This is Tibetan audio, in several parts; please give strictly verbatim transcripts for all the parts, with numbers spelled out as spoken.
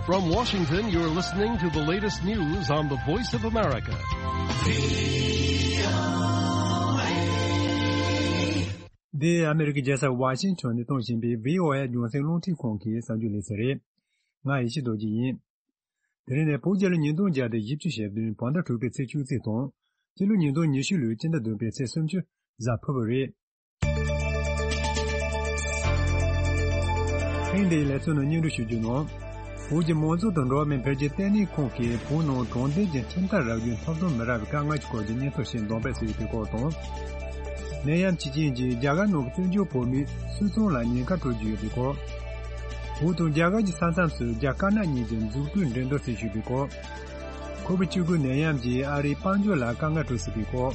From Washington, you're listening to the latest news on the Voice of America. འདི་ཨ་མི་རི་ཀའི་རྒྱལ་ས་ཝ་ཤིང་ཊོན་ནས་གཏོང་བཞིན་པའི་བྷི་ཨོ་ཨེ་རྒྱང་སྲིང་རླུང་འཕྲིན་ཁང་གི་གསར་འགྱུར་ལེ་ཚན་རེད། ང་ཡེ་ཤེས་རྡོ་རྗེ་ཡིན། དེ་རིང་ནི་བོད་རྒྱལ་ལོ་ཉིས་སྟོང་བརྒྱ་དང་བཞི་བཅུ་ཞེ་བདུན་བོད་ཟླ་དྲུག་པའི་ཚེས་བཅུ་གཅིག་དང་། སྤྱི་ལོ་ཉིས་སྟོང་ཉི་ཤུ་ལོའི་སྤྱི་ཟླ་བདུན་པའི་ཚེས་སུམ་ཅུ་གཟའ་ཕུར་བུ་རེད། ཐེངས་འདིའི་ལེ་ཚན་ནང་སྙན་སྒྲོན་ཞུ་རྒྱུ་ནང་། བོད་ཀྱི་མང་གཙོ་དང་འགྲོ་བ་མིའི་འཕེལ་རྒྱས་ལྟེ་གནས་ཁང་གིས་བོད་ནང་དྲང་བདེན་གྱི་ཁྲིམས་ཐག་རག་རྒྱུའི་ཐོབ་ཐང་མི་རག་པའི་དཀའ་ངལ་གྱི་སྐོར་གྱི་སྙན་ཐོ་ཞིག་འདོན་སྤེལ་བྱས་ཡོད་པའི་སྐོར་དང་། ནད་ཡམས་ཀྱི་རྐྱེན་གྱིས་རྒྱ་གར་ནང་གི་བཙན་བྱོལ་བོད་མིའི་སུད་ཚོང་ལ་ཉེན་ཁ་སྤྲོད་ཀྱི་ཡོད་པའི་སྐོར། བོད་དང་རྒྱ་གར་གྱི་ས་མཚམས་སུ་རྒྱ་དཀར་ནག་གཉིས་ཀྱི་འཛུགས་སྐྲུན་འགྲན་བསྡུར་སྲིད་བྱུས་པའི་སྐོར། ཁོ་བིཌ་བཅུ་དགུ་ནད་ཡམས་ཀྱིས་ཨ་རིའི་དཔལ་འབྱོར་ལ་དཀའ་ངལ་སྤྲོད་སྲིད་པའི་སྐོར།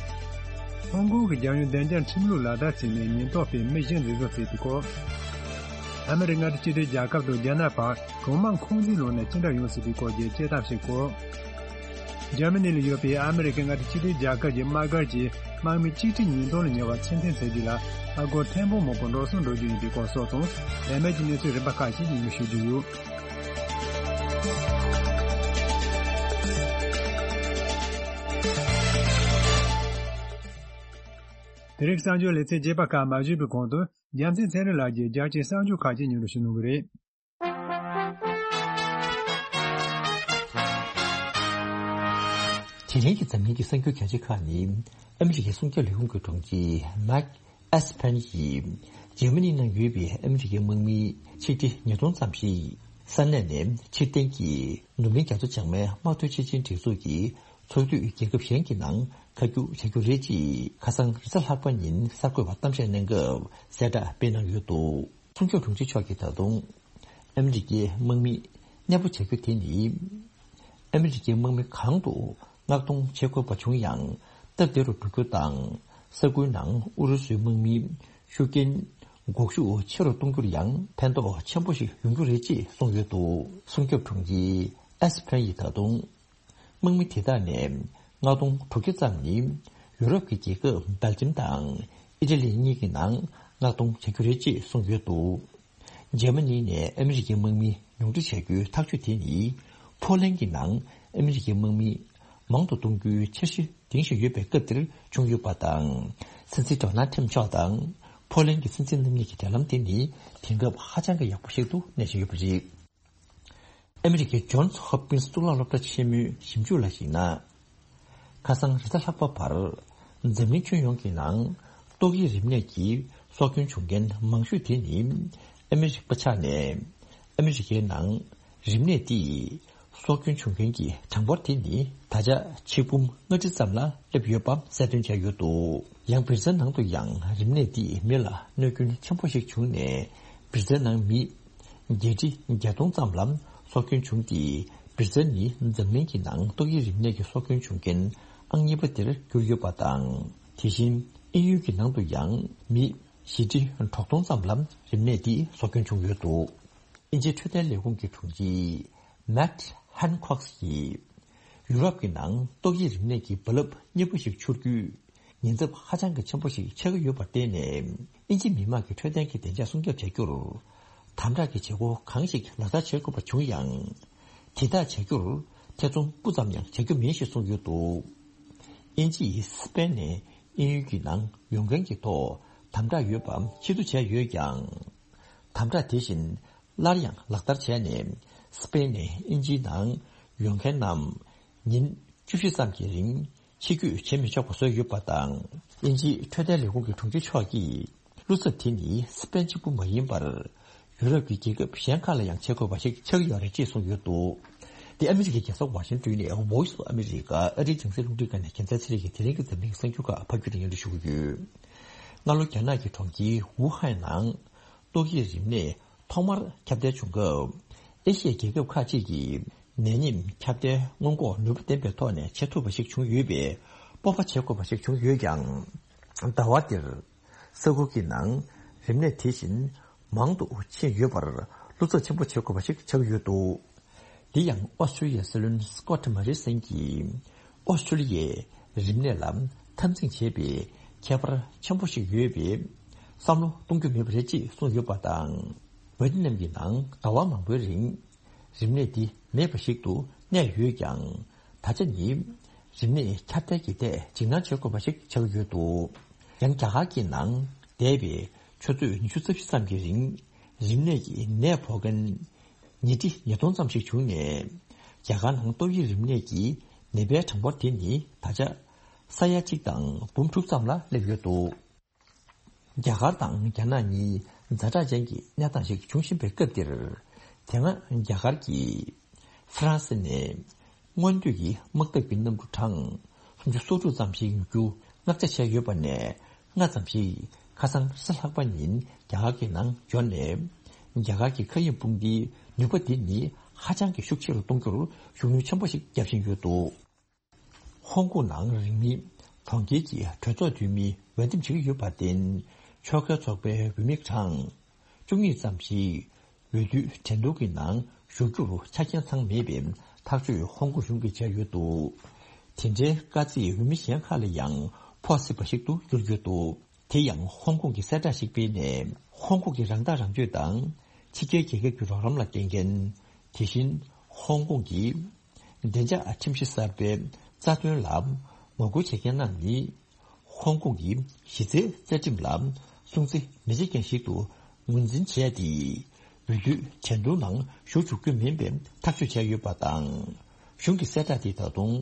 ཧོང་ཀོང་གི་རྒྱལ་ཡོངས་བདེ་འཇགས་ཁྲིམས་ལུགས་ལག་བསྟར་བྱས་ནས་ཉེན་རྟོག་པས་མི་གཞི་འཛིན་བཟུང་བྱས་པའི་སྐོར། ཨ་མི་རི་ཀ་མངའ་སྡེ་གཅིག་སྒྲིལ་རྒྱལ་ཁབ་དང་རྒྱ་ནག་བར་གྲོང་དམག་ཁོངས་འཛིན་ལམ་ནས་ཅི་འདྲ་ཡོང་སྲིད་པའི་སྐོར་གྱི་དཔྱད་གཏམ་ཞིག་གོ། འཇར་མ་ནི་ལ་ཡོད་པའི་ཨ་མི་རི་ཀའི་མངའ་སྡེ་གཅིག་སྒྲིལ་རྒྱལ་ཁབ་ཀྱི་དམག་སྒར་གྱི་དམག་མི་གཅིག་ཁྲི་ཉིས་སྟོང་ལ་ཉེ་བ་ཚུལ་མཐུན་བྱེད་རྒྱུ་ལ་ཨ་སྒོར་ཐེར་འབུམ་མང་པོ་འགྲོ་སོང་འགྲོ་རྒྱུ་ཡིན་པའི་སྐོར་སོགས་དང་། ལས་མེད་ཀྱི་གནས་ཚུལ་རིམ་པ་ཁག་ཅིག་སྙན་སྒྲོན་ཞུ་རྒྱུ་ཡོད། དེ་རིང་གསར་འགྱུར་ལེ་ཚན་རྒྱས་པ་ཁག་མ་ཞུས་པའི་གོང་དུ། རྒྱལ་མཚན་ཚེ་རིང་ལགས་ཀྱིས་རྒྱལ་སྤྱིའི་གསར་འགྱུར་ཁག་ཅིག་སྙན་སྒྲོན་ཞུ་གནང་གི་རེད། དེ་རིང་གི་འཛམ་གླིང་གི་གསར་འགྱུར་གལ་ཆེ་ཁག་ནི། ཨ་མི་རི་ཀའི་སྲུང་སྐྱོབ་ལས་ཁུངས་ཀྱི་དྲུང་ཆེ་མེག་ཨེས་ཕན་ཡིས་འཇར་མ་ནི་ནང་ཡོད་པའི་ཨ་མི་རི་ཀའི་དམག་མི་ཆིག་ཁྲི་ཉིས་སྟོང་ཙམ་ཞིག་ས་གནས་ནས་ཕྱིར་འཐེན་གྱིས་ནུབ་གླིང་རྒྱ་མཚོ་བྱང་མའི་དམག་དོན་ཆེད་ཆིངས་སྒྲིག་འཛུགས་ཀྱི་ཚོགས་འཐུས་རྒྱལ་ཁབ་གཞན་གྱི་ནང་ཁ་རྒྱུག་བྱ་རྒྱུ་རེད་ཅེས་ཁ་སང་རེས་གཟའ་ལྷག་པ་ཉིན་གསར་འགོད་པར་གཏམ་བཤད་གནང་སྐབས་གསལ་བསྒྲགས་སྤེལ་གནང་ཡོད་འདུག། སྲུང་སྐྱོབ་དྲུང་ཆེ་མཆོག་གིས་ད་དུང་ཨ་མི་རི་ཀའི་དམག་མི་གནས་སྤོ་བྱ་རྒྱུ་དེ་ནི་ཨ་མི་རི་ཀའི་དམག་མི་གང་དུ་མངགས་གཏོང་བྱེད་དགོས་པ་བྱུང་ཡང་སྟབས་བདེ་རུ་འགྲོ་རྒྱུ་དང་། ས་ཁུལ་ནང་ཨུ་རུ་སུའི་དམག་མིའི་ཤུགས་རྐྱེན་འགོག་ཤུགས་ཆེ་རུ་གཏོང་རྒྱུར་ཡང་ཕན་ཐོགས་ཆེན་པོ་ཞིག་ཡོང་རྒྱུ་རེད་ཅེས་གསུངས་ཡོད་འདུག། སྲུང་སྐྱོབ་དྲུང་ཆེ་ཨེས་ཕན་ཡིས་ད་དུང་། དམག་མི་དེ་དག་ནས་མངགས་གཏོང་དྲུག་བརྒྱ་ཙམ་ནི་ཡུ་རོབ་ཀྱི་རྒྱལ་ཁབ་སྦེལ་ཇམ་དང་ཨི་ཊ་ལི་གཉིས་ཀྱི་ནང་མངགས་གཏོང་བྱ་རྒྱུ་རེད་ཅེས་གསུངས་ཡོད་འདུག། འཇར་མ་ནི་ནས་ཨ་མི་རི་ཀའི་དམག་མི་ཉུང་འཕྲི་བྱ་རྒྱུའི་ཐག་གཅོད་དེ་ནི་ཕོ་ལན་གྱི་ནང་ཨ་མི་རི་ཀའི་དམག་མི་མང་དུ་གཏོང་རྒྱུའི་འཆར་གཞི་འདིང་བཞིན་ཡོད་པའི་སྐབས་འདིར་བྱུང་ཡོད་པ་དང་། སྲིད་འཛིན་ཌོ་ནལ་ཊམ་མཆོག་དང་ཕོ་ལན་གྱི་སྲིད་འཛིན་རྣམ་གཉིས་ཀྱི་འབྲེལ་ལམ་དེ་ནི་དེང་སྐབས་ཧ་ཅང་གི་ཡག་པོ་ཞིག་ཏུ་གནས་བཞིན་ཡོད་པ་རེད། ཨ་མི་རི་ཀའི་ཇོན་སི་ཧོབ་ཀིན་སི་གཙུག་ལག་སློབ་གྲྭ་ཆེན་མོའི་ཞིབ་འཇུག་ལ་གཞིགས་ན། ཁ་སང་རེས་གཟའ་ལྷག་པ་བར་འཛམ་གླིང་ཁྱོན་ཡོངས་ཀྱི་ནང་ཏོག་དབྱིབས་རིམས་ནད་ཀྱི་སྲོག་སྐྱོན་བྱུང་མཁན་མང་ཤོས་དེ་ནི་ཨ་མི་རི་ཀ་པ་ཆགས་ནས། ཨ་མི་རི་ཀའི་ནང་རིམས་ནད་འདིས་སྲོག་སྐྱོན་བྱུང་མཁན་གྱི་གྲངས་འབོར་དེ་ནི་ད་ཆ་ཆིག་འབུམ་ལྔ་ཁྲི་ཙམ་ལ་སླེབས་ཡོད་པ་གསལ་སྟོན་བྱས་ཡོད་འདུག། ཡང་སྦིར་ཚན་ནང་དུ་ཡང་རིམས་ནད་འདིས་མི་ལ་གནོད་སྐྱོན་ཆེན་པོ་ཞིག་བྱུང་ནས། སྦིར་ཚན་ནང་མི་བརྒྱད་ཁྲི་བརྒྱད་སྟོང་ཙམ་ལ་སྲོག་སྐྱོན་བྱུང་སྟེ། སྦིར་ཚན་ནི་འཛམ་གླིང་གི་ནང་ཏོག་དབྱིབས་རིམས་ནད་ཀྱི་སྲོག་སྐྱོན་བྱུང་མཁན་ཨང་གཉིས་པ་དེར་གྱུར་ཡོད་པ་དང་། དེ་བཞིན་དབྱིན་ཡུལ་གྱི་ནང་དུ་ཡང་མི་བཞི་ཁྲི་དྲུག་སྟོང་ཙམ་ལ་རིམས་ནད་འདིས་སྲོག་སྐྱོན་བྱུང་ཡོད་འདུག། དབྱིན་ཇིའི་འཕྲོད་བསྟེན་ལས་ཁུངས་ཀྱི་དྲུང་ཆེ་མེཊ་ཧན་ཁོག་སི་ཡིས། ཡུ་རོབ་ཀྱི་ནང་ཏོག་དབྱིབས་རིམས་ནད་ཀྱི་རྦ་རླབས་མཉེན་པོ་ཞིག་འཕྱུར་དུས། ཉེན་ཚབས་ཧ་ཅང་གི་ཆེན་པོ་ཞིག་ཆགས་ཀྱི་ཡོད་པར་བརྟེན་ནས། དབྱིན་ཇི་མི་དམངས་ཀྱི་འཕྲོད་བསྟེན་གྱི་བདེ་འཇགས་སྲུང་སྐྱོབ་བྱ་རྒྱུར། དམ་དྲག་གི་བྱེད་སྒོ་གང་ཞིག་ལག་བསྟར་བྱེད་དགོས་པ་བྱུང་ཡང་། དེ་དག་བྱ་རྒྱུར་ཐེ་ཚོམ་སྤུ་ཙམ་ཡང་བྱ་རྒྱུ་མིན་ཞེས་གསུངས་ཡོད་འདུག། དབྱིན་ཇི་ཡིས་སི་པེན་ནས་དབྱིན་ཡུལ་གྱི་ནང་ཡོང་མཁན་གྱི་ཐོག་དམ་དྲག་ཡོད་པ་ཕྱིར་བསྡུ་བྱས་ཡོད་ཀྱང་། དམ་དྲག་དེ་བཞིན། སླར་ཡང་ལག་བསྟར་བྱས་ནས། སི་པེན་ནས་དབྱིན་ཇིའི་ནང་ཡོང་མཁན་རྣམས་ཉིན་བཅུ་བཞི་ཙམ་གྱི་རིང་ཕྱི་སྐྱོད་བྱེད་མི་ཆོག་པ་བཟོས་ཡོད་པ་དང་། དབྱིན་ཇིའི་འཕྲོད་བསྟེན་ལས་ཁུངས་ཀྱི་དྲུང་ཆེ་མཆོག་གིས། བློ་འཚབ་དེ་ནི་སི་པེན་གཅིག་པུ་མ་ཡིན་པར། ཡུ་རོབ་ཀྱི་རྒྱལ་ཁབ་གཞན་ཁག་ལ་ཡང་བྱེད་དགོས་པ་ཞིག་ཆགས་ཀྱི་ཡོད་རེད་ཅེས་གསུངས་ཡོད་འདུག། འདི་ཨ་མི་རི་ཀའི་རྒྱལ་ས་ཝ་ཤིང་ཏོན་ནས་Voice of America ཨ་རིའི་རྒྱང་སྲིང་རླུང་འཕྲིན་ཁང་ནས་རྒྱལ་མཚན་ཚེ་རིང་གིས་དེ་རིང་གི་འཛམ་གླིང་གི་གསར་འགྱུར་ཁག་ཕབ་སྒྱུར་དང་སྙན་སྒྲོན་ཞུ་གི་ཡོད། སྔ་ལོ་རྒྱ་ནག་གི་གྲོང་ཁྱེར་ཝུ་ཧན་ནང་ཏོག་དབྱིབས་རིམས་ནད་ཐོག་མར་ཁྱབ་གདལ་བྱུང་སྐབས། ཨེ་ཤི་ཡའི་རྒྱལ་ཁབ་ཁག་ཅིག་གིས་ནད་ཉེན་ཁྱབ་གདལ་སྔོན་འགོག་ནུས་པ་ལྡན་པའི་ཐོག་ནས་བྱེད་ཐུབ་པ་ཞིག་བྱུང་ཡོད་པའི་སྤོབས་པ་བྱེད་དགོས་པ་ཞིག་བྱུང་ཡོད་ཀྱང་། ཟླ་བ་འདིར་ས་ཁུལ་གྱི་ནང་རིམས་ནད་དེ་བཞིན་མང་དུ་ཕྱིན་ཡོད་པར་བློ་འཚབ་ཆེན་པོ་བྱེད་དགོས་པ་ཞིག་ཆགས་ཡོད་འདུག། འདི་ཡང་ཨོ་སི་ཀྲུ་ལི་ཡའི་སྲིད་བློན་སི་ཀོ་ཊི་མོ་རི་སན་གྱིས། ཨོ་སི་ཀྲུ་ལི་ཡའི་རིམས་ནད་ལ་འཐབ་འཛིང་བྱེད་པའི་ ཁྱད་པར་ཆེན་པོ་ཞིག་ཡོད་པས་བསམ་བློ་གཏོང་རྒྱུ་མེད་པ་རེད་ཅེས་གསུངས་ཡོད་པ་དང་། ཝེ་ཏི་ནམ་གྱི་ནང་ཟླ་བ་མང་པོའི་རིང་རིམས་ནད་འདི་མེད་པ་ཞིག་ཏུ་གནས་ཡོད་ཀྱང་། ད་ཆ་ནི་རིམས་ནད་ཁྱབ་གདལ་གྱི་ཐད་འཇིགས་སྣང་བྱེད་དགོས་པ་ཞིག་ཆགས་ཡོད་འདུག་ཡང་རྒྱ་གར་གྱི་ནང་འདས་པའི་ཆུ་ཚོད་ཉི་ཤུ་རྩ་བཞི་ཙམ་གྱི་རིང་རིམས་ནད་ཀྱི་ནད་ཕོག་མཁན་ཉིས་ཁྲི་ཉིས་སྟོང་ཙམ་ཞིག་བྱུང་ནས། རྒྱ་གར་ནང་ཏོག་དབྱིབས་རིམས་ནད་ཀྱི་ནད་པའི་གྲངས་འབོར་དེ་ནི་ད་ཆ་ས་ཡ་གཅིག་དང་འབུམ་དྲུག་ཙམ་ལ་སླེབས་ཡོད་འདུག་རྒྱ་གར་དང་རྒྱ་ནག་གཉིས་ཛ་དྲག་ཅན་གྱི་གནས་སྟངས་ཤིག་འབྱུང་བཞིན་པའི་སྐབས་འདིར། དེ་སྔ་རྒྱ་གར་གྱིས་ཧྥ་རན་སི་ནས་སྔོན་དུས་ཀྱི་དམག་འཐབ་ཀྱི་གནམ་གྲུ་གྲངས་སུམ་ཅུ་སོ་དྲུག་ཙམ་ཞིག་ཉོ་རྒྱུ་མངགས་ཆ་བྱས་ཡོད་པ་ནས། སྔ་ཙམ་ཞིག་ཁ་སང་རེས་གཟའ་ལྷག་པ་ཉིན་རྒྱ་གར་གྱི་ནང་འབྱོར་ནས། རྒྱ་གར་གྱི་མཁའ་དབྱིངས་དཔུང་སྡེའི་ནུས་པ་འདི་ནི་ཧ་ཅང་གི་ཤུགས་ཆེ་རུ་གཏོང་རྒྱུར་ཤུགས་སྣོན་ཆེན་པོ་ཞིག་བརྒྱབ་བཞིན་ཡོད་འདུག་ཧོང་ཀོང་ནང་རིང་མིན་གྲོང་ཁྱེར་གྱི་གྲོས་ཚོགས་འཐུས་མི་འོས་འདེམས་བྱེད་ཀྱི་ཡོད་པར་བརྟེན། ཕྱོགས་འགལ་ཚོགས་པའི་འོས་མི་གྲངས་བཅུ་གཉིས་ཙམ་ཞིག་འོས་བསྡུའི་འགྲན་བསྡུར་གྱི་ནང་ཞུགས་རྒྱུར་ཆ་རྐྱེན་ཚང་མེད་པའི་ཐག་གཅོད་ཧོང་ཀོང་གཞུང་གིས་བྱས་ཡོད་འདུག་དེ་འདྲའི་དཀའ་ཚེགས་འོས་མི་གཞན་ཁག་ལ་ཡང་ཕོག་སྲིད་པ་ཞིག་ཏུ་གྱུར་ཡོད་འདུག་དེ་ཡང་ཧོང་ཀོང་གིས་གསལ་བསྒྲགས་ཤིག་སྤེལ་ནས། ཧོང་ཀོང་གི་རང་ཐག་རང་གཅོད་དང་ཕྱི་རྒྱལ་རྒྱལ་ཁབ་ཀྱི་རོགས་རམ་ལ་བརྟེན་མཁན། དེ་བཞིན་ཧོང་ཀོང་གི་བདེ་འཇགས་ཁྲིམས་གཞི་གསར་པའི་རྩ་དོན་ལ་ངོ་རྒོལ་བྱེད་མཁན་རྣམས་ནི། ཧོང་ཀོང་གི་གཞི་རྩའི་རྩ་ཁྲིམས་ལ་སྲུང་བརྩི་མི་བྱེད་མཁན་ཞིག་ཏུ་ངོས་འཛིན་བྱས་ཏེ། འོས་བསྡུའི་འགྲན་བསྡུར་ནང་ཞུགས་འཇུག་རྒྱུ་མིན་པའི་ཐག་གཅོད་བྱས་ཡོད་པ་དང་། གཞུང་གི་གསལ་བསྒྲགས་དེས་ད་དུང་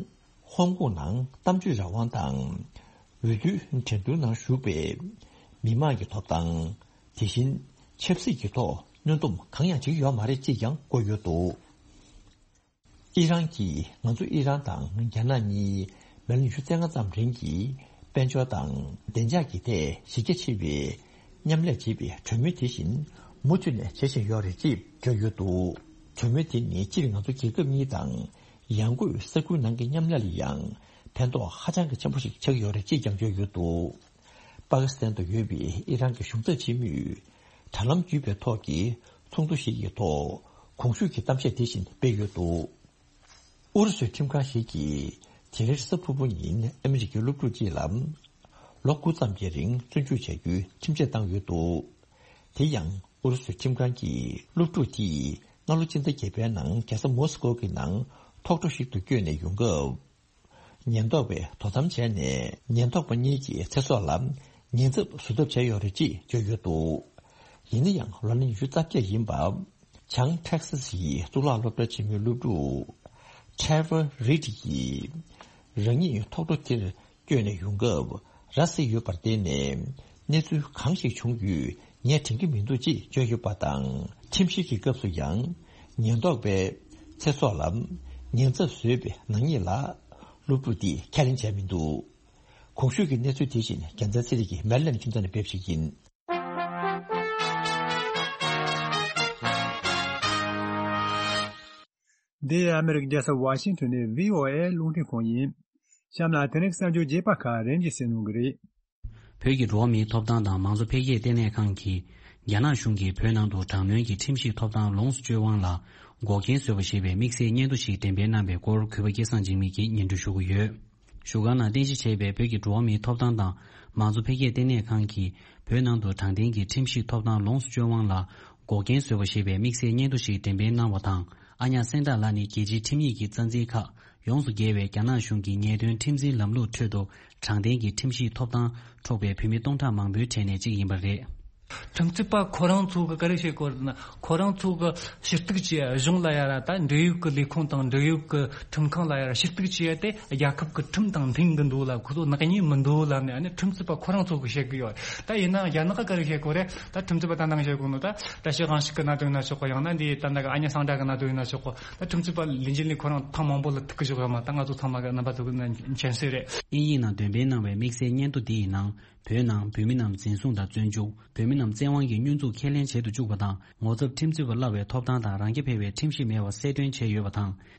ཧོང་ཀོང་ནང་གཏམ་བརྗོད་རང་དབང་དང་། འོས་བསྡུའི་འགྲན་བསྡུར་ནང་ཞུགས་པའི་མི་མང་གི་ཐོབ་ཐང་། དེ་བཞིན་ཆབ་སྲིད་ཀྱི་ཐོག་གནོན་སྡོམ་གང་ཡང་བྱེད་ཀྱི་ཡོད་མ་རེད་ཅེས་ཀྱང་བཀོད་ཡོད་འདུག་ཨི་རན་གྱིས་ང་ཚོ་ཨི་རན་དང་རྒྱ་ནག་གཉིས་མི་ལོ་ཉི་ཤུ་རྩ་ལྔ་ཙམ་རིང་གི་དཔལ་འབྱོར་དང་བདེ་འཇགས་ཀྱི་ཐད་གཞི་རྒྱ་ཆེ་བའི་མཉམ་ལས་བྱེད་པའི་གྲོས་མོལ་དེ་བཞིན་མུ་མཐུད་ནས་བྱེད་བཞིན་ཡོད་རེད་ཅེས་བརྗོད་ཡོད་འདུག་གྲོས་མོལ་དེ་ནི་སྤྱིར་ང་ཚོ་རྒྱལ་ཁབ་གཉིས་དང་ཡང་སྒོས་ས་ཁུལ་ནང་གི་མཉམ་ལས་ལ་ཡང་ཕན་ཐོགས་ཧ་ཅང་གི་ཆེན་པོ་ཞིག་ཆགས་ཡོད་རེད་ཅེས་ཀྱང་བརྗོད་ཡོད་འདུག་པ་ཀི་སི་ཐན་དུ་ཡོད་པའི་ཨི་རན་གྱི་གཞུང་ཚབ་ཆེན་མོས་དྲ་ལམ་བརྒྱུད་པའི་ཐོག་གི་ཚོགས་འདུ་ཞིག་གི་ཐོག་གོང་ཞུས་ཀྱི་གཏམ་བཤད་དེ་བཞིན་སྤེལ་ཡོད་འདུག་ཨུ་རུ་སུའི་ཁྲིམས་ཁང་ཞིག་གིས་དེ་རིང་གཟའ་ཕུར་བུ་ཉིན་ཨ་མི་རི་ཀའི་སློབ་ཕྲུག་ཅིག་ལ་ལོ་དགུ་ཙམ་གྱི་རིང་བཙོན་འཇུག་བྱ་རྒྱུའི་ཁྲིམས་ཆད་བཏང་ཡོད་འདུག་དེ་ཡང་ཨུ་རུ་སུའི་ཁྲིམས་ཁང་གིས་སློབ་ཕྲུག་དེས་སྔ་ལོ་ཕྱི་ཟླ་བརྒྱད་པའི་ནང་རྒྱལ་ས་མོ་སི་ཀོ་གི་ནང་ཐོག་འཕྲོ་ཞིག་ཏུ་བསྐྱོད་ནས་ཡོང་སྐབས། ཉེན་རྟོག་པས་དོ་དམ་བྱས་ནས་ཉེན་རྟོག་པ་གཉིས་ཀྱི་ཚེ་སྲོག་ལ་ཉེན་ཚབས་བཟོ་ཐབས་བྱས་ཡོད་རེད་ཅེས་བརྗོད་ཡོད་འདུག་ཡིན་ན་ཡང་ལོ་ན་ཉི་ཤུ་རྩ་བརྒྱད་ཡིན་པ། བྱང་ཊེག་སི་སི་ཡི་གཙུག་ལག་སློབ་གྲྭ་ཆེན་མོའི་སློབ་ཕྲུག་Trevor Reed ཡིས་རང་ཉིད་ཐོག་འཕྲོ་དེར་བསྐྱོད་ནས་ཡོང་སྐབས་ར་བཟི་ཡོད་པར་བརྟེན་ནས་གནས་ཚུལ་གང་ཞིག་བྱུང་ཡོད་ངས་དྲན་གྱི་མི་འདུག་ཅེས་བརྗོད་ཡོད་པ་དང་། ཁྲིམས་བཤེར་གྱི་སྐབས་སུ་ཡང་ཉེན་རྟོག་པས་ཚེ་སྲོག་ལ་ཉེན་ཚབས་བཟོས་པའི་ནག་ཉེས་ལ་སློབ་ཕྲུག་དེས་ཁས་ལེན་བྱས་མི་འདུག་གོང་ཞུས་ཀྱི་གནས་ཚུལ་དེ་བཞིན་རྒྱལ་མཚན་ཚེ་རིང་གིས་མེ་རི་ལེན་ཁྱིམ་ཚང་ནས་སྤེལ་བ་ཞིག་ཡིན། འདི་ཨ་མི་རི་ཀའི་རྒྱལ་ས་ཝ་ཤིང་ཊོན་ནས་བྷི་ཨོ་ཨེ་རླུང་འཕྲིན་ཁང་ཡིན། གཤམ་ལ་དེ་རིང་གསར་འགྱུར་རྒྱས་པ་ཁག་རིམ་གྱིས་གསན་གནང་གི་རེད། བོད་ཀྱི་འགྲོ་བ་མིའི་ཐོབ་ཐང་དང་མང་གཙོ་འཕེལ་རྒྱས་ལྟེ་གནས་ཁང་གིས་རྒྱ་ནག་གཞུང་གིས་བོད་ནང་དུ་དྲག་གནོན་གྱི་ཁྲིམས་ཞིབ་ཐོབ་ཐང་ལོངས་སུ་སྤྱོད་དབང་ལ་འགོག་རྐྱེན་བཟོས་པ་ཞེས་པའི་དམིགས་བསལ་སྙན་ཐོ་ཞིག་འགྲེམས་སྤེལ་གནང་བའི་སྐོར་གུས་པ་སྐལ་བཟང་འཇིགས་མེད་ཀྱིས་སྙན་སྒྲོན་ཞུ་གི་ཡོད། བཞུགས་སྒར་ནང་རྟེན་གཞི་བྱས་པའི་བོད་ཀྱི་འགྲོ་བ་མིའི་ཐོབ་ཐང་དང་མང་གཙོ་འཕེལ་རྒྱས་ལྟེ་གནས་ཁང་གིས་བོད་ནང་དུ་དྲང་བདེན་གྱི་ཁྲིམས་ཞིབ་ཐོབ་ཐང་ལོངས་སུ་སྤྱོད་དབང་ལ་འགོག་རྐྱེན་བཟོས་པ་ཞེས་པའི་དམིགས་བསལ་སྙན་ཐོ་ཞིག་འགྲེམས་སྤེལ་གནང་བ་དང་། ཨ་ཉག་སེང་བདག་ལགས་ནི་རྒྱལ་སྤྱིའི་ཁྲིམས་ཡིག་གི་རྩ་འཛིན་ཁག་ཡོངས་སུ་རྒྱལ་བའི་རྒྱ་ནག་གཞུང་གི་ཉེས་དོན་ཁྲིམས་འཛིན་ལམ་ལུགས་ཁྲོད་དུ་དྲང་བདེན་གྱི་ཁྲིམས་ཞིབ་ཐོབ་ཐང་འཕྲོག་པའི་བོད་མི་སྟོང་ཕྲག་མང་པོའི་གྲས་ནས་གཅིག་ཡིན་པ་རེད། ཁྲིམས་རྩོད་པ་ཁོ་རང་ཚོ་གི་ག་རེ་བྱེད་དགོས་རེད་ན། ཁོ་རང་ཚོ་གི་ཞུ་གཏུག་བྱས་གཞུང་ལ་ཡ་ར་ད་འབྲེལ་ཡོད་ཀྱི་ལས་ཁུངས་དང་འབྲེལ་ཡོད་ཀྱི་ཁྲིམས་ཁང་ལ་ཡ་ར་ཞུ་གཏུག་བྱས་ཏེ་རྒྱལ་ཁབ་ཀྱི་ཁྲིམས་དང་མཐུན་གི་འདུག་ལ། ཁོ་ཚོ་ནག་ཉེས་མི་འདུག་ལབ་ནས་ཨ་ནི་ཁྲིམས་རྩོད་པ་ཁོ་རང་ཚོ་གི་བཤད་གི་ཡོད། ད་ཡིན་ནའང་རྒྱ་ནག་ག་རེ་བཤད་གོ་རེད། ད་ཁྲིམས་རྩོད་པ་ད་ནང་བཤད་གོ་ནོ་ད་བཀྲ་ཤིས་དབང་ཕྱུག་གི་གནད་དོན་ཡིན་ན་ཆོག་གོ། ཡང་ན་འདི་ད་ནང་གི་ཨ་ཉག་སེང་བདག་གི་གནད་དོན་ཡིན་ན་ཆོག་གོ། ད་ཁྲིམས་རྩོད་པ་ལས་འགན་ལས་ཁོ་རང་ཐེངས་མང་པོ་ལ་ཐུག་གི་བཞག་ཡོད་མ། ད་ང་ཚོ་ཚང་མ་གི་རྣམ་པ་ཚོ་གི་མཁྱེན་གསལ་རེད། དབྱིན་ཡིག་ནང་འདོན་སྤེལ་གནང་བའི་དམིགས་བསལ་སྙན་ཐོ་འདི་ཡི་ནང་བོད་ནང་བོད་མི་རྣམས་འཛིན་བཟུང་དང་བཙོན་འཇུག་བོད་མི་རྣམས་བཙན་དབང་གིས་བསྙོན་འཛུགས་ཁས་ལེན་བྱེད་དུ་བཅུག་པ་དང་། ངོ་ཚབ་ཁྲིམས་རྩོད་པ་གླ་བའི་ཐོབ་ཐང་དང་རང་རྐྱ་འཕེར་བའི་ཁྲིམས་གཞི་མེད་པ་གསལ་སྟོན་བྱས་ཡོད་པ་དང་།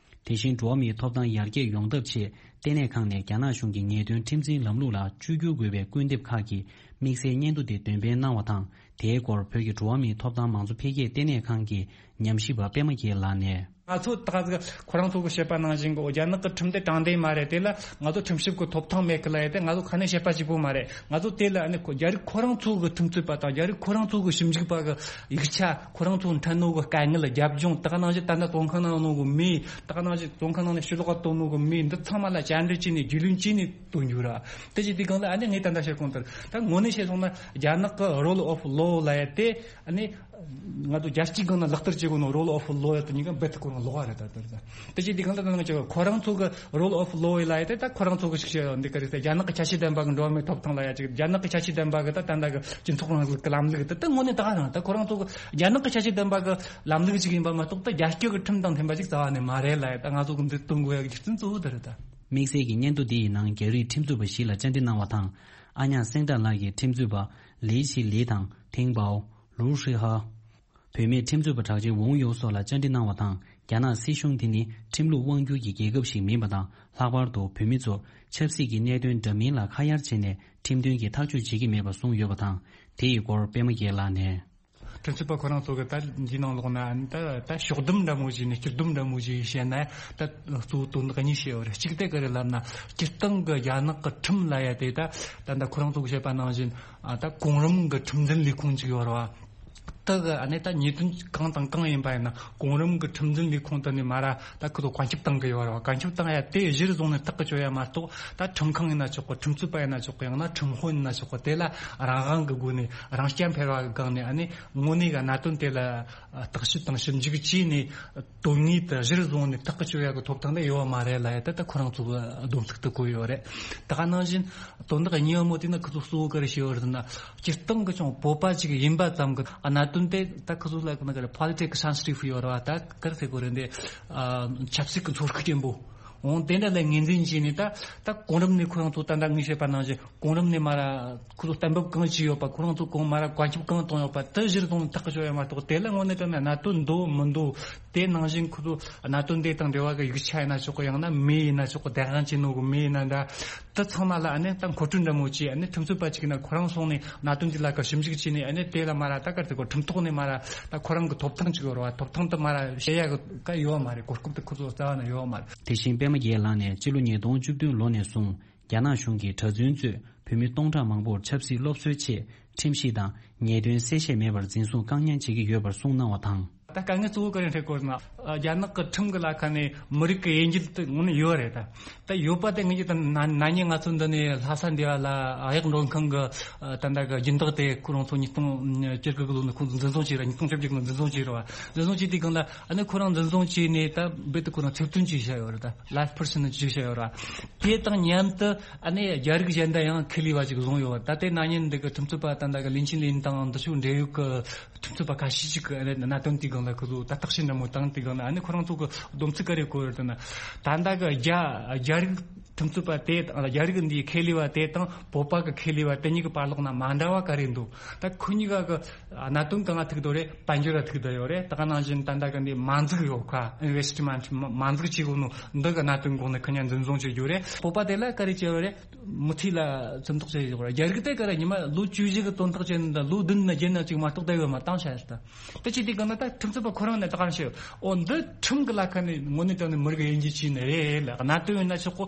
དེ་བཞིན་འགྲོ་བ་མིའི་ཐོབ་ཐང་ཡར་རྒྱས་ཡོང་ཐབས་ཆེད་ ལྟེ་གནས་ཁང་ནས་རྒྱ་ནག་གཞུང་གི་ཉེས་དོན་ཁྲིམས་འཛིན་ལམ་ལུགས་ལ་བཅོས་བསྒྱུར་དགོས་པའི་སྐུལ་འདེབས་ཁག་གི་དམིགས་བསལ་སྙན་ཐོ་དེ་འདོན་སྤེལ་གནང་བ་དང་། དེའི་སྐོར་བོད་ཀྱི་འགྲོ་བ་མིའི་ཐོབ་ཐང་མང་གཙོ་འཕེལ་རྒྱས་ལྟེ་གནས་ཁང་གིས་ཉམས་ཞིབ་པ་པད་མ་རྒྱལ་ལགས་ནས། ང་ཚོ་ད་ག་ཁོ་རང་ཚོ་གི་བཤད་པ་ནང་བཞིན་གྱི་རྒྱ་ནག་གི་ཁྲིམས་དེ་དྲང་བདེན་མ་རེད། དེ་ལ་ང་ཚོ་ཁྲིམས་ཞིབ་ཀྱི་ཐོབ་ཐང་མེད་གི་ལ་ཡ། དེ་ང་ཚོ་ཁ་ནས་བཤད་པ་གཅིག་པོ་མ་རེད། ང་ཚོ་དེ་ལ་ཨ་ནི་ཁོ་རྒྱ་རིགས་ཁོ་རང་ཚོ་གི་ཁྲིམས་རྩོད་པ་དང་རྒྱ་རིགས་ཁོ་རང་ཚོ་གི་ཞིབ་འཇུག་པ་གི་ཡིག་ཆ། ཁོ་རང་ཚོ་འཕྲད་ནོ་གི་དཀའ་ངལ། རྒྱབ་ལྗོངས། ད་ག་ནང་བཞིན་ད་ལྟ་བཙོན་ཁང་ནང་ནོ་གི་མི། ད་ག་ནང་བཞིན་བཙོན་ཁང་ནང་ནས་ཕྱི་ལོགས་ག་ཐོན་ནོ་གི་མི། འདི་ཚང་མ་ལ་བཅར་འདྲི་བྱས་ནས་རྒྱུས་ལོན་བྱས་ནས་བཏོན་རྒྱུ་ར། དེ་བྱས་དུས་སྒང་ལ་ཨ་ནི་ངས་ད་ལྟ་བཤད་གོང་ལྟར་ད་དངོས་གནས་བཤད་སོང་ན་རྒྱ་ནག་གི་rule of law ལབ་ཡ་དེ་ཨ་ནི་ང་ཚོ་རྒྱལ་སྤྱིའི་སྒང་ན་ལག་བསྟར་བྱེད་དགོས་ནོ་rule of law ཡ་དེ་གཉིས་ཀ་རྦད་དེ་ཁོ་རང་ལོགས་པ་རེད། ད་ལྟ་རེད། དེ་བྱས་དུས་སྒང་ལ་ད་ནང་ཆོ་ཁོ་རང་ཚོ་གི་rule of law ལབ་ཡ་དེ་ད་ཁོ་རང་ཚོ་གི་ཞིག་བཤད་ཡོད་འདི་ག་རེད་ཟེར། རྒྱ་ནག་གི་ཆ་ཤས་ལྡན་པ་གི་འགྲོ་བ་མིའི་ཐོབ་ཐང་ལབ་ཡ་ཅིག་རྒྱ་ནག་གི་ཆ་ཤས་ལྡན་པ་གི་ད་ད་ལྟ་གི་སྤྱི་ཚོགས་རིང་ལུགས་ཀྱི་ལམ་ལུགས་དེ་ད་དངོས་གནས་ད་ག་རང་ད་ཁོ་རང་ཚོ་གི་རྒྱ་ནག་གི་ཆ་ཤས་ལྡན་པ་གི་ལམ་ལུགས་ཅིག་ཡིན་པ་མ་གཏོགས་ད་རྒྱ་སྐྱོད་ཀྱི་ཁྲིམས་དང་མཐུན་པ་ཅིག་རྩ་བ་ནས་མ་རེད་ལབ་ཡ། ད་ང་ཚོ་གི་འདི་སྟོན་དགོས་ཡ་གི་རྒྱུ་མཚན་གཙོ་བོ་དེ་རེད་ད། དམིགས་བསལ་གྱི་སྙན་ཐོ་འདི་ཡི་ནང་རྒྱ་རིགས་ཁྲིམས་རྩོད་པ་བཞི་ལ་བཅར་འདྲི་གནང་བ་དང་། ཨ་ཉག་སེང་བྲག་ལགས་ཀྱིས་ཁྲིམས་རྩོད་པ་ལི་ཆི་ལི་དང་ཐེང་པའོ། ལུའུ་ཧྲི་ཧ། བུད་མེད་ཁྲིམས་རྩོད་པ་གྲགས་ཅན་ཝུང་ཡོ་སོགས་ལ་བཅར་འདྲི་གནང་བ་དང་། རྒྱ་ནག་སྲིད་གཞུང་དེ་ནི་ཁྲིམས་ལུགས་དབང་སྒྱུར་གྱི་རྒྱལ་ཁབ་ཞིག་མིན་པ་དང་། ལྷག་པར་དུ་བོད་མི་ཚོར་ཆབ་སྲིད་ཀྱི་གནད་དོན་འདྲ་མིན་ལ་ཁ་གཡར་བྱས་ནས་ཁྲིམས་མཐུན་གྱི་ཐག་གཅོད་བྱེད་ཀྱི་མེད་པ་གསུངས་ཡོད་པ་དང་། དེ་ཡི་སྐོར་པད་མ་རྒྱལ་ལགས་ནས། ཁྲིམས་རྩོད་པ་ཁོ་རང་ཚོ་གི་ད་འདི་ནང་ལོགས་ན་ད་ད་ཕྱོགས་བསྡོམས་འདྲ་མོ་ཞིག་ནས་སྤྱིར་བསྡོམས་འདྲ་མོ་ཞིག་བཤད་ན་ད་གཙོ་བོ་དོན་དག་གཉིས་བཤད་ཡོད་རེད། གཅིག་དེ་ག་རེ་ལབ་ན་སྤྱིར་བཏང་གི་རྒྱ་ནག་གི་ཁྲིམས་ལབ་ཡ་དེ་ད་ད་ད་ཁོ་རང་ཚོ་གི་བཤད་པ་ནང་བཞིན་ཨ་ད་གོང་རིམ་གི་ཁྲིམས་འཛིན་ལས་ཁུངས་ཅིག་ཡོད་རེད་བ། ད་གི་ཨ་ནི་ད་ཉེས་དོན་གང་དང་གང་ཡིན་པ་ཡིན་ན་གོང་རིམ་གི་ཁྲིམས་འཛིན་ལས་ཁུངས་དེ་ནས་མ་ར་ད་ཁོ་ཚོ་བཀའ་ཁྱབ་བཏང་གི་ཡོད་རེད་བ། བཀའ་ཁྱབ་བཏང་ཡ་དེ་གཞིར་བཟུང་ནས་ཐག་གི་གཅོད་ཡ་མ་གཏོགས་ད་ཁྲིམས་ཁང་ཡིན་ན་ཆོག་གི། ཁྲིམས་རྩོད་པ་ཡིན་ན་ཆོག་གི། ཡང་ན་ཁྲིམས་དཔོན་ཡིན་ན་ཆོག་གི། དེ་ལ་རང་དབང་གི་སྒོ་ནས་རང་རྐྱ་འཕེར་བ་གི་སྒང་ནས་ཨ་ནི་དངོས་གནས་གི་གནད་དོན་དེ་ལ་བརྟག་ཞིབ་དང་ཞིབ་འཇུག་བྱས་ནས་དོན་དངོས་དེ་གཞིར་བཟུང་ནས་ཐག་གི་གཅོད་ཡ་གི་ཐོབ་ཐང་དེ་ཡོད་བ་མ་རེད་ལབ་ཡ་ད་ད་ཁོ་རང་ཚོ་གི་སྡོམ་ཚིག་ཏུ་བཀོད་ཡོད་རེད། ད་ག་ནང་བཞིན་དོན་དག་གཉིས་པ་མོ་དེ་ནི་ཁོ་ཚོ་གཙོ་བོ་ག་རེ་བྱས་ཡོད་རེད་ཟེར་ན། སྤྱིར་བཏང་གི་ཅུང་བོད་པ་ཅིག་ཡིན་པ་ཙམ་གྱིས་གནད་དོན་དེ་ད་ཁོ་ཚོ་ལ་ག་ན་ག་རེ་political sensitive ཡོད་རེད་བ། ད་ག་རེ་ཟེར་དགོས་རེད་འདི། ཨ། ཆབ་སྲིད་ཀྱི་ཚོར་ཤུགས་ཆེན་པོ། འོང་དེ་འདྲ་ལ་ངོས་འཛིན་བྱས་ནས་ད་ད་གོང་རིམ་ནས་ཁོ་རང་ཚོ་ད་ལྟ་ངས་བཤད་པ་ནང་བཞིན་གོང་རིམ་ནས་མ་ར་ཁོ་ཚོ་གཏན་འབེབས་གང་བྱས་ཡོད་པ། ཁོ་རང་ཚོ་གོང་མ་ར་བཀའ་ཁྱབ་གང་བཏང་ཡོད་པ་དེ་གཞིར་བཟུང་ནས་ཐག་གཅོད་ཡ་མ་གཏོགས། དེ་ལ་དངོས་གནས་དྲང་གནས་གནད་དོན་འདུག་མི་འདུག་དེ་ནང་བཞིན་ཁོ་ཚོ་གནད་དོན་དེ་དང་འབྲེལ་བ་གི་ཡིག་ཆ་ཡིན་ན་ཆོག་གི། ཡང་ན་མི་ཡིན་ན་ཆོག་གི། བདེན་དཔང་བྱེད་ནོ་གི་མི་ཡིན་ན་འདྲ། དེ་ཚང་མ་ལ་ཨ་ནི་ད་མཁོ་སྤྲོད་འདྲ་མོ་བྱས། ཨ་ནི་ཁྲིམས་རྩོད་པ་ཅིག་ཡིན་ན་ཁོ་རང་སོང་ནས་གནད་དོན་འདི་ལ་ཀ་ཞིབ་འཇུག་བྱས་ནས་ཨ་ནི་དེ་ལ་མ་ར་ད་གར་དེ་གོ་ཁྲིམས་ཐོག་ནས་མ་ར་ད་ཁོ་རང་གི་ཐོབ་ཐང་ཅིག་ཡོད་རེད་བ། ཐོབ་ཐང་དེ་མ་ར་བཤད་ཡ་གི་ཀ་ཡོད་བ་མ་རེད། གོ་སྐབས་དེ་ཁོ་ཚོ་རྩ་བ་ནས་ཡོད་བ་མ་རེད། དེ་བཞིན་པད་མ་རྒྱལ་ལགས་ནས་སྤྱི་ལོ་ཉིས་སྟོང་བཅུ་བདུན་ལོ་ནས་བཟུང་རྒྱ་ནག་གཞུང་གིས་གྲྭ་བཙུན་གཙོས་བོད་མི་སྟོང་ཕྲག་མང་པོར་ཆབ་སྲིད་སློབ་གསོའི་ཆེད་ཁྲིམས་ཞིབ་དང་ཉེས་དོན་གསལ་བཤད་མེད་པར་འཛིན་བཟུང་བཀག་ཉར་བྱེད་ཀྱི་ཡོད་པར་གསུངས་གནང་བ་དང་། ད་དཀའ་ངལ་གཙོ་བོ་ག་རེ་འཕྲད་ཀྱི་ཡོད་ན། རྒྱ་ནག་གི་ཁྲིམས་ཀྱི་ལ་ཁ་ནས་མི་རིགས་ཀྱི་དབྱེ་འབྱེད་དེ་དངོས་གནས་ཡོད་རེད། ད་ད་ཡོད་པ་དེ་ངེད་ཀྱི་ད་ན་ན་ནིང་ང་ཚོ་འདི་ནས་ལྷ་ས་འདི་བ་ལ་གཡག་མགྲོན་ཁང་གི་ད་ལྟ་གི་སྦྱིན་བདག་དེ་ཁོ་རང་ཚོ་ཉིས་སྟོང་བཅུ་དགུ་གི་ལོ་ནས་ཁོང་ཚོ་འཛིན་བཟུང་བྱས་ར། ཉིས་སྟོང་བཅོ་བརྒྱད་གི་ལོ་འཛིན་བཟུང་བྱས་ར་བ། འཛིན་བཟུང་བྱས་དུས་སྒང་ལ་ཨ་ནི་ཁོ་རང་འཛིན་བཟུང་བྱས་ནས་ད་རྦད་དེ་ཁོ་རང་ཚབ་མཐུན་ཅིག་བྱས་ཡོད་རེད། ད་life prisoner ཅིག་བྱས་ཡོད་རེད། དེ་དང་མཉམ་དུ་ཨ་ནི་རྒྱ་རིགས་གཞན་དག་ཡང་ཁེ་ལས་བ་ཅིག་བཟུང་ཡོད་རེད། ད་དེ་ན་ནིང་འདི་གི་ཁྲིམས་རྩོད་པ་ད་ལྟ་གི་ལིན་ཆིན་ལིན་དང་འདི་ཚོའི་འབྲེལ་ཡོད་གི་ཁྲིམས་རྩོད་པ་ཁ་ཤས་ཤིག་གི་ཨ་ནི་གནད་དོན་དེའི་སྒང་ལ་ཁོ་ཚོ་ད་བརྟག་དཔྱད་འདྲ་མོ་བཏང་དུས་སྒང་ལ་ཨ་ནི་ཁོ་རང་ཚོ་གི་སྡོམ་ཚིག་ག་རེ་བཀོད་ཡོད་ཟེར་ན། ད་ལྟ་གི་རྒྱ་རྒྱ་རིགས་ཁྲིམས་རྩོད་པ་དེ་དང་རྒྱ་རིགས་འདིའི་ཁེ་ལས་པ་དེ་དང་བོད་པ་གི་ཁེ་ལས་པ་དེ་གཉིས་ཀྱི་བར་ལོགས་ན་མ་འདྲ་བ་ག་རེ་འདུག་ད་ཁོ་གཉིས་ཀ་གི་གནད་དོན་གང་ལ་ཐུག་འདུག་རེད། དཔལ་འབྱོར་ལ་ཐུག་འདུག་ཡོད་རེད། ད་ག་ནང་བཞིན་ད་ལྟ་གི་འདི་མ་འཛུགས་ཡོད་ཁ་investment མ་མ་འཛུགས་བྱེད་དགོས་ནོ་འདི་གི་གནད་དོན་སྒང་ནས་ཁོ་གཉིས་འཛིན་བཟུང་བྱེད་རྒྱུ་རེད། བོད་པ་དེ་ལ་ག་རེ་བྱས་ཡོད་རེད། མུ་མཐུད་ལ་བཙོན་ཐོག་བྱས་ཡོད་རེད། རྒྱ་རིགས་དེ་ག་རེ་ཉི་མ་ལོ་བཅུ་བཞི་གི་བཙོན་ཐོག་བྱས་ནས་ད་ལོ་བདུན་ན་བརྒྱད་ན་ཅིག་མ་གཏོགས་ད་ཡོད་མ་བཏང་བྱ་ཡོད་ད། དེ་བྱས་དུས་གང་ན་ད་ཁྲིམས་རྩོད་པ་ཁོ་རང་ནས་ད་ག་རེ་བཤད་ཡོད། འོ་འདི་ཁྲིམས་ཀྱི་ལ་ཁ་ནས་དངོས་གནས་དྲང་གནས་མི་རིགས་དབྱེ་འབྱེད་བྱས་ནས་རེད་ལ་གནད་དོན་ཡིན་ན་ཆོག་གོ།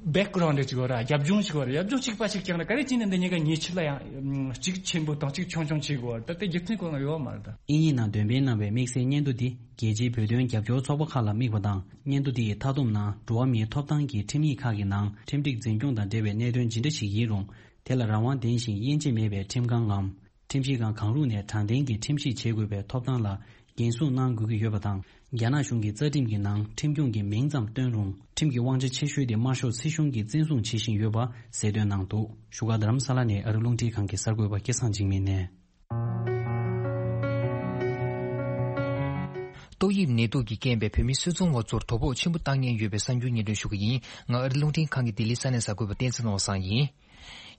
background ཅིག་ཡོད་ར། རྒྱབ་ལྗོངས་ཅིག་ཡོད་ར། རྒྱབ་ལྗོངས་གཅིག་པ་ཞིག་ཀྱང་ར་ག་རེ་བྱས་ནས་འདི་གཉིས་ཀ་ཉེ་ཆར་ལ་ཡང་གཅིག་ཆེན་པོ་དང་གཅིག་ཆུང་ཆུང་བྱེད་དགོས་ར། ད་དེ་རྒྱུ་མཚན་ཁོ་རང་ཡོད་མ་རེད་ད། དབྱིན་ཡིག་ནང་འདོན་སྤེལ་གནང་བའི་དམིགས་བསལ་སྙན་ཐོ་འདི་རྒྱལ་སྤྱིའི་བོད་དོན་རྒྱབ་སྐྱོར་ཚོགས་པ་ཁག་ལ་དམིགས་པ་དང་། སྙན་ཐོ་འདི་ཡི་མཐའ་སྡོམ་ནང་འགྲོ་བ་མིའི་ཐོབ་ཐང་གི་ཁྲིམས་ཡིག་ཁག་གི་ནང་ཁྲིམས་སྒྲིག་འཛིན་སྐྱོང་དང་འབྲེལ་བའི་གནད་དོན་ཇི་འདྲ་ཞིག་ཡིན་རུང་། དེ་ལ་རང་དབང་ལྡན་ཞིང་དབྱེ་འབྱེད་མེད་པའི་ཁྲིམས་ཁང་ངམ། ཁྲིམས་ཞིབ་ཁང་གང་རུང་ནས་དྲང་བདེན་གྱི་ཁྲིམས་ཞིབ་བྱེད་དགོས་པའི་ཐོབ་ཐང་ལ་འགན་སྲུང་གནང་དགོས་ཀྱི་ཡོད་པ་དང་། རྒྱ་ནག་གཞུང་གི་རྩ་ཁྲིམས་ཀྱི་ནང་ཁྲིམས་སྐྱོང་གི་མིང་ཙམ་བཏོན་རུང་། ཁྲིམས་ཀྱི་དབང་ཆ་ཆེ་ཤོས་དེ་དམར་ཤོག་སྲིད་གཞུང་གིས་བཙན་བཟུང་བྱེད་བཞིན་ཡོད་པ་གསལ་སྟོན་གནང་འདུག་བཞུགས་སྒར་རྡ་རམ་ས་ལ་ནས་ཨ་རི་རླུང་འཕྲིན་ཁང་གི་གསར་འགོད་པ་སྐལ་བཟང་འཇིགས་མེད་ནས། ཏོག་དབྱིབས་ནད་དུག་གིས་རྐྱེན་པས་བོད་མི་སུད་ཚོང་བ་ཚོར་དོ་ཕོག་ཆེན་པོ་བཏང་མཁན་ཡོད་པའི་གསར་འགྱུར་སྙན་སྒྲོན་ཞུ་གི་ཡིན། ང་ཨ་རི་རླུང་འཕྲིན་ཁང་གི་ལྡི་ལི་ས་གནས་གསར་འགོད་པ་བསྟན་འཛིན་ནོར་བཟང་ཡིན།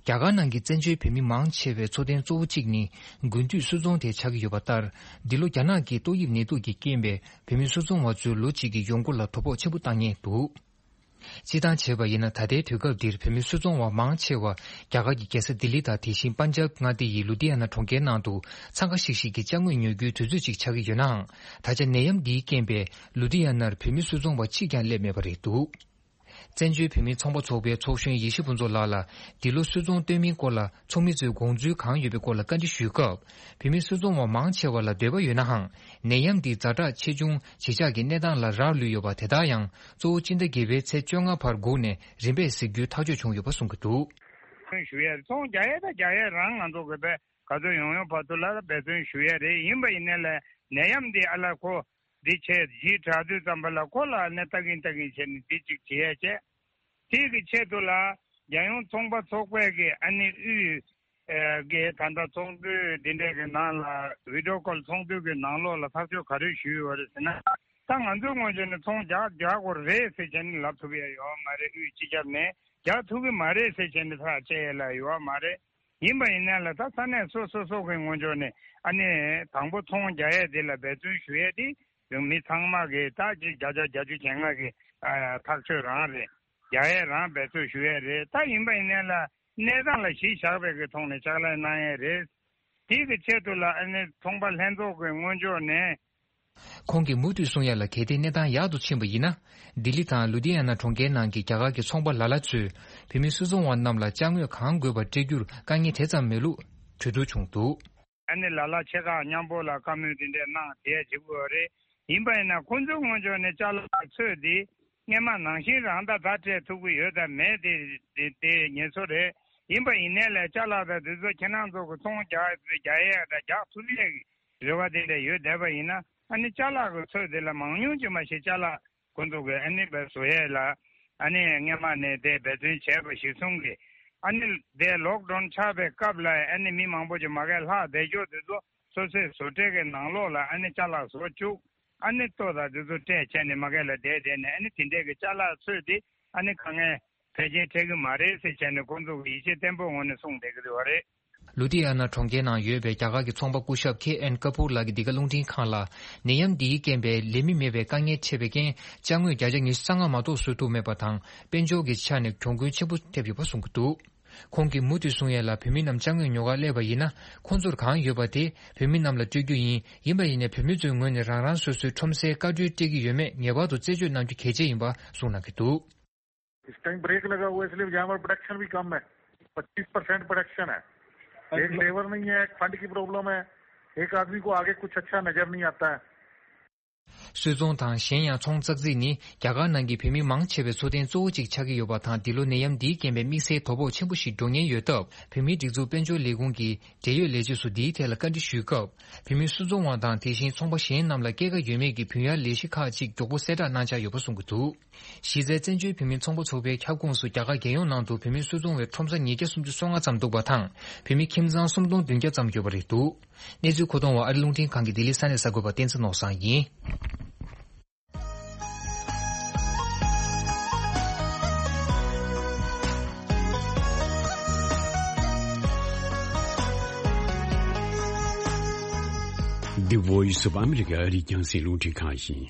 རྒྱ་གར་ནང་གི་བཙན་བྱོལ་བོད་མི་མང་ཆེ་བའི་འཚོ་རྟེན་གཙོ་བོ་གཅིག་ནི་དགུན་དུས་སུད་ཚོང་དེ་ཆགས་ཀྱི་ཡོད་པ་ལྟར། འདི་ལོ་རྒྱ་ནག་གི་ཏོག་དབྱིབས་ནད་དུག་གིས་རྐྱེན་པས་བོད་མི་སུད་ཚོང་བ་ཚོའི་ལོ་གཅིག་གི་ཡོང་སྒོ་ལ་དོ་ཕོག་ཆེན་པོ་བཏང་མཁན་འདུག་སྤྱིར་བཏང་བྱས་པ་ཡིན་ན། ད་ལྟའི་དུས་སྐབས་འདིར་བོད་མི་སུད་ཚོང་བ་མང་ཆེ་བ་རྒྱ་གར་གྱི་རྒྱལ་ས་ལྡི་ལི་དང་། དེ་བཞིན་པན་ཇབ་མངའ་སྡེ་ཡི་ལུ་དྷི་ཡ་ན་གྲོང་ཁྱེར་ནང་དུ་འཚང་ཁ་ཤིག་ཤིག་གི་ཅ་དངོས་ཉོ་རྒྱུའི་དུས་ཚོད་ཅིག་ཆགས་ཀྱི་ཡོད་ནའང་། ད་ཆ་ནད་ཡམས་འདིའི་རྐྱེན་པས་ལུ་དྷི་ཡ་ནར་བོད་མི་སུད་ཚོང་བ་གཅིག་ཀྱང་སླེབས་མེད་པ་རེད་འདུག། བཙན་བྱོལ་བོད་མིའི་ཚོང་པ་ཚོགས་པའི་ཚོགས་གཞོན་ཡེ་ཤེས་ཕུན་ཚོགས་ལགས་ལ། འདི་ལོ་སུད་ཚོང་སྟོན་མིན་སྐོར་ལ་ཚོགས་མི་ཚོས་དགོངས་ཚུལ་གང་ཡོད་པའི་སྐོར་ལ་བཀའ་འདྲི་ཞུས་སྐབས། བོད་མི་སུད་ཚོང་བ་མང་ཆེ་བ་ལ་འདོད་པ་ཡོད་ནའང་། ནད་ཡམས་འདིས་ཛ་དྲག་ཆེ་ཆུང་བརྗིད་ཆགས་ཀྱི་གནས་སྟངས་ལ་རག་ལུས་ཡོད་པ། དེ་དག་ཡང་གཙོ་བོ་སྤྱི་ཟླ་བརྒྱད་པའི་ཚེས་བཅོ་ལྔ་བར་སྒུག་ནས་རིམ་པས་གཟིགས་རྒྱུའི་ཐག་གཅོད་བྱུང་ཡོད་པ་གསུང་གི་འདུག། ཞུ་ཡ་རེད། ཚོང་རྒྱག་ཡ་དང་རྒྱག་ཡ་རང་ང་ཚོ་གི་དཔེ་ག་ཚོད་ཡོང་ཡོང་བར་དུ་ལ་འབད་བརྩོན་ཞུ་ཡ་རེད། ཡིན་པ་ཡིན་ནའི་ལ་ནད་ཡམས་འདི་ཨ་ལ་ཁོ་འདི་བྱས་ཇི་དྲག་དུས་ཙམ་པ་ལ་ཁོ་ལ་ནི་ལྟ་གིན་ལྟ་གིན་བྱས་ནས་འདི་གཅིག་བྱེད་ཡ་བྱས། དེ་གི་ཆེད་དུ་ལ་རྒྱལ་ཡོངས་ཚོང་པ་ཚོགས་པས་ཀྱི་ཨ་ནི་དབུས་ཨེ་གི་ད་ལྟ་ཚོགས་འདུ་འདི་འདྲས་ཀྱི་ནང་ལ་བི་ཌི་ཡོ་ཀོལ་ཚོགས་འདུ་གི་ནང་ལོགས་ལ་ཐག་གཅོད་ག་རེ་ཞུས་ཡོད་རེད་ཟེར་ན། ད་ང་ཚོའི་ངོས་ནས་ཚོང་རྒྱག་རྒྱག་དགོས་རེད་ཟེར་བྱས་ནས་ལབ་ཐུབ་ཡ་ཡོད་མ་རེད། དབུས་སྤྱི་ཁྱབ་ནས་རྒྱག་ཐུབ་ཀྱི་མ་རེད་ཟེར་བྱས་ནས་ཐག་བཅད་ཡ་ལ་ཡོད་མ་རེད། ཡིན་པ་ཡིན་ན་ལ་ད་ས་གནས་སོ་སོ་སོ་གི་ངོས་ཕྱོགས་ནས་ཨ་ནི་དང་པོ་ཚོང་རྒྱག་ཡས་དེ་ལ་འབད་བརྩོན་ཞུ་ཡས་དེ་མི་ཚང་མ་གི་ད་ཅིག་བརྒྱ་ཆ་བརྒྱད་ཅུ་གྱ་ལྔ་གི་ཨ་ཐག་གཅོད་རང་རེད། རྒྱག་ཡས་རང་འབད་བརྩོན་ཞུ་ཡས་རེད། ད་ཡིན་པ་ཡིན་ན་ལ་གནས་སྟངས་ལ་གཞི་བཞག་པའི་གི་ཐོག་ནས་ཕྱག་ལས་གནང་ཡས་རེད། དེ་གི་ཆེད་དུ་ལ་ཨ་ནི་ཚོང་པ་ལྷན་ཚོགས་ཀྱི་ངོས་ཕྱོགས་ནས། ཁོང་གིས་མུ་མཐུད་གསུང་ཡ་ལ། གལ་ཏེ་གནས་སྟངས་ཡག་ཏུ་ཕྱིན་པ་ཡིན་ན། ལྡི་ལི་དང་ལུ་དྷི་ཡ་ན་གྲོང་ཁྱེར་ནང་གི་རྒྱ་གར་གྱི་ཚོང་པ་ལ་ལ་ཚོས་བོད་མི་སུད་ཚོང་བ་རྣམས་ལ་ཅ་དངོས་གང་དགོས་པ་སྤྲད་རྒྱུར་དཀའ་ངལ་དེ་ཙམ་མེད་ལུགས་གྲོས་བསྡུར་བྱུང་འདུག། ཨ་ནི་ལ་ལ་ཆེ་ཁག་མཉམ་པོ་ལ་བཀའ་མོལ་དེ་འདྲས་གནང་བསྡད་བྱེད་དགོས་རེད། ཡིན་པ་ཡིན་ན་ཁོང་ཚོའི་ངོས་ཕྱོགས་ནས་ཅ་ལག་ཚོས་དེ་སྔས་མ་ནང་བཞིན་རང་ད་ད་སྤྲད་ཐུབ་ཀྱི་ཡོད་དམ་མེད་དེ་དེ་དེ་ངེས་སོ་རེད། ཡིན་པ་ཡིན་ནའི་ལས་ཅ་ལག་དང་དེ་ཚོ་ཁྱེད་རང་ཚོ་གི་ཚོང་རྒྱག་རྒྱག་ཡས་དང་རྒྱག་ཐུབ་ཡས་ཀྱི་རེ་བ་དེ་འདྲ་ཡོད་བསྡད་པ་ཡིན་ན། ཨ་ནི་ཅ་ལག་གི་ཚོས་དེ་ལ་མང་ཉུང་ཅིག་མ་ཞིག་ཅ་ལག་ཁོང་ཚོ་གི་ཨ་ནི་བས་བཟོ་ཡས་ལ་ཨ་ནི་སྔས་མ་ནས་དེ་འབད་བརྩོན་བྱས་པ་གཞིར་བཟུང་གི་ཨ་ནི་དེ་ལོག་ཌའོན་ཆགས་པའི་སྐབས་ལ་ཨ་ནི་མི་མང་པོ་ཅིག་མ་གས་ལྷག་བསྡད་ཀྱོག་དེ་ཚོ་སོ་སོའི་བཟོ་གྲྭ་གི་ནང་ལོགས་ལ་ཨ་ནི་ཅ་ལག་བཟོ་བཅུག། ཨ་ནི་ལྟོ་དང་དེ་ཚོ་སྤྲད་བྱས་ནས་མ་གས་ལ་བསྡད་བསྡད་ནས་ཨ་ནི་དེ་འདྲས་ཀྱི་ཅ་ལག་ཚོས་དེ་ཨ་ནི་དཀའ་ངལ་ཕལ་ཆེར་འཕྲད་ཀྱི་མ་རེད་ཟེར་བྱས་ནས་ཁོང་ཚོ་གི་ཡིད་ཆེས་བརྟན་པོའི་ངང་ནས་གསུངས་བསྡད་ཀྱི་ཡོད་རེད། ལུ་དྷི་ཡ་ན་གྲོང་ཁྱེར་ནང་ཡོད་པའི་རྒྱ་གར་གྱི་ཚོང་པ་སྐུ་ཞབས་ཁེ་ཨེན་ཀ་ཕུར་ལགས་ཀྱིས་འདི་ག་རླུང་འཕྲིན་ཁང་ལ། ནད་ཡམས་འདིའི་རྐྱེན་པས་ལས་མི་མེད་པའི་དཀའ་ངལ་འཕྲད་པའི་རྐྱེན། ཅ་དངོས་བརྒྱ་ཆ་ཉི་ཤུ་རྩ་ལྔ་མ་གཏོགས་བཟོ་ཐུབ་མེད་པ་དང་། དཔལ་འབྱོར་གྱི་ཆ་ནས་གྱོང་གུན་ཆེན་པོ་ཐེབས་ཡོད་པ་གསུང་གི་འདུག། ཁོང་གིས་མུ་མཐུད་གསུང་ཡས་ལ། བོད་མི་རྣམས་ཅ་དངོས་ཉོ་གར་སླེབས་པ་ཡིན་ན། ཁོང་ཚོར་གང་ཡོད་པ་དེ་བོད་མི་རྣམས་ལ་སྤྲོད་རྒྱུ་ཡིན། ཡིན་པ་ཡིན་ནའི་བོད་མི་ཚོའི་ངོས་ནས་རང་རང་སོ་སོའི་ཁྲོམ་སའི་བཀའ་འཁྲོལ་སྤྲད་ཀྱི་ཡོད་མེད་ངེས་པར་དུ་རྩད་གཅོད་གནང་རྒྱུ་གལ་ཆེ་ཡིན་པ་གསུངས་གནང་གི་འདུག། इस time break लगा हुआ है, इसलिए यहाँ पर प्रोडक्शन भी कम है। पच्चीस परसेंट प्रोडक्शन है। एक लेबर नहीं है, एक फंड की प्रॉब्लम है, एक आदमी को आगे कुछ अच्छा नजर नहीं आता है। སུད་ཚོང་དང་གཞན་ཡང་ཚོང་ཙག་ཙིག་ནི་རྒྱ་གར་ནང་གི་བོད་མི་མང་ཆེ་བའི་འཚོ་རྟེན་གཙོ་བོ་གཅིག་ཆགས་ཀྱི་ཡོད་པ་དང་། འདི་ལོ་ནད་ཡམས་འདིའི་རྐྱེན་པས་དམིགས་བསལ་དོ་ཕོག་ཆེན་པོ་ཞིག་འགྲོ་ཉེན་ཡོད་སྟབས། བོད་མིའི་སྒྲིག་འཛུགས་དཔལ་འབྱོར་ལས་ཁུངས་ཀྱི་འབྲེལ་ཡོད་ལས་བྱེད་ཚོ་འདིའི་ཐད་ལ་བཀའ་འདྲི་ཞུས་སྐབས། བོད་མི་སུད་ཚོང་བ་དང་དེ་བཞིན་ཚོང་པ་གཞན་རྣམས་ལ་སྐྱེད་ཀ་ཡོད་མེད་ཀྱི་བུན་གཡར་ལས་གཞི་ཁག་ཅིག་མགྱོགས་པོ་གསལ་བསྒྲགས་གནང་འཆར་ཡོད་པ་གསུང་གི་འདུག། གཞི་རྩའི་བཙན་བྱོལ་བོད་མིའི་ཚོང་པ་ཚོགས་པའི་ཁྱབ་ཁོངས་སུ་རྒྱ་གར་རྒྱལ་ཡོངས་ནང་དུ་བོད་མིའི་སུད་ཚོང་བའི་ཁྲོམ་ས་ཉིས་བརྒྱ་སུམ་ཅུ་སོ་ལྔ་ཙམ་འདུག་པ་དང་། བོད་མི་ཁྱིམ་ཚང་སུམ་སྟོང་བདུན་བརྒྱ་ཙམ་ཡོད་པ་རེད་འདུག། གནས་ཚུལ་མཁོ་གཏོང་བ་ཨ་རི་རླུང་འཕྲིན་ཁང་གི་ལྡི་ལི་ས་གནས་གསར་འགོད་པ་བསྟན་འཛིན་ནོར་བཟང་ཡིན། The Voice of America ཨ་རིའི་རྒྱང་སྲིང་རླུང་འཕྲིན་ཁང་ཡིན།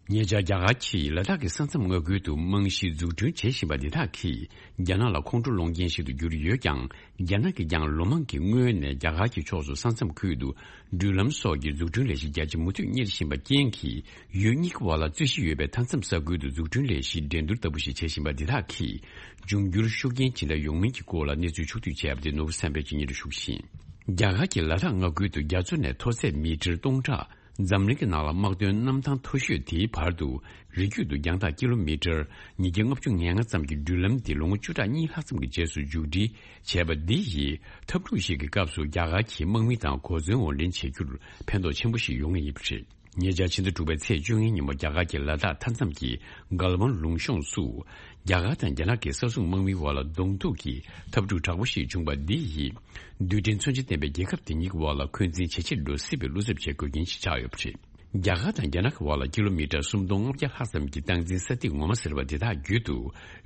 ཉེ་ཆར་རྒྱ་གར་གྱིས་ལ་དྭགས་ཀྱི་ས་མཚམས་མངའ་ཁུལ་དུ་རྨང་གཞི་འཛུགས་སྐྲུན་བྱེད་བཞིན་པ་འདི་དག་གིས་རྒྱ་ནག་ལ་ཁོང་ཁྲོ་སློང་རྐྱེན་ཞིག་ཏུ་གྱུར་ཡོད་ཀྱང་། རྒྱ་ནག་གིས་ཀྱང་ལོ་མང་གི་སྔོན་ནས་རྒྱ་གར་གྱི་ཕྱོགས་སུ་ས་མཚམས་ཁུལ་དུ་འགྲུལ་ལམ་སོགས་ཀྱི་འཛུགས་སྐྲུན་ལས་གཞི་རྒྱ་ཆེ་མུ་མཐུད་གཉེར་བཞིན་པ་རྐྱེན་གྱིས། ཡུལ་གཉིས་ཀྱི་བར་ལ་རྩོད་གཞི་ཡོད་པའི་མཐའ་མཚམས་ས་ཁུལ་དུ་འཛུགས་སྐྲུན་ལས་གཞི་འགྲན་བསྡུར་ལྟ་བུ་ཞིག་བྱེད་བཞིན་པ་འདི་དག་གིས་འབྱུང་འགྱུར་ཤུགས་རྐྱེན་ཇི་འདྲ་ཡོང་མིན་གྱི་སྐོར་ལ་གནས་ཚུལ་ཕྱོགས་བསྡུས་བྱས་པ་དེ་ནོར་བུ་བསམ་འཕེལ་གྱིས་སྙན་སྒྲོན་ཞུ་གི་ཡིན། རྒྱ་གར་གྱི་ལ་དྭགས་མངའ་ཁུལ་དུ་རྒྱ་མཚོ་ནས་མཐོ་ཚད་མི་ཊར་སྟོང་ཕྲག་འཛམ་གླིང་གི་ནང་ལ་དམག་དོན་གནམ་ཐང་མཐོ་ཤོས་དེའི་བར་དུ་རི་རྒྱུད་དུ་རྒྱང་ཐག་ཀི་ལོ་མི་ཊར་ཉིས་བརྒྱ་ལྔ་བཅུ་ང་ལྔ་ཙམ་གྱི་འགྲུལ་ལམ་དེ་ལོ་ངོ་བཅུ་ཕྲག་གཉིས་ལྷག་ཙམ་གྱི་རྗེས་སུ་མཇུག་སྒྲིལ་བྱས་པ་འདི་ཡིས་འཐབ་འཁྲུག་ཞིག་གི་སྐབས་སུ་རྒྱ་གར་གྱི་དམག་མི་དང་གོ་མཚོན་དབོར་འདྲེན་བྱེད་རྒྱུར་ཕན་ཐོགས་ཆེན་པོ་ཞིག་ཡོང་ངེས་ཡིན་པ་རེད། ཉེ་ཆར་ཕྱི་ཟླ་དྲུག་པའི་ཚེས་བཅོ་ལྔའི་ཉིན་མོ་རྒྱ་གར་གྱི་ལ་དྭགས་མཐའ་མཚམས་ཀྱི་གལ་ཝན་ལུང་གཤོང་སུ། རྒྱ་གར་དང་རྒྱ་ནག་གི་ས་སྲུང་དམག་མིའི་དབར་ལ་གདོང་ཐུག་གི་འཐབ་འཁྲུག་དྲག་པོ་ཞིག་བྱུང་བ་འདི་ཡིས། རྡུལ་ཕྲན་མཚོན་ཆ་ལྡན་པའི་རྒྱལ་ཁབ་དེ་གཉིས་ཀྱི་དབར་ལ་འཁོན་འཛིན་ཇེ་ཆེར་འགྲོ་སྲིད་པའི་བློ་འཚབ་བྱེད་དགོས་རྐྱེན་ཞིག་ཆགས་ཡོད་པ་རེད། རྒྱ་གར་དང་རྒྱ་ནག་གི་དབར་ལ་ཀི་ལོ་མི་ཊར་སུམ་སྟོང་ལྔ་བརྒྱ་ལྷག་ཙམ་གྱི་སྟངས་འཛིན་ས་ཐིག་ངོ་མ་ཟེར་བ་འདི་དག་བརྒྱུད་དུ།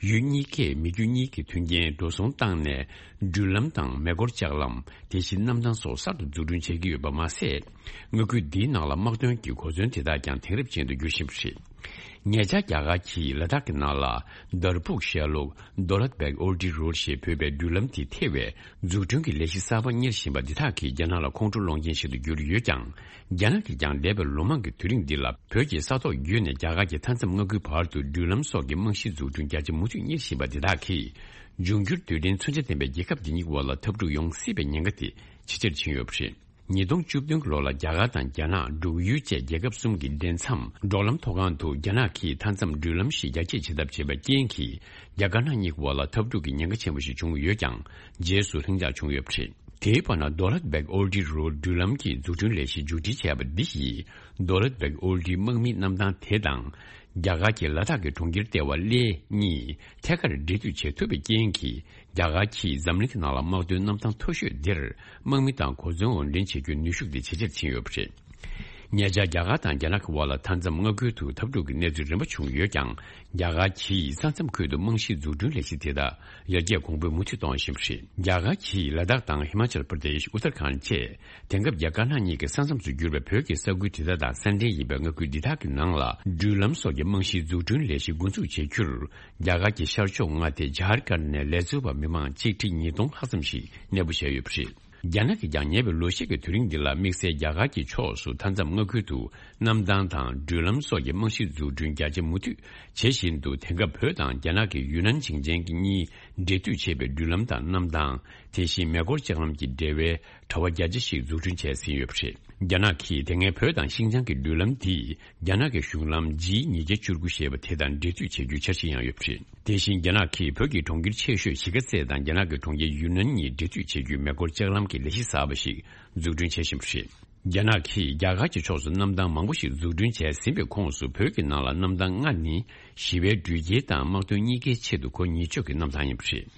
ཡུལ་གཉིས་ཀས་མི་རྒྱུ་གཉིས་ཀྱི་མཐུན་རྐྱེན་འགྲོ་སོང་བཏང་ནས། འགྲུལ་ལམ་དང་མེ་འཁོར་ལྕགས་ལམ། དེ་བཞིན་གནམ་ཐང་སོགས་གསར་དུ་འཛུགས་སྐྲུན་བྱེད་ཀྱི་ཡོད་པ་མ་ཟད། མངའ་ཁུལ་འདིའི་ནང་ལ་དམག་དོན་གྱི་གོ་མཚོན་དེ་དག་ཀྱང་དེང་རབས་ཅན་དུ་འགྱུར་བཞིན་པ་རེད། ཉེ་ཆར་རྒྱ་གར་གྱིས་ལ་དྭགས་ཀྱི་ནང་ལ་དར་ཕུག་ཤར་ལུགས་Daulat Beg Old Road ཞེས་འབོད་པའི་འགྲུལ་ལམ་དེ་ཐེ་བའི་འཛུགས་སྐྲུན་གྱི་ལས་གཞི་གསར་པ་གཉེར་བཞིན་པ་འདི་དག་གིས་རྒྱ་ནག་ལ་ཁོང་ཁྲོ་སློང་རྐྱེན་ཞིག་ཏུ་གྱུར་ཡོད་ཀྱང་། རྒྱ་ནག་གིས་ཀྱང་འདས་པའི་ལོ་མང་གི་དུས་རིང་འདི་ལ་བོད་ཀྱི་ས་ཐོག་བརྒྱུད་ནས་རྒྱ་གར་གྱི་མཐའ་མཚམས་མངའ་ཁུལ་བར་དུ་འགྲུལ་ལམ་སོགས་ཀྱི་རྨང་གཞིའི་འཛུགས་སྐྲུན་རྒྱ་ཆེ་མུ་མཐུད་གཉེར་བཞིན་པ་འདི་དག་གིས། འབྱུང་འགྱུར་དུས་དྲན་མཚོན་ཆ་ལྡན་པའི་རྒྱལ་ཁབ་འདི་གཉིས་བར་ལ་འཐབ་འཁྲུག་ཡོང་སྲིད་པའི་ཉེན་ཁ་དེ་ཇེ་ཆེར་ཕྱིན་ཡོད་པ་རེད། ཉིས་སྟོང་བཅུ་བདུན་གྱི་ལོ་ལ་རྒྱ་གར་དང་རྒྱ་ནག་འབྲུག་ཡུལ་བཅས་རྒྱལ་ཁབ་གསུམ་གྱི་འབྲེལ་མཚམས་འབྲོག་ལམ་མཐོ་སྒང་དུ་རྒྱ་ནག་གིས་མཐའ་མཚམས་འགྲུལ་ལམ་ཞིག་རྒྱ་སྐྱེད་བྱེད་ཐབས་བྱས་པའི་རྐྱེན་གྱིས། རྒྱ་དཀར་ནག་གཉིས་ཀྱི་བར་ལ་འཐབ་འཁྲུག་གི་ཉེན་ཁ་ཆེན་པོ་ཞིག་བྱུང་ཡོད་ཀྱང་། རྗེས་སུ་ལྷིང་འཇགས་བྱུང་ཡོད་པ་རེད། དེའི་བར་ན་Daulat Beg Old Road འགྲུལ་ལམ་གྱི་འཛུགས་སྐྲུན་ལས་གཞི་མཇུག་སྒྲིལ་བྱས་པ་འདི་ཡིས། Daulat Beg Old དམག་མིའི་གནམ་ཐང་དེ་དང་། རྒྱ་གར་གྱི་ལ་དྭགས་ཀྱི་གྲོང་ཁྱེར་ལྟེ་བ་གླེ་གཉིས་ཐད་ཀར་འབྲེལ་མཐུད་བྱེད་ཐུབ་པའི་རྐྱེན་གྱིས། རྒྱ་གར་གྱིས་འཛམ་གླིང་གི་ནང་ལ་དམག་དོན་གནམ་ཐང་མཐོ་ཤོས་འདིར་དམག་མི་དང་གོ་མཚོན་དབོར་འདྲེན་བྱེད་རྒྱུའི་ནུས་ཤུགས་དེ་ཇེ་ཆེར་ཕྱིན་ཡོད་པ་རེད། ཉེ་ཆར་རྒྱ་གར་དང་རྒྱ་ནག་གི་དབར་ལ་མཐའ་མཚམས་མངའ་ཁུལ་དུ་འཐབ་འཁྲུག་གི་གནས་ཚུལ་རིམ་པ་བྱུང་ཡོད་ཀྱང་། རྒྱ་གར་གྱིས་ས་མཚམས་ཁུལ་དུ་རྨང་གཞིའི་འཛུགས་སྐྲུན་ལས་གཞི་དེ་དག་ཡར་རྒྱས་གོང་འཕེལ་མུ་མཐུད་གཏོང་བཞིན་པ་རེད། རྒྱ་གར་གྱིས་ལ་དྭགས་དང་ཧི་མ་ཅལ་པར་དེཤ། ཨུ་ཐར་ཁཱན་བཅས། དེང་སྐབས་རྒྱ་དཀར་ནག་གཉིས་ཀྱི་ས་མཚམས་སུ་གྱུར་པའི་བོད་ཀྱི་ས་ཁུལ་དེ་དག་དང་ས་འབྲེལ་ཡིན་པའི་མངའ་ཁུལ་འདི་དག་གི་ནང་ལ་འགྲུལ་ལམ་སོགས་ཀྱི་རྨང་གཞིའི་འཛུགས་སྐྲུན་ལས་གཞི་འགོ་འཛུགས་བྱེད་རྒྱུར། རྒྱ་གར་གྱི་ཤར་ཕྱོགས་མངའ་སྡེ་ཇཱར་ཁཱན་ནས་ལས་བཟོ་བ་མི་མང་ཆིག་ཁྲི་ཉིས་སྟོང་ལྷག་ཙམ་ཞིག་གནས་སྤོ་བྱས་ཡོད་པ་རེད། རྒྱ་ནག་གིས་ཀྱང་ཉེ་བའི་ལོ་ཤས་ཀྱི་དུས་རིང་འདི་ལ་དམིགས་བསལ་རྒྱ་གར་གྱི་ཕྱོགས་སུ་མཐའ་མཚམས་མངའ་ཁུལ་དུ་གནམ་ཐང་དང་འགྲུལ་ལམ་སོགས་ཀྱི་རྨང་གཞིའི་འཛུགས་སྐྲུན་རྒྱ་ཆེ་མུ་མཐུད་བྱེད་བཞིན་དུ། དེང་སྐབས་བོད་དང་རྒྱ་ནག་གི་ཡུན་ནན་ཞིང་ཆེན་གྱི་གཉིས་འབྲེལ་མཐུད་བྱེད་པའི་འགྲུལ་ལམ་དང་གནམ་ཐང་། དེ་བཞིན་མེ་འཁོར་ལྕགས་ལམ་གྱི་འབྲེལ་བའི་དྲ་བ་རྒྱ་ཆེ་ཞིག་འཛུགས་སྐྲུན་བྱས་ཟིན་ཡོད་པ་རེད། རྒྱ་ནག་གིས་དེ་སྔའི་བོད་དང་ཤིན་ཅང་གི་འགྲུལ་ལམ་དེས་རྒྱ་ནག་གི་གཞུང་ལམ་ཇི་ཉིས་བརྒྱ་བཅུ་དགུ་ཞེས་པ་དེ་དང་འབྲེལ་མཐུད་བྱེད་རྒྱུའི་འཆར་གཞི་ཡང་ཡོད་པ་རེད། དེ་བཞིན་རྒྱ་ནག་གིས་བོད་ཀྱི་གྲོང་ཁྱེར་ཆེ་ཤོས་གཞིས་ཀ་རྩེ་དང་རྒྱ་ནག་གི་གྲོང་ཁྱེར་ཡུན་ནན་གཉིས་འབྲེལ་མཐུད་བྱེད་རྒྱུའི་མེ་འཁོར་ལྕགས་ལམ་གྱི་ལས་གཞི་གསར་པ་ཞིག་འཛུགས་སྐྲུན་བྱེད་བཞིན་པ་རེད། རྒྱ་ནག་གིས་རྒྱ་གར་གྱི་ཕྱོགས་སུ་གནམ་ཐང་མང་པོ་ཞིག་འཛུགས་སྐྲུན་བྱས་ཟིན་པའི་ཁོངས་སུ། བོད་ཀྱི་ནང་ལ་གནམ་ཐང་ལྔ་ནི་ཞི་བའི་འགྲུལ་སྐྱེལ་དང་དམག་དོན་གཉིས་ཀའི་ཆེད་དུ་གོ་ཉེར་གཅིག་གི་གནམ་ཐང་ཡིན་པ་རེད།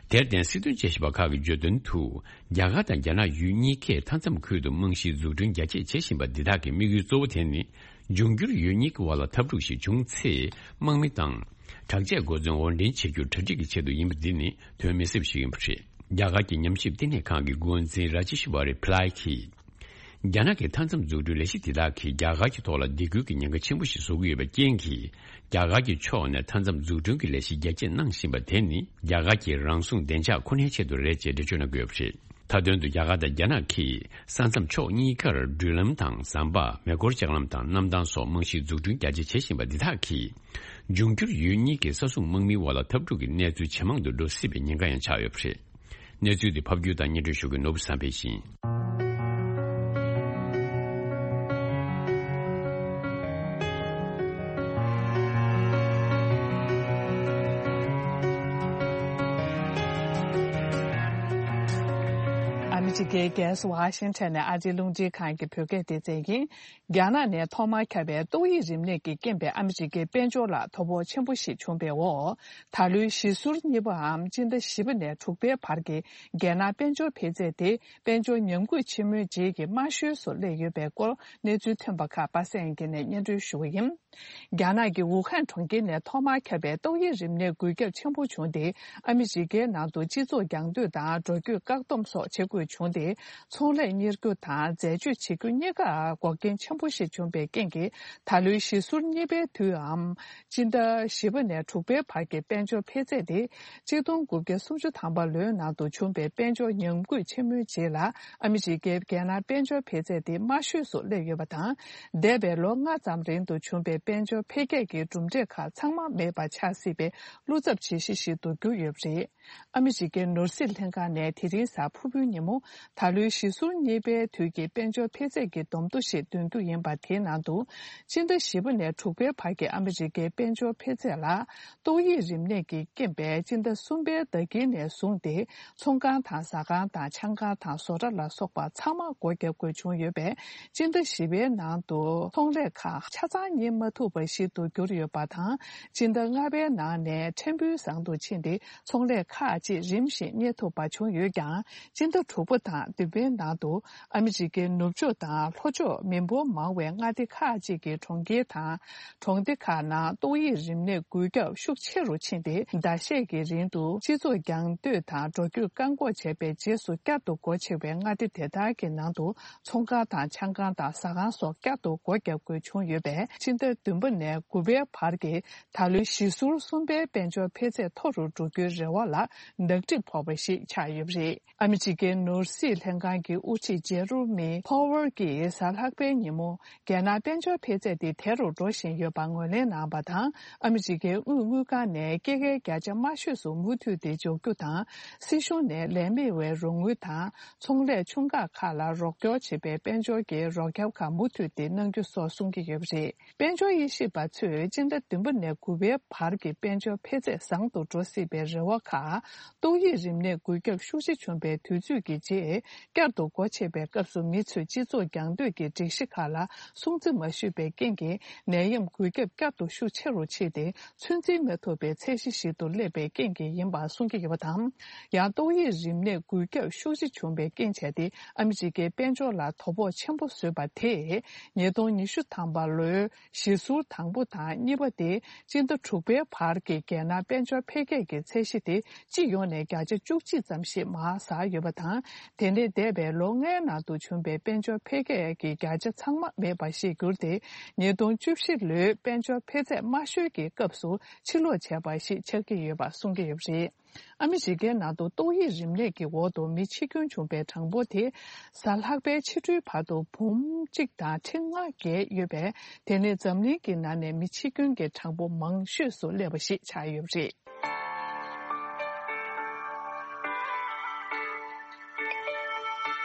དེར་བརྟེན། སྲིད་དོན་དཔྱད་ཞིབ་པ་ཁག་གིས་བརྗོད་དོན་དུ། རྒྱ་གར་དང་རྒྱ་ནག་ཡུལ་གཉིས་ཀས་མཐའ་མཚམས་ཁུལ་དུ་རྨང་གཞིའི་འཛུགས་སྐྲུན་རྒྱ་སྐྱེད་བྱེད་བཞིན་པ་འདི་དག་གི་དམིགས་ཡུལ་གཙོ་བོ་དེ་ནི། འབྱུང་འགྱུར་ཡུལ་གཉིས་ཀྱི་དབར་ལ་འཐབ་འཁྲུག་ཞིག་བྱུང་ཚེ། དམག་མི་དང་། དྲག་ཆས་གོ་མཚོན་དབོར་འདྲེན་བྱེད་རྒྱུར་གྲ་སྒྲིག་གི་ཆེད་དུ་ཡིན་པ་འདི་ནི་དོན་མི་སེམས་ཤིག་ཡིན་པ་རེད། རྒྱ་གར་གྱི་ཉམས་ཞིབ་བསྟི་གནས་ཁང་གི་འགོ་འཛིན་ར་ཇེཤ་ཝ་རི་པི་ལའི་གིས། རྒྱ་ནག་གི་མཐའ་མཚམས་འཛུགས་སྐྲུན་ལས་གཞི་དེ་དག་གིས་རྒྱ་གར་གྱི་ཐོག་ལ་སྡིགས་སྐུལ་གྱི་ཉེན་ཁ་ཆེན་པོ་ཞིག་བཟོ་གི་ཡོད་པའི་རྐྱེན་གྱིས། རྒྱ་གར་གྱི་ཕྱོགས་ནས་མཐའ་མཚམས་འཛུགས་སྐྲུན་གྱི་ལས་གཞི་རྒྱ་སྐྱེད་གནང་བཞིན་པ་དེ་ནི། རྒྱ་གར་གྱི་རང་སྲུང་བདེ་འཇགས་ཁོ་ནའི་ཆེད་དུ་རེད་ཅེས་འགྲེལ་བརྗོད་གནང་གི་ཡོད་པ་རེད། མཐའ་དོན་དུ། རྒྱ་གར་དང་རྒྱ་ནག་གིས་ས་མཚམས་ཕྱོགས་གཉིས་ཀར་འགྲུལ་ལམ་དང་ཟམ་པ། མེ་འཁོར་ལྕགས་ལམ་དང་གནམ་ཐང་སོགས་རྨང་གཞིའི་འཛུགས་སྐྲུན་རྒྱ་སྐྱེད་བྱེད་བཞིན་པ་འདི་དག་གིས། འབྱུང་འགྱུར་ཡུལ་གཉིས་ཀྱི་ས་སྲུང་དམག་མིའི་དབར་ལ་འཐབ་འཁྲུག་གི་གནས་ཚུལ་ཇེ་མང་དུ་འགྲོ་སྲིད་པའི་ཉེན་ཁ་ཡང་ཆགས་ཡོད་པ་རེད། གནས་ཚུལ་འདི་ཕབ་སྒྱུར་དང་སྙན་སྒྲོན་ཞུ་མཁན་ནོར་བུ་བསམ་འཕེལ་ཡིན། ཨ་མི་རི་ཀའི་རྒྱལ་ས་ཝ་ཤིང་ཊོན་ནས་ཨ་རིའི་རླུང་འཕྲིན་ཁང་གི་བོད་སྐད་སྡེ་ཚན་ཡིན། རྒྱ་ནག་ནས་ཐོག་མར་ཁྱབ་པའི་ཏོག་དབྱིབས་རིམས་ནད་ཀྱིས་རྐྱེན་པས་ཨ་མི་རི་ཀའི་དཔལ་འབྱོར་ལ་དོ་ཕོག་ཆེན་པོ་ཞིག་བྱུང་བའི་འོག་ད་ལོའི་ཞི་ཟུར་གཉིས་པའམ་སྤྱི་ཟླ་བཞི་པ་ནས་དྲུག་པའི་བར་གྱི་རྒྱལ་ནང་དཔལ་འབྱོར་འཕེལ་ཚད་དེ་དཔལ་འབྱོར་ཉམས་རྒུད་ཆེན་མོའི་རྗེས་ཀྱི་དམའ་ཤོས་སུ་སླེབས་ཡོད་པའི་སྐོར་གནས་ཚུལ་ཐོན་པ་ཁག་པ་སངས་དབྱངས་སྐྱིད་ནས་སྙན་སྒྲོན་ཞུ་བ་ཡིན། རྒྱ་ནག་གི་ཝུ་ཧན་གྲོང་ཁྱེར་ནས་ཐོག་མར་ཁྱབ་པའི་ཏོག་དབྱིབས་རིམས་ནད་འགོས་ཁྱབ་ཆེན་པོ་བྱུང་སྟེ། ཨ་མི་རི་ཀའི་ནང་དུ་སྤྱི་ཚོགས་རྒྱང་སྡོད་དང་འགྲོ་སྐྱོད་བཀག་སྡོམ་སོགས་བྱེད་དགོས་བྱུང་སྟེ། ཚོང་ལས་གཉེར་རྒྱུ་དང་འཛད་སྤྱོད་བྱེད་རྒྱུ་གཉིས་ཀར་འགོག་རྐྱེན་ཆེན་པོ་ཞིག་བྱུང་བའི་རྐྱེན་གྱིས། ད་ལོའི་ཞི་ཟུར་གཉིས་པའི་དུས་འམ། སྤྱི་ཟླ་བཞི་པ་ནས་དྲུག་པའི་བར་གྱི་དཔལ་འབྱོར་འཕེལ་ཚད་དེ། ཆིག་སྟོང་དགུ་བརྒྱ་སུམ་ཅུ་ཐམ་པ་ལོའི་ནང་དུ་བྱུང་བའི་དཔལ་འབྱོར་ཉམས་རྒུད་ཆེན་མོའི་རྗེས་ལ། ཨ་མི་རི་ཀའི་རྒྱལ་ནང་དཔལ་འབྱོར་འཕེལ་ཚད་དེ་དམའ་ཤོས་སུ་སླེབས་ཡོད་པ་དང་། འདས་པའི་ལོ་ལྔ་ཙམ་རིང་དུ་བྱུང་བའི་དཔལ་འབྱོར་འཕེལ་རྒྱས་ཀྱི་གྲུབ་འབྲས་ཁག་ཚང་མ་མེད་པ་ཆགས་སྲིད་པའི་བློ་འཚབ་བྱེད་གཞི་ཞིག་ཏུ་གྱུར་ཡོད་པ་རེད། ཨ་མི་རི་ཀའི་ནོར་སྲིད་ལྷན་ཁང་ནས་དེ་རིང་གཟའ་ཕུར་བུའི་ཉིན་མོ། ད་ལོའི་ཞི་ཟུར་གཉིས་པའི་དུས་ཀྱི་དཔལ་འབྱོར་འཕེལ་ཚད་ཀྱི་བསྡོམས་ཐོ་ཞིག་འདོན་རྒྱུ་ཡིན་པ། དེའི་ནང་དུ། སྤྱི་ཟླ་བཞི་པ་ནས་དྲུག་པའི་བར་གྱི་ཨ་མི་རི་ཀའི་དཔལ་འབྱོར་འཕེལ་ཚད་ལ། ཏོག་དབྱིབས་རིམས་ནད་ཀྱི་རྐྱེན་པས་སྤྱི་ཟླ་གསུམ་པའི་ཟླ་དཀྱིལ་ནས་བཟུང་སྟེ། ཚོང་ཁང་དང་ཟ་ཁང་དང་ཆང་ཁང་དང་བཟོ་གྲྭ་ལ་སོགས་པ་ཚང་མ་སྒོ་བརྒྱབ་དགོས་བྱུང་ཡོད་པས། སྤྱི་ཟླ་བཞི་པའི་ནང་དུ་ཚོང་ལས་ཁག་ཆ་ཚང་གཉེར་མ་ཐུབ་པ་ཞིག་ཏུ་གྱུར་ཡོད་པ་དང་། སྤྱི་ཟླ་ལྔ་པའི་ནང་ནས་ཕྲན་བུ་བཟང་དུ་ཕྱིན་ཏེ། ཚོང་ལས་ཁག་ཅིག་རིམ་བཞིན་གཉེར་ཐུབ་པ་བྱུང་ཡོད་ཀྱང་། སྤྱི་ཟླ་དྲུག་པ། དང་བདུན་པའི་ནང་དུ། ཨ་མི་རི་ཀའི་ནུབ་ཕྱོགས་དང་ལྷོ་ཕྱོགས་མི་འབོར་མང་བའི་མངའ་སྡེ་ཁག་ཅིག་གི་གྲོང་ཁྱེར་དང་། གྲོང་སྡེ་ཁག་ནང་ཏོག་དབྱིབས་རིམས་ནད་འགོས་ཁྱབ་ཤུགས་ཆེ་རུ་ཕྱིན་ཏེ། ཟླ་ཤས་ཀྱི་རིང་དུ་སྤྱི་ཚོགས་རྒྱང་སྡོད་དང་འགྲོ་སྐྱོད་བཀག་འགོག་བྱས་པའི་རྗེས་སུ། བསྐྱར་དུ་སྒོ་ཕྱེ་བའི་མངའ་སྡེ་དེ་དག་གི་ནང་དུ་ཚོང་ཁང་དང་ཆང་ཁང་དང་ཟ་ཁང་སོགས་བསྐྱར་དུ་སྒོ་བརྒྱབ་དགོས་བྱུང་ཡོད་པས། སྤྱི་ཟླ་བདུན་པ་ནས་དགུ་པའི་བར་གྱི་ད་ལོའི་གཞིས་ཟུར་གསུམ་པའི་དཔལ་འབྱོར་འཕེལ་ཚད་མཐོ་རུ་འགྲོ་རྒྱུའི་རེ་བ་ལ་ནག་དྲི་ཕོག་པ་ཞིག་ཆགས་ཡོད་པ་རེད། ཨ་མི་རི་ཀའི་ནོར་སྲིད་ལྷན་ཁང་གི་དབུ་ཁྲིད་ཇེ་རོ་མི་ཕོ་ཝར་གྱིས་གཟའ་ལྷག་པའི་ཉིན་མོ། རྒྱལ་ནང་དཔལ་འབྱོར་འཕེལ་ཚད་དེ་དལ་རུ་འགྲོ་བཞིན་ཡོད་པ་ངོས་ལེན་གནང་བ་དང་། ཨ་མི་རི་ཀའི་དངུལ་དངུལ་ཁང་ནས་སྐྱེད་ཀའི་བརྒྱ་ཆ་དམའ་ཤོས་སུ་མུ་མཐུད་དེ་འཇོག་རྒྱུ་དང་། སྲིད་གཞུང་ནས་ལས་མེད་པའི་རོགས་དངུལ་དང་། ཚོང་ལས་ཆུང་ཁག་ཁག་ལ་རོགས་སྐྱོར་བྱེད་པའི་དཔལ་འབྱོར་གྱི་རོགས་སྐྱོར་ཁག་མུ་མཐུད་དེ་གནང་རྒྱུ་སོགས་གསུང་གི་ཡོད་པ་རེད། དཔལ་འབྱོར་དབྱེ་ཞིབ་པ་ཚོས་སྤྱི་ཟླ་བདུན་པ་ནས་དགུ་པའི་བར་གྱི་དཔལ་འབྱོར་འཕེལ་ཚད་བཟང་དུ་འགྲོ་སྲིད་པའི་རེ་བ་ཁག་ཏོག་དབྱིབས་རིམས་ནད་འགོས་ཁྱབ་ཤུགས་ཆེ་བྱུང་བའི་དུས་ཚོད་ཀྱི་རྗེས། བསྐྱར་དུ་སྒོ་ཕྱེ་བའི་སྐབས་སུ་མི་ཚོས་སྤྱི་ཚོགས་རྒྱང་སྡོད་ཀྱི་སྒྲིག་གཞི་ཁག་ལ་སྲུང་བརྩི་མ་ཞུས་པའི་རྐྱེན་གྱིས། ནད་ཡམས་འགོས་ཁྱབ་བསྐྱར་དུ་ཤུགས་ཆེ་རུ་ཕྱིན་ཏེ། ཚོད་འཛིན་མ་ཐུབ་པའི་ཚད་གཞི་ཞིག་ཏུ་སླེབས་པའི་རྐྱེན་གྱིས་ཡིན་པ་གསུང་གི་ཡོད་པ་དང་། ཡང་ཏོག་དབྱིབས་རིམས་ནད་འགོས་ཁྱབ་ཤུགས་ཆེ་བྱུང་བའི་རྐྱེན་བྱས་ཏེ། ཨ་མི་རི་ཀའི་དཔལ་འབྱོར་ལ་དོ་ཕོག་ཆེན་པོ་བཟོས་པ་དེས། ཉིས་སྟོང་ཉི་ཤུ་ཐམ་པ་ལོའི་གཞིས་ཟུར་དང་པོ་དང་གཉིས་པ་སྟེ། སྤྱི་ཟླ་དྲུག་པའི་བར་གྱི་རྒྱལ་ནང་དཔལ་འབྱོར་འཕེལ་རྒྱས་ཀྱི་ཚད་གཞི་དེ། སྤྱི་ཡོངས་ནས་བརྒྱ་ཆ་བཅུ་གཅིག་ཙམ་ཞིག་མར་ཟགས་ཡོད་པ་དང་། དེ་ནས་འདས་པའི་ལོ་ལྔའི་ནང་དུ་བྱུང་བའི་དཔལ་འབྱོར་འཕེལ་རྒྱས་ཀྱི་བརྒྱ་ཆ་ཚང་མ་མེད་པ་ཞིག་གྱུར་ཏེ། ཉིས་སྟོང་བཅུ་བཞི་ལོའི་དཔལ་འབྱོར་འཕེལ་ཚད་དམའ་ཤོས་ཀྱི་སྐབས་སུ་ཕྱིར་ལོག་བྱས་པ་ཞིག་ཆགས་ཀྱི་ཡོད་པ་གསུང་གི་ཡོད་པ་རེད། ཨ་མི་རི་ཀའི་ནང་དུ་ཏོག་དབྱིབས་རིམས་ནད་ཀྱི་འོག་ཏུ་མི་འཆི་སྐྱོན་བྱུང་བའི་གྲངས་འབོར་དེ། གཟའ་ལྷག་པའི་ཕྱི་དྲོའི་བར་དུ་འབུམ་གཅིག་དང་ཁྲི་ལྔ་བརྒལ་ཡོད་པས། དེ་ནི་འཛམ་གླིང་གི་ནང་ནས་མི་འཆི་སྐྱོན་གྱི་གྲངས་འབོར་མང་ཤོས་སུ་སླེབས་པ་ཞིག་ཆགས་ཡོད་པ་རེད།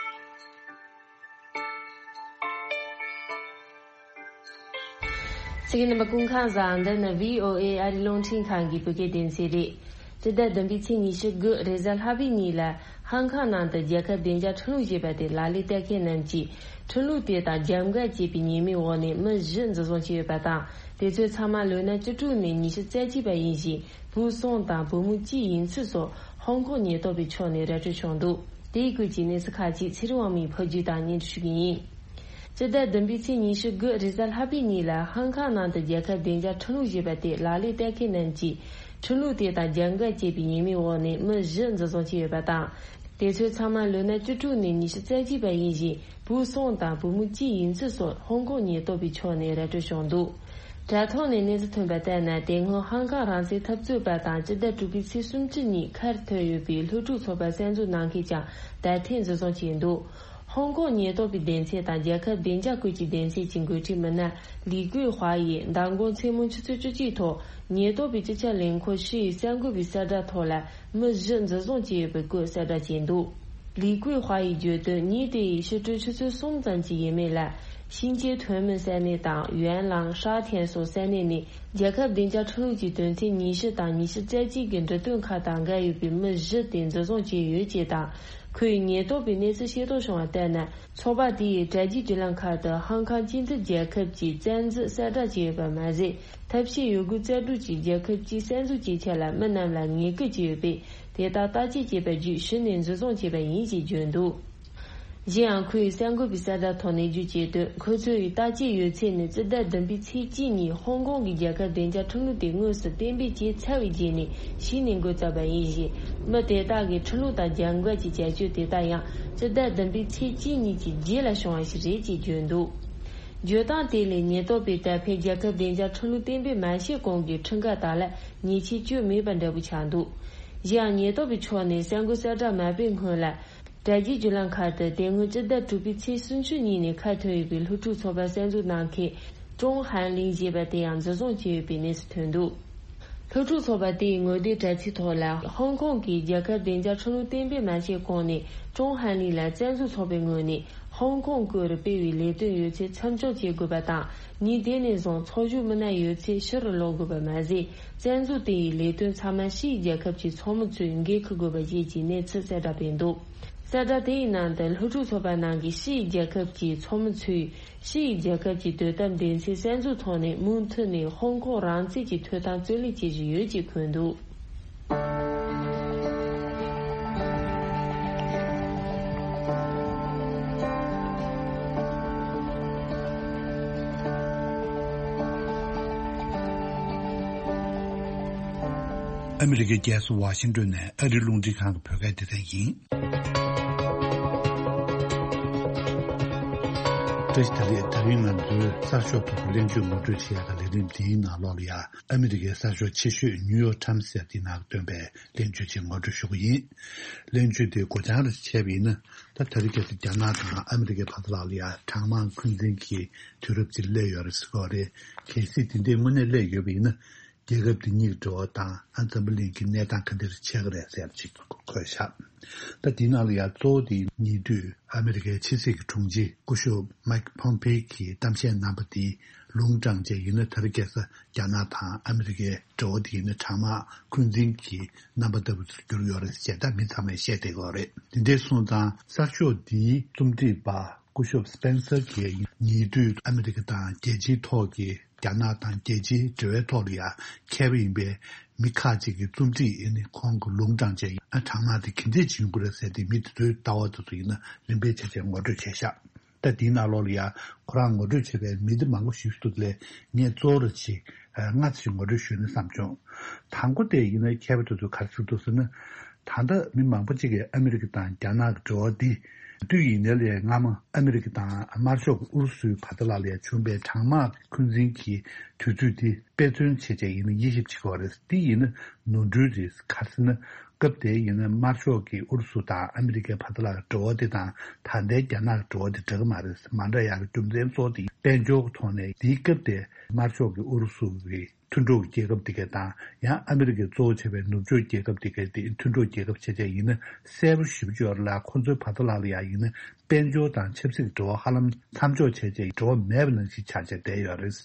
གསན་མཁན་རྣམ་པ་སྐུ་ཁམས་བཟང་། འདི་ནི་བྷི་ཨོ་ཨེ་ཨ་རིའི་རླུང་འཕྲིན་ཁང་གི་བོད་སྐད་སྡེ་ཚན་རེད། སྤྱི་ཟླ་བདུན་པའི་ཚེས་ཉི་ཤུ་དགུ་རེས་གཟའ་ལྷག་པའི་ཉིན་ལ། ཧང་ཀང་ནང་དུ་རྒྱལ་ཁབ་བདེ་འཇགས་ཁྲིམས་ལུགས་ཞེས་པ་དེ་ལག་ལེན་བསྟར་མཁན་རྣམས་ཀྱིས། ཁྲིམས་ལུགས་དེ་དང་རྒྱབ་འགལ་བྱས་པའི་ཉེས་མིང་འོག་ནས་མི་བཞི་འཛིན་བཟུང་བྱས་ཡོད་པ་དང་། དེ་ཚོའི་ཚང་མ་ལོ་ན་བཅུ་དྲུག་ནས་ཉི་ཤུ་རྩ་གཅིག་བར་ཡིན་ཞིང་། བུ་གསུམ་དང་བུ་མོ་གཅིག་ཡིན་ཚུལ་སོགས་ཧོང་ཀོང་ཉེན་རྟོག་པའི་ཕྱོགས་ནས་ར་སྤྲོད་བྱུང་འདུག་དེའི་སྐོར་གྱི་གནས་ཚུལ་ཁག་ཅིག་ཚེ་རིང་དབང་མོས་ཕབ་སྒྱུར་དང་སྙན་སྒྲོན་ཞུ་གི་ཡིན། སྤྱི་ཟླ་བདུན་པའི་ཚེས་ཉི་ཤུ་དགུ་རེས་གཟའ་ལྷག་པའི་ཉིན་ལ་ཧང་ཀང་ནང་དུ་རྒྱལ་ཁབ་བདེ་འཇགས་ཁྲིམས་ལུགས་ཞེས་པ་དེ་ལག་ལེན་བསྟར་མཁན་རྣམས་ཀྱིས། ཁྲིམས་ལུགས་དེ་དང་རྒྱབ་འགལ་བྱས་པའི་ཉེས་མིང་འོག་ནས་མི་བཞི་འཛིན་བཟུང་བྱས་ཡོད་པ་དང་། དེ་ཚོའི་ཚང་མ་ལོ་ན་བཅུ་དྲུག་ནས་ཉི་ཤུ་རྩ་གཅིག་བར་ཡིན་ཞིང་། བུ་གསུམ་དང་བུ་མོ་གཅིག་ཡིན་ཚུལ་སོགས་ཧོང་ཀོང་ཉེན་རྟོག་པའི་ཕྱོགས་ནས་ར་སྤྲོད་བྱུང་འདུག་དྲ་ཐོག་ནས་གནས་ཚུལ་ཐོན་པ་ལྟར་ན། དེ་སྔོན་ཧང་ཀང་རང་བཙན་འཐབ་རྩོད་པ་དང་། སྤྱི་ཟླ་དྲུག་པའི་ཚེས་སུམ་ཅུ་ཉིན་ཁ་བྲལ་ཡོད་པའི་སློབ་ཕྲུག་ཚོགས་པ་གསར་འཛུགས་གནང་མཁན་ཀྱང་ད་ཐེངས་འཛིན་བཟུང་བྱས་འདུག་ཧོང་ཀོང་ཉེན་རྟོག་པའི་སྡེ་ཚན་དང་རྒྱལ་ཁབ་བདེ་འཇགས་ཁུལ་གྱི་སྡེ་ཚན་གྱི་འགོ་ཁྲིད་མི་སྣ་ལི་ཀུའེ་ཧྭ་ཡིས་མདང་དགོང་མཚན་མོ་ཆུ་ཚོད་བཅུ་གཅིག་ཐོག་ཉེན་རྟོག་པའི་སྤྱི་ཁྱབ་ལས་ཁུངས་ཧྲི་ཡི་གསར་འགོད་པའི་གསལ་བསྒྲགས་ཐོག་ལ། མི་བཞི་འཛིན་བཟུང་བྱས་ཡོད་པའི་སྐོར་གསལ་བསྒྲགས་བྱས་འདུག་ལི་ཀུའེ་ཧྭ་ཡིས་བརྗོད་དོན། ཉིན་དེ་ཡི་ཕྱི་དྲོའི་ཆུ་ཚོད་གསུམ་ཙམ་ཅིག་ཡིན་མིན་ལ། ཤིན་ཅེ་ཐོན་མི་ས་གནས་དང་། ཡོན་ལང་། ཧྲ་ཐེན་སོགས་ས་གནས་ནས། རྒྱལ་ཁབ་བདེ་འཇགས་ཁྲིམས་ལུགས་ཀྱི་དོན་ཚན་ཉི་ཤུ་དང་ཉི་ཤུ་རྩ་གཅིག་གི་འབྲི་དོན་ཁག་དང་འགལ་ཡོད་པའི་མི་བཞི་དེ་འཛིན་བཟུང་བྱས་ཡོད་ཅེས་དང་། ཁོས་ཉེན་རྟོག་པའི་གནས་ཚུལ་ཤེས་རྟོགས་བྱུང་བ་ལྟར་ན། ཚོགས་པ་དེ་ཡི་དྲ་རྒྱའི་བརྒྱུད་ལམ་ཁག་ཏུ་ཧང་ཀང་སྤྱི་མཐུན་རྒྱལ་ཁབ་ཀྱི་བཙན་འཛུལ་གསལ་བསྒྲགས་བྱས་ཡོད་པ་མ་ཟད། ཐབས་ཤེས་ཡོད་རྒུ་རྩལ་སྤྲུགས་ཀྱིས་རྒྱལ་ཁབ་སྤྱིའི་གསར་འཛུགས་ཀྱི་ཆེད་ལ་མི་རྣམས་ལ་ངན་སྐུལ་བྱས་ཡོད་པས། དེ་དག་བརྟག་དཔྱད་བྱས་པ་བརྒྱུད་གཞི་ནས་འཛིན་བཟུང་བྱས་པ་ཡིན་ཞེས་བརྗོད་འདུག་གཞན་ཡང་། ཁོས་གསར་འགོད་པའི་གསལ་བསྒྲགས་ཐོག་ནས་བརྗོད་ཀྱི་དོན། ཁོ་ཚོ་ཡི་བརྟག་དཔྱད་ཡོད་ཚད་ནི། སྤྱི་ཟླ་བདུན་པའི་ཚེས་གཅིག་ཉིན་ཧོང་ཀོང་གི་རྒྱལ་ཁབ་བདེ་འཇགས་ཁྲིམས་ལུགས་དེ་དངོས་སུ་གཏན་འབེབས་བྱས་ཚར་བའི་རྗེས་ནས་གཞི་ནས་འགོ་བཙུགས་པ་ཡིན་ཞིང་། མི་དེ་དག་གིས་ཁྲིམས་ལུགས་དང་རྒྱབ་འགལ་གྱི་བྱ་སྤྱོད་དེ་དག་ཡང་། སྤྱི་ཟླ་བདུན་པའི་ཚེས་གཅིག་ཉིན་གྱི་རྗེས་ལ་བྱུང་བ་ཞིག་རེད་ཅེས་བརྗོད་འདུག་བརྗོད་སྟངས་དེ་ལས། ཉེན་རྟོག་པས་ད་ཕན་རྒྱལ་ཁབ་བདེ་འཇགས་ཁྲིམས་ལུགས་གཏན་འབེབས་མ་བྱས་གོང་གི་ཁྲིམས་འགལ་དག་ལ་ཉེས་ཆད་གཅོད་མེད་པ་འདྲ་པོ་ཆགས་འདུག་གཞན་ཡང་། ཉེན་རྟོག་པའི་ཕྱོགས་ནས་གསར་འགོད་གསལ་བསྒྲགས་མ་སྤེལ་སྔོན་ལ། དྲ་རྒྱའི་བརྒྱུད་ལམ་ཁག་ཏུ་དེ་སྔོན་སྤྱི་ཟླ་དྲུག་པའི་ཚེས་སུམ་ཅུ་ཉིན་ནས་ཁ་ཐོན་ཡོད་པའི་སློབ་ཕྲུག་ཚོགས་པ་གསར་འཛུགས་གནང་མཁན་ཀྲོང་ཧན་ལིན་ཞེས་པ་དེ་ཡང་འཛིན་བཟུང་བྱས་ཡོད་པའི་གནས་ཚུལ་ཐོན་འདུག་སློབ་ཕྲུག་ཚོགས་པ་དེའི་ངོ་དེབ་དྲ་ཚིགས་ཐོག་ལ། ཧོང་ཀོང་གིས་རྒྱལ་ཁབ་བདེ་འཇགས་ཁྲིམས་ལུགས་གཏན་འབེབས་མ་བྱས་གོང་ནས་ཀྲོང་ཧན་ལིན་ལ་བཙན་འཛུལ་ཚོགས་པའི་ངོས་ནས་ཧོང་ཀོང་སྐོར་སྤེལ་བའི་ལས་དོན་ཡོད་ཚད་མཚམས་འཇོག་བྱེད་དགོས་པ་དང་། ཉིན་དེ་ནས་བཟུང་ཚོགས་ཞུགས་མི་སྣ་ཡོད་ཚད་ཕྱིར་ལོག་དགོས་པ་མ་ཟད། བཙན་འཛུལ་དེ་ཡི་ལས་དོན་ཚང་མ་ཕྱིའི་རྒྱལ་ཁབ་ཀྱི་ཚོགས་མི་ཚོས་འགན་འཁུར་དགོས་པ་བཅས་ཀྱི་གནས་ཚུལ་གསལ་བསྒྲགས་སྤེལ་འདུག་གསལ་བསྒྲགས་དེའི་ནང་དུ། སློབ་ཕྲུག་ཚོགས་པ་ནང་གི་ཕྱིའི་རྒྱལ་ཁབ་ཀྱི་ཚོགས་མི་ཚོས། ཕྱིའི་རྒྱལ་ཁབ་ཀྱི་དོ་དམ་སྡེ་ཚན་གསར་འཛུགས་ཐོག་ནས་མུ་མཐུད་ནས་ཧོང་ཀོང་རང་བཙན་གྱི་ཐོབ་ཐང་རྩོད་ལེན་བྱེད་བཞིན་ཡོད་ཅེས་འཁོད་འདུག་ཨ་མི་རི་ཀའི་རྒྱལ་ས་ཝ་ཤིང་ཏོན་ནས་ཨ་རིའི་རླུང་འཕྲིན་ཁང་གི་བོད་སྐད་སྡེ་ཚན་ཡིན། བཀྲ་ཤིས་བདེ་ལེགས། ད་རིང་ང་ཚོའི་གསར་ཤོག་ཐོག་གི་གླེང་བརྗོད་ངོ་སྤྲོད་བྱེད་ཡག་གི་ལས་རིམ་འདིའི་ནང་ལོགས་ལ་ཡ། ཨ་མི་རི་ཀའི་གསར་ཤོག་ཆེ་ཤོས་ནིའུ་ཡོག་ཊའིམ་སི་ཟེར་དེའི་ནང་བཏོན་པའི་གླེང་བརྗོད་ཅིག་ངོ་སྤྲོད་ཞུ་གི་ཡིན། གླེང་བརྗོད་དེ་སྒོ་བྱང་རེ་བྱས་པ་ཡིན་ན། ད་ད་རེས་ཁ་སང་རྒྱ་ནག་དང་ཨ་མི་རི་ཀའི་བར་དུ་ལ་ལ་ཡ་གྲངས་མང་འཁོན་འཛིན་གྱི་དུས་རབས་ཅིག་སླེབས་ཡོད་རེད་ཟེར་གྱི་ཡོད་རེད། གལ་སྲིད་དེ་འདྲའི་དངོས་གནས་སླེབས་ཡོད་པ་ཡིན་ན། རྒྱལ་ཁབ་དེ་གཉིས་ཀྱི་འབྲེལ་བ་དང་ཨ་འཛམ་བུ་གླིང་གི་གནས་སྟངས་ག་འདྲ་ཆགས་ཀྱི་རེད་ཟེར་ཅིག་འཁོད་བཞག་ད་དེའི་ནང་ལ་ཡང་གཙོ་བོ་དེ་ཉེ་དུས་ཨ་མི་རི་ཀའི་ཕྱི་སྲིད་ཀྱི་དྲུང་ཆེ་སྐུ་ཞབས་མའེ་ཁི་ཕོམ་ཕེ་གིས་གཏམ་བཤད་གནང་པ་དེ་ལུང་དྲངས་བྱས་ཡིན་ན། ད་རེས་ཁ་སང་རྒྱ་ནག་དང་ཨ་མི་རི་ཀའི་འབྲེལ་བ་དེ་ཡིན་ན་གྲངས་མང་འཁོན་འཛིན་གྱི་རྣམ་པ་ལྟ་བུ་ཚོར་གྱུར་ཡོད་རེད་ཅེས་ད་མི་ཚང་མས་བཤད་བསྡད་ཀྱི་ཡོད་རེད། དེ་འདྲ་སོང་ཙང་གསར་ཤོག་འདིའི་རྩོམ་སྒྲིག་པ་སྐུ་ཞབས་སྤེན་སར་གྱིས་ཉེ་དུས་ཨ་མི་རི་ཀ་དང་རྒྱལ་སྤྱིའི་ཐོག་གི་རྒྱ་ནག་དང་རྒྱལ་སྤྱིའི་འབྲེལ་བའི་ཐོག་ལ་ཡང་མཁས་པ་ཡིན་པའི་མི་ཁག་ཅིག་གིས་རྩོམ་སྒྲིག་ཨེ་ནི་ཁོང་གི་ལུང་དྲངས་བྱས། ཨ་གྲངས་མང་དེ་ག་འདྲས་བྱུང་གི་རེད་ཟེར་ཏེ་མི་དེ་ཚོའི་ལྟ་བ་དེ་ཚོ་ཡིན་ན་རིམ་པས་ཆ་ཆ་ངོ་སྤྲོད་བྱས་ཤག་ད་དེའི་ནང་ལོགས་ལ་ཡང་ཁོ་རང་ངོ་སྤྲོད་བྱས་པའི་མི་དེ་མང་པོ་ཞིག་འདུག་ལས་ངས་གཙོ་བོ་ར་ཅིག་ལྔ་ཙམ་ཞིག་ངོ་སྤྲོད་ཞུས་ན་བསམ་བྱུང་། དང་པོ་དེ་ཡིན་ན་མཁས་པ་དེ་ཚོས་ག་རེ་ཟེར་འདུག་ཟེར་ན། ད་ལྟ་མི་མང་པོ་ཅིག་གིས་ཨ་མི་རི་ཀ་དང་རྒྱ་ནག་གི་འབྲེལ་བ་འདི་དུས་ཡིན་ནའི་ལས་སྔ་མ་ཨ་མི་རི་ཀ་དང་དམར་ཤོག་གི་ཨུ་རུ་སུའི་བར་དུ་ལ་ལས་བྱུང་བའི་གྲངས་མང་འཁོན་འཛིན་གྱི་དུས་ཚོད་འདི་དཔེ་མཚོན་བྱས་བྱས་ཡིན་ན་དབྱེ་ཞིབ་བྱེད་དགོས་རེད། འདི་ཡིན་ན་ནོར་འཁྲུལ་རེད། ག་རེ་ཟེར་ན། སྐབས་དེ་ཡིན་ན་དམར་ཤོག་གིས་ཨུ་རུ་སུ་དང་ཨ་མི་རི་ཀའི་བར་དུ་ལ་འབྲེལ་བ་འདི་དང་ད་ལྟའི་རྒྱ་ནག་གི་འབྲེལ་བ་འདི་འདྲ་གི་མ་རེད། མ་འདྲ་ཡག་གི་རྒྱུ་མཚན་གཙོ་བོ་དེ་དཔལ་འབྱོར་གྱི་ཐོག་ནས་དེའི་སྐབས་དེ་དམར་ཤོག་གིས་ཨུ་རུ་སུ་གི་མཐུན་གྲོགས་རྒྱལ་ཁབ་དེ་ག་དང་ཡང་ཨ་མི་རི་ཀས་གཙོ་བོ་བྱས་པའི་ནུབ་ཕྱོགས་རྒྱལ་ཁབ་དེ་ག་དེ་མཐུན་གྲོགས་རྒྱལ་ཁབ་བྱས་བྱས་ཡིན་ན་གསལ་པོ་ཞེ་པོ་ཅིག་ཡོད་རེད་ལ། ཁོ་ཚོའི་བར་དུ་ལ་ལ་ཡ་ཡིན་ན་དཔལ་འབྱོར་དང་ཆབ་སྲིད་ཀྱི་འབྲེལ་བ་ཧ་ལམ་མཚམས་འཇོག་བྱས་བྱས་འབྲེལ་བ་མེད་པ་ནང་བཞིན་ཆགས་བྱས་བསྡད་ཡོད་རེད།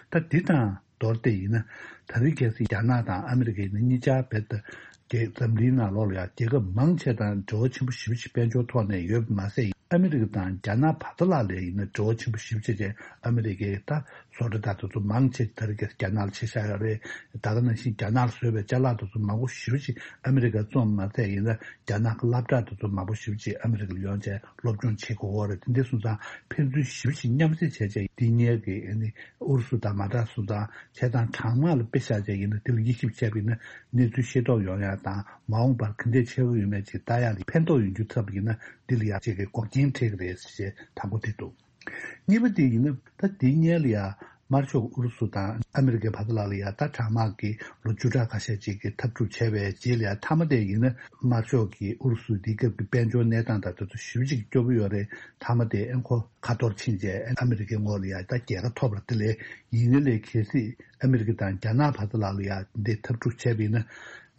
ད་འདི་དང་མདོར་བསྡུས་ཡིན་ན་ད་རེས་ཁ་སང་རྒྱ་ནག་དང་ཨ་མི་རི་ཀ་ཡིན་ན་གཉིས་ཆ་བེད་ད་རྒྱལ་འཛམ་གླིང་ནང་ལོགས་ལ་ཡ་རྒྱལ་ཁབ་མང་ཆེ་དང་འབྲེལ་བ་ཆེན་པོ་ཞེ་པོ་ཅིག་དཔལ་འབྱོར་ཐོག་ནས་ཡོད་པ་མ་ཟད། ཨ་མི་རི་ཀ་དང་རྒྱ་ནག་བར་དུ་ལ་ལས་ཡིན་ན་འབྲེལ་བ་ཆེན་པོ་ཞེ་པོ་ཅིག་བྱས། ཨ་མི་རི་ཀས་ད་བཟོ་གྲྭ་དང་དེ་ཚོ་མང་ཆེ་ད་རེས་ཀྱི་རྒྱ་ནག་ལ་ཕྱེ་བཞག་ཡོད་རེད། ད་ག་ནང་བཞིན་རྒྱ་ནག་ལ་བཟོས་པའི་ཅ་ལག་དེ་ཚོ་མང་པོ་ཞེ་པོ་ཅིག་ཨ་མི་རི་ཀ་བཙོང་མ་ཚད་ཡིན་ན་རྒྱ་ནག་གི་སློབ་གྲྭ་དེ་ཚོ་མང་པོ་ཞེ་པོ་ཅིག་ཨ་མི་རི་ཀ་ལ་ཡོང་བྱས་སློབ་སྦྱོང་བྱེད་དགོས་ཀྱི་ཡོད་རེད། དེ་འདྲ་སོང་ཙང་ཕན་ཚུན་ཞེ་པོ་ཅིག་མཉམ་བསྲེས་བྱས་བྱས་འདི་གཉིས་ཀྱི་ཨ་ནི་ཨུ་རུ་སུ་དང་མ་འདྲ་སོང་ཙང་བྱས་ཙང་གྲངས་མང་ལ་དཔེ་བཞག་བྱས་ཡིན་ན་འདི་ལ་དབྱེ་ཞིབ་བྱས་པ་ཡིན་ན་གནས་ཚུལ་ཤེས་རྟོགས་ཡོང་ཡག་དང་མ་འོངས་པར་ག་འདྲས་ཆགས་ཀྱི་ཡོད་མེད་ཅིག་ལྟ་ཡག་ལ་ཕན་ཐོགས་ཡོང་རྒྱུ་ཐོབ་པ་ཡིན་ན་འདི་ལ་ཡག་ཅིག་གི་འགོག་རྐྱེན་འཕྲད་ཀྱི་རེད་ཅེས་དང་པོ་དེ་འདུག་གཉིས་པ་དེ་ཡིན་ན་ད་དེ་སྔོན་ལ་ཡ་དམར་ཤོག་ཨུ་རུ་སུ་དང་ཨ་མི་རི་ཀའི་བར་དུ་ལ་ལ་ཡ་ད་གྲངས་མང་གི་ལོ་བཅུ་ཕྲག་ཁ་ཤས་ཅིག་གི་འཐབ་འཁྲུག་བྱས་པའི་རྗེས་ལ་ཡ་མཐའ་མ་དེ་ཡིན་ན་དམར་ཤོག་གིས་ཨུ་རུ་སུ་དེའི་སྐབས་ཀྱི་དཔལ་འབྱོར་གནས་སྟངས་དང་དེ་ཚོ་ཞེ་པོ་ཅིག་སྐྱོ་པོ་ཡོད་རེད། མཐའ་མ་དེ་ཨེ་ཁོ་ཁ་ཐོར་ཕྱིན་རྗེས་ཨ་མི་རི་ཀའི་ངོས་ལ་ཡ་ད་རྒྱལ་ཁ་ཐོབ་པ་དེ་ལས་ཡིན་ནའི་ལས་གལ་སྲིད་ཨ་མི་རི་ཀ་དང་རྒྱ་ནག་བར་དུ་ལ་ལ་ཡ་འདི་འཐབ་འཁྲུག་བྱས་པ་ཡིན་ན།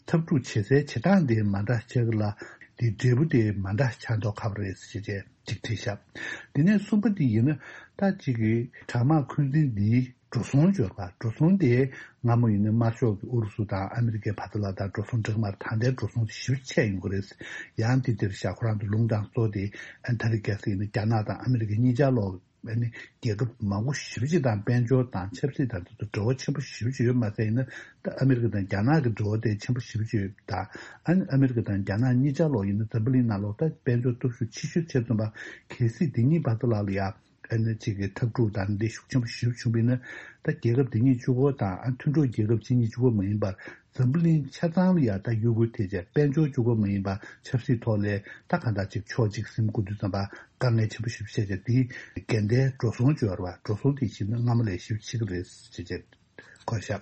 འཐབ་འཁྲུག་བྱེད་སའི་བྱེད་སྟངས་དེ་མ་འདྲ་ཆགས་ཀྱི་ལ། དེ་འབྲས་བུ་དེ་མ་འདྲ་ཆགས་མདོག་ཁ་པོ་རེད་ཟེར་བྱས་ཅིག་བྲིས་ཤག་དེ་ནས་གསུམ་པ་དེ་ཡིན་ན་ད་ཅིག་གི་གྲངས་མང་འཁོན་འཛིན་འདིའི་འགྲོ་སོང་འབྱོར་བ། འགྲོ་སོང་དེ་སྔ་མོ་ཡིན་ན་དམར་ཤོག་གི་ཨུ་རུ་སུ་དང་ཨ་མི་རི་ཀའི་བར་དུ་ལ་ད་འགྲོ་སོང་འགྲིག་མ་རེད། ད་ལྟའི་འགྲོ་སོང་དེ་ཞེ་པོ་ཆེ་ཡོང་གི་རེད། ཡང་དེ་དེར་ཤག་ཁོ་རང་ཚོ་ལུང་དྲངས་གཙོ་དེ་ཨ་ད་རེས་ཁ་སང་ཡིན་ན་རྒྱ་ནག་དང་ཨ་མི་རི་ཀ་གཉིས་ཆ་ལོག་ཨ་ནི་རྒྱལ་ཁབ་མང་པོ་ཞེ་པོ་ཅིག་དང་དཔལ་འབྱོར་དང་ཆབ་སྲིད་དང་དེ་ཚོ་འབྲེལ་བ་ཆེན་པོ་ཞེ་པོ་ཅིག་ཡོད་མ་ཟད་ཡིན་ན། ད་ཨ་མི་རི་ཀ་དང་རྒྱ་ནག་གི་འབྲེལ་བ་དེ་ཆེན་པོ་ཞེ་པོ་ཅིག་ཡོད། ད་ཨ་ནི་ཨ་མི་རི་ཀ་དང་རྒྱ་ནག་གཉིས་ཆ་ལོག་ཡིན་ན་འཛམ་བུ་གླིང་ནང་ལོག་ད་དཔལ་འབྱོར་སྟོབས་ཤུགས་ཆེ་ཤོས་ཆེ་ཙམ་པ། གལ་སྲིད་དེ་གཉིས་བར་དུ་ལ་ལ་ཡ་ཨ་ནི་གཅིག་གི་འཐབ་འཁྲུག་དང་འདི་ཤུགས་ཆེན་པོ་ཞེ་པོ་བྱུང་བ་ཡིན་ན། ད་རྒྱལ་ཁབ་དེ་གཉིས་གཅིག་པོ་དང་ཨ་མཐུན་གྲོགས་རྒྱལ་ཁབ་གཅིག་གཉིས་གཅིག་པོ་མ་ཡིན་པར། འཛམ་བུ་གླིང་ཆ་ཚང་ལ་ཡ་ད་གཡོ་འགུལ་ཐེབས་བྱས་དཔལ་འབྱོར་གཅིག་པོ་མ་ཡིན་པ་ཆབ་སྲིད་ཐོག་ལས་ད་གང་ལྟར་ཅིག་ཕྱོགས་གཅིག་ཟིན་དགོས་དུས་ཙམ་པ་དཀའ་ངལ་ཆེན་པོ་ཞིག་བཤད་བྱས་དེའི་འགལ་ཟླའི་འགྲོ་སོང་བྱོས་པ་འགྲོ་སོང་དེ་ཞིག་ནི་སྔ་མ་ལས་ཞིབ་ཕྱི་གི་རེད་ཅེས་བྱས་གོ་ཤག་